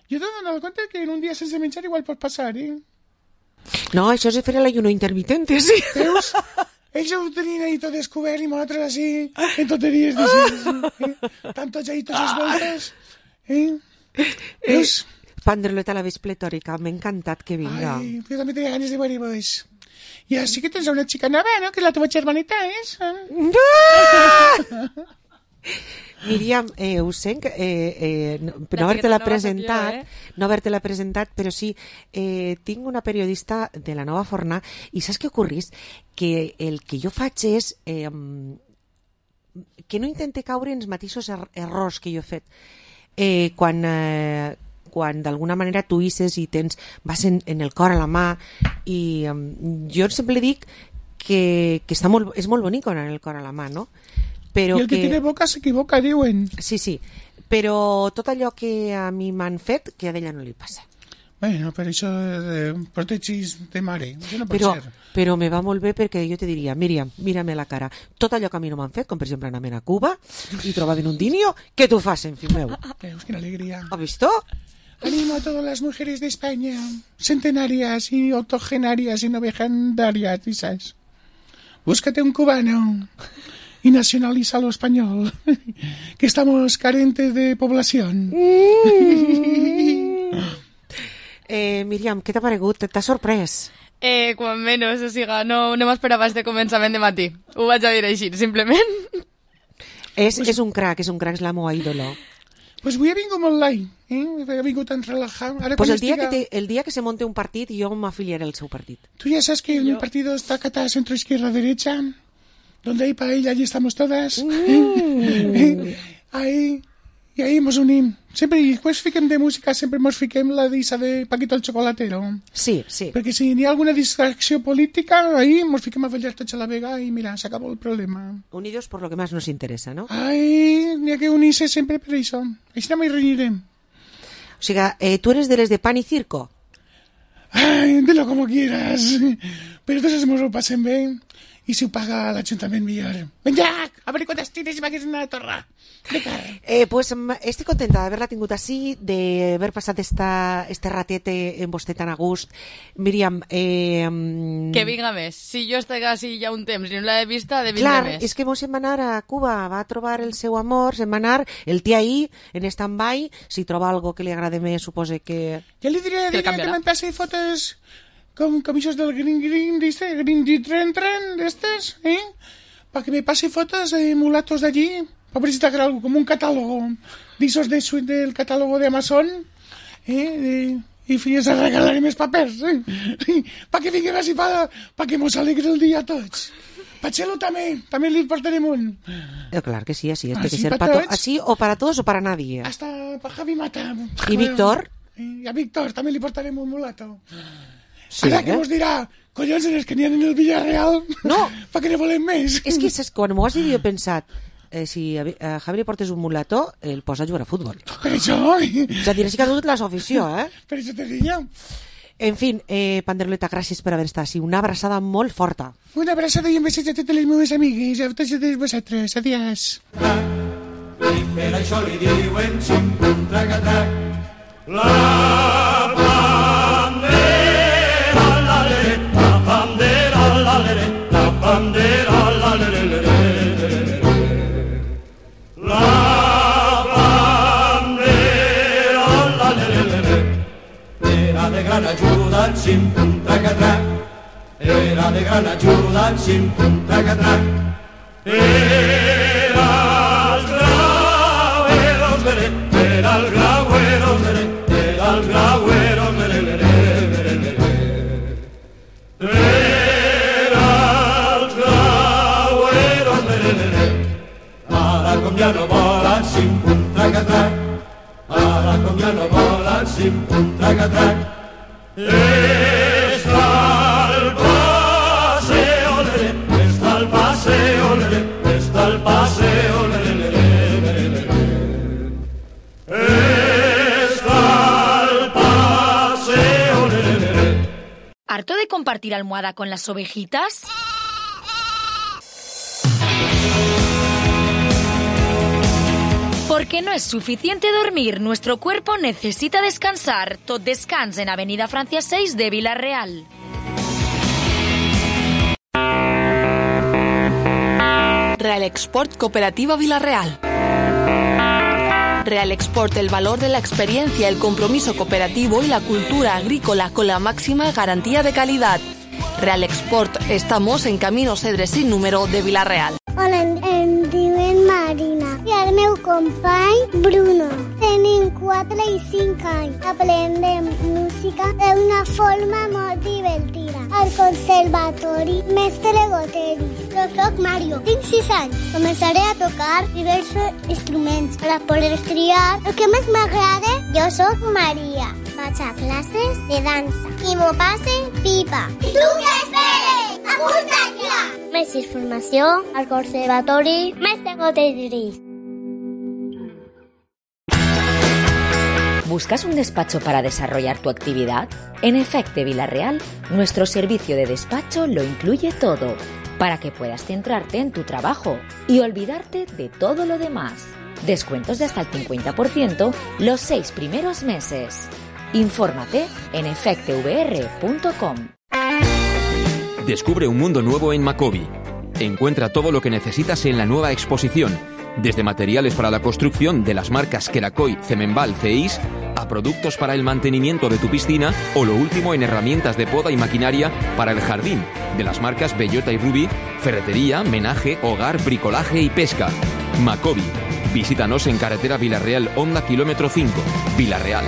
Jo t'he donat compte que en un dia sense menjar igual pot passar, No, això és fer l'ayuno intermitente, sí. Veus? Ells ho tenien ahí tot descobert i nosaltres així, en tonteries d'així. Tantos ahí, totes voltes. Veus? Panderoleta la ves pletòrica, m'ha encantat que vinga. Ai, jo també tenia ganes de veure-vos. I així que tens una xica nova, no? Que és la teva germaneta, Míriam, ho sé, no haver-te-la presentat, però sí, tinc una periodista de la Nova Forna i saps què ocorrís? Que el que jo faig és que no intente caure en els mateixos errors que jo he fet. Quan d'alguna manera tu hisses i vas en el cor a la mà, i jo sempre dic que és molt bonic anar el cor a la mà, no? Però I el que tiene boca s'equivoca, diuen. Sí, però tot allò que a mi m'han fet, que a ella no li passa. Bueno, però això de protegis de mare, això no pot ser. Però me va molt bé perquè jo te diria, Míriam, mírame la cara, tot allò que a mi no m'han fet, com per exemple anar a Cuba i trobar un dinio, què t'ho facen, fill meu? Veus, quina alegria. ¿Has visto? Animo a todas las mujeres de España, centenarias y octogenarias y novegendarias, ¿sabes? Búscate un cubano y nacionalízalo español, que estamos carentes de población. Míriam, què t'ha paregut? T'ha sorprès? Quan menys, o sigui, no m'esperava este començament de matí. Ho vaig a dir així, simplement. És un crack, és la meva ídolo. Pues avui he vingut molt light, he vingut tan relajado. Pues el día que se monte un partit, yo me afiliaré al seu partit. Tú ya sabes que mi partido está catado centro, izquierda, derecha, donde hay paella, allí estamos todas. I ahí mos unim. Sempre, i quan fiquem de música, sempre mos fiquem la dissa de Paquito el Chocolatero. Sí, sí. Perquè si hi ha alguna distracció política, ahí mos fiquem a ballar tots a la vega i mira, s'acabó el problema. Unidos por lo que más nos interesa, ¿no? Ai, n'hi ha que unir-se sempre per això. Així no m'hi reunirem. O sigui, ¿tú eres de les de pan y circo? Ay, de lo como quieras. Pero entonces mos ho passem bé i si ho paga l'Ajuntament millor. Venga, a veure quantes tires i m'hagués una torra. Pues estoy contenta de haberla tingut així, d'haver passat este ratete en vostè tan a gust. Míriam... Que vinga més. Si jo estic així ja un temps i no l'he vista, de vindre més. Clar, és que mos se'n va anar a Cuba, va trobar el seu amor, se'n va anar, el té ahí, en stand-by, si troba algo que li agrade més, supose que... Ja li diré que me'n passi fotos con camisos del Green, dice, Green Tren, d'estes, para que me pase fotos de mulatos de allí. A ver si te algo, como un catálogo de esos del catálogo de Amazon, y fíjese a regalar mis papers, para que vinguem així, para que mos alegre el dia a tots. Pa Chelo també li portarem un. Claro que sí, así es, que ser para así o para todos o para nadie. Hasta para Javi Mata. ¿Y Víctor? Y a Víctor també li portarem un mulato. Sí, ara que mos dirà, collons, eres que n'hi ha en el Villarreal, no, pa que ne volem més. És que quan m'ho has dit jo he pensat, si a Javi li portes un mulato, el posa a jugar a futbol. Per això... És a dir, sí que ha dut la afició, Per això te diria. En fin, Panderoleta, gràcies per haver estat així. Una abraçada molt forta. Una abraçada i un beset a totes les meves amigues, a tots vosaltres. Adiós. I per això li diuen ximpuntracatrac. La bandera, la lereta, la bandera, la lereta, la bandera, la lereta. La bandera, la lereta, era de gran ajuda en ximpuntracatrac. Era de gran ajuda en ximpuntracatrac. Era el grauero, era el grauero, era el grauero, ara com ja no volen ximpuntracatrac, ara com ja no volen ximpuntracatrac, està el paseo, està el paseo, està el paseo, està el paseo. ¿Harto de compartir almohada con las ovejitas? Porque no es suficiente dormir, nuestro cuerpo necesita descansar. Tot descans en Avenida Francia 6 de Vila-real. Real Export Cooperativa Vila-real. Real Export, el valor de la experiencia, el compromiso cooperativo y la cultura agrícola con la máxima garantía de calidad. Real Export, estamos en Camino Cedre sin número de Vila-real. Hola, em diuen Marina i el meu company Bruno. Tenim 4 i 5 anys. Aprendem música d'una forma molt divertida. Al conservatori Mestre Goteris. Jo soc Mario, tinc 6 anys. Començaré a tocar diversos instruments per a poder triar el que més m'agrada. Jo soc Maria. Vaig a classes de dansa i m'ho passe pipa. I tu què esperes? Apunta't ja! Més informació al Conservatori Mestre Goteris. ¿Buscas un despacho para desarrollar tu actividad? En Efecte Villarreal, nuestro servicio de despacho lo incluye todo, para que puedas centrarte en tu trabajo y olvidarte de todo lo demás. Descuentos de hasta el 50% los 6 primeros meses. Infórmate en efectevr.com. Descubre un mundo nuevo en Macobi. Encuentra todo lo que necesitas en la nueva exposición, desde materiales para la construcción de las marcas Kerakoy, Cemenbal, CEIS, a productos para el mantenimiento de tu piscina o lo último en herramientas de poda y maquinaria para el jardín, de las marcas Bellota y Ruby, ferretería, menaje, hogar, bricolaje y pesca. Macobi. Visítanos en carretera Villarreal, Honda, kilómetro 5, Villarreal.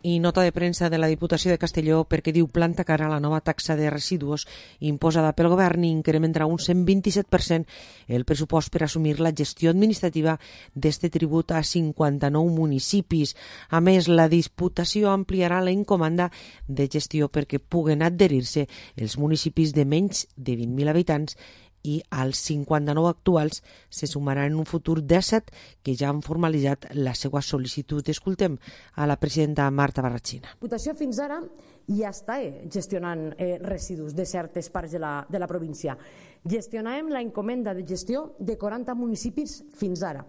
I nota de premsa de la Diputació de Castelló perquè diu planta cara a la nova taxa de residus imposada pel govern i incrementarà un 127% el pressupost per assumir la gestió administrativa d'este tribut a 59 municipis. A més, la Diputació ampliarà la encomanda de gestió perquè puguen adherir-se els municipis de menys de 20.000 habitants i als 59 actuals se sumaran en un futur 17 que ja han formalitzat la seva sol·licitud. Escoltem a la presidenta Marta Barratxina. La Diputació fins ara ja està gestionant residus de certes parts de la província. Gestionàvem la encomenda de gestió de 40 municipis fins ara,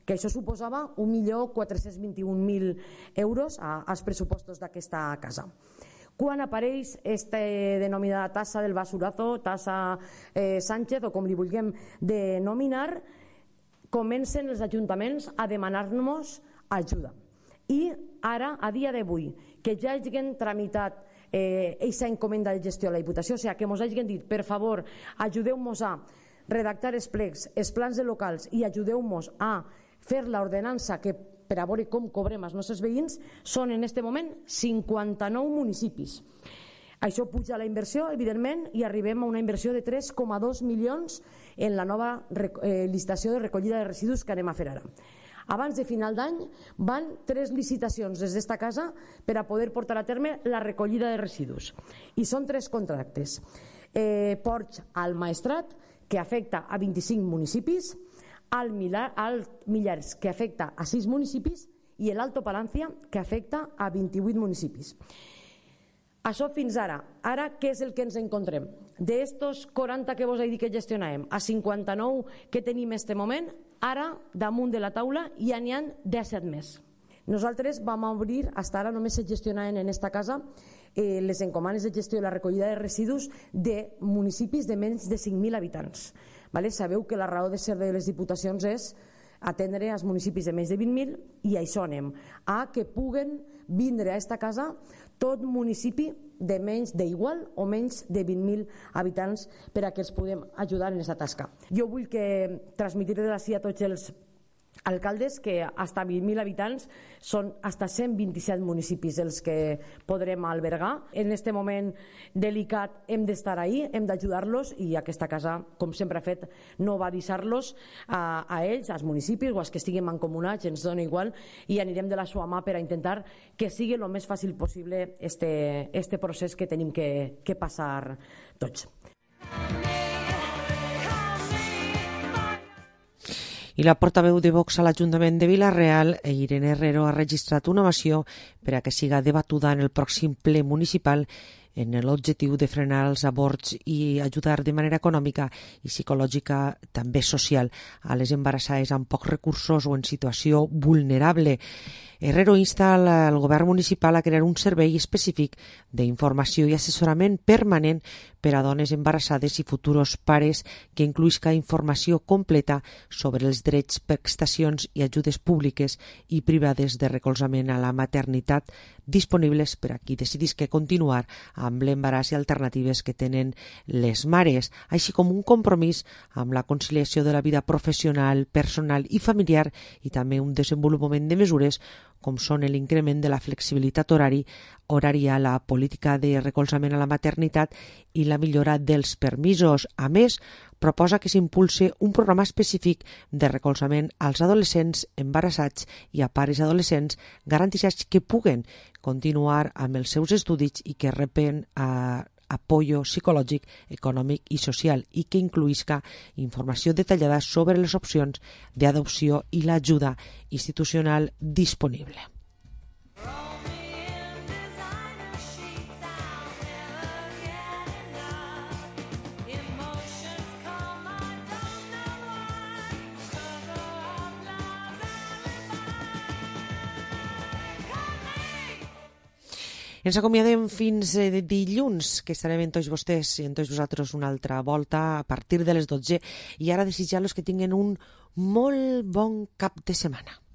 que això suposava 1.421.000 euros als pressupostos d'aquesta casa. Quan apareix aquesta denominada tassa del basurazo, tassa Sánchez o com li vulguem denominar, comencen els ajuntaments a demanar-nos ajuda. I ara, a dia d'avui, que ja hagin tramitat aquesta encomenda de gestió a la Diputació, o sigui, que ens hagin dit, per favor, ajudeu-nos a redactar els plecs, els plans de locals i ajudeu-nos a fer l'ordenança que per a veure com cobrem els nostres veïns, són en aquest moment 59 municipis. Això puja la inversió, evidentment, i arribem a una inversió de 3,2 milions en la nova licitació de recollida de residus que anem a fer ara. Abans de final d'any van 3 licitacions des d'esta casa per a poder portar a terme la recollida de residus. I són 3 contractes. Ports al Maestrat, que afecta a 25 municipis, al Millars, que afecta a 6 municipis, i l'Alto Palancia, que afecta a 28 municipis. Això fins ara. Ara, què és el que ens encontrem? D'estos 40 que vos he dit que gestionàvem, a 59 que tenim en aquest moment, ara, damunt de la taula, ja n'hi ha 17 més. Nosaltres vam obrir, fins ara només se gestionaven en aquesta casa les encomanes de gestió i la recollida de residus de municipis de menys de 5.000 habitants. Sabeu que la raó de ser de les diputacions és atendre als municipis de menys de 20.000 i això anem a que puguen vindre a aquesta casa tot municipi de menys d'igual o menys de 20.000 habitants per a que els puguem ajudar en aquesta tasca. Jo vull transmetre d'ací a tots els alcaldes que fins a 20.000 habitants són fins a 127 municipis els que podrem albergar. En aquest moment delicat hem d'estar ahí, hem d'ajudar-los i aquesta casa, com sempre ha fet, no va deixar-los a ells, als municipis o als que estiguin mancomunats, ens dona igual, i anirem de la seva mà per a intentar que sigui el més fàcil possible este procés que tenim que passar tots. I la portaveu de Vox a l'Ajuntament de Vila-real, Irene Herrero, ha registrat una moció per a que siga debatuda en el pròxim ple municipal en l'objectiu de frenar els avorts i ajudar de manera econòmica i psicològica, també social, a les embarassades amb pocs recursos o en situació vulnerable. Herrero insta al govern municipal a crear un servei específic d'informació i assessorament permanent per a dones embarassades i futurs pares que incluïsca informació completa sobre els drets, prestacions i ajudes públiques i privades de recolzament a la maternitat disponibles per a qui decidisca continuar amb l'embaràs i alternatives que tenen les mares, així com un compromís amb la conciliació de la vida professional, personal i familiar i també un desenvolupament de mesures com són l'increment de la flexibilitat horària, la política de recolzament a la maternitat i la millora dels permisos. A més, proposa que s'impulse un programa específic de recolzament als adolescents embarassats i a pares adolescents garantissats que puguen continuar amb els seus estudis i que reben apoyo psicològic, econòmic i social i que incluïsca informació detallada sobre les opcions d'adopció i l'ajuda institucional disponible. Ens acomiadem fins dilluns, que estarem amb tots vostès i amb tots vosaltres una altra volta a partir de les 12. I ara desitjar-los que tinguin un molt bon cap de setmana.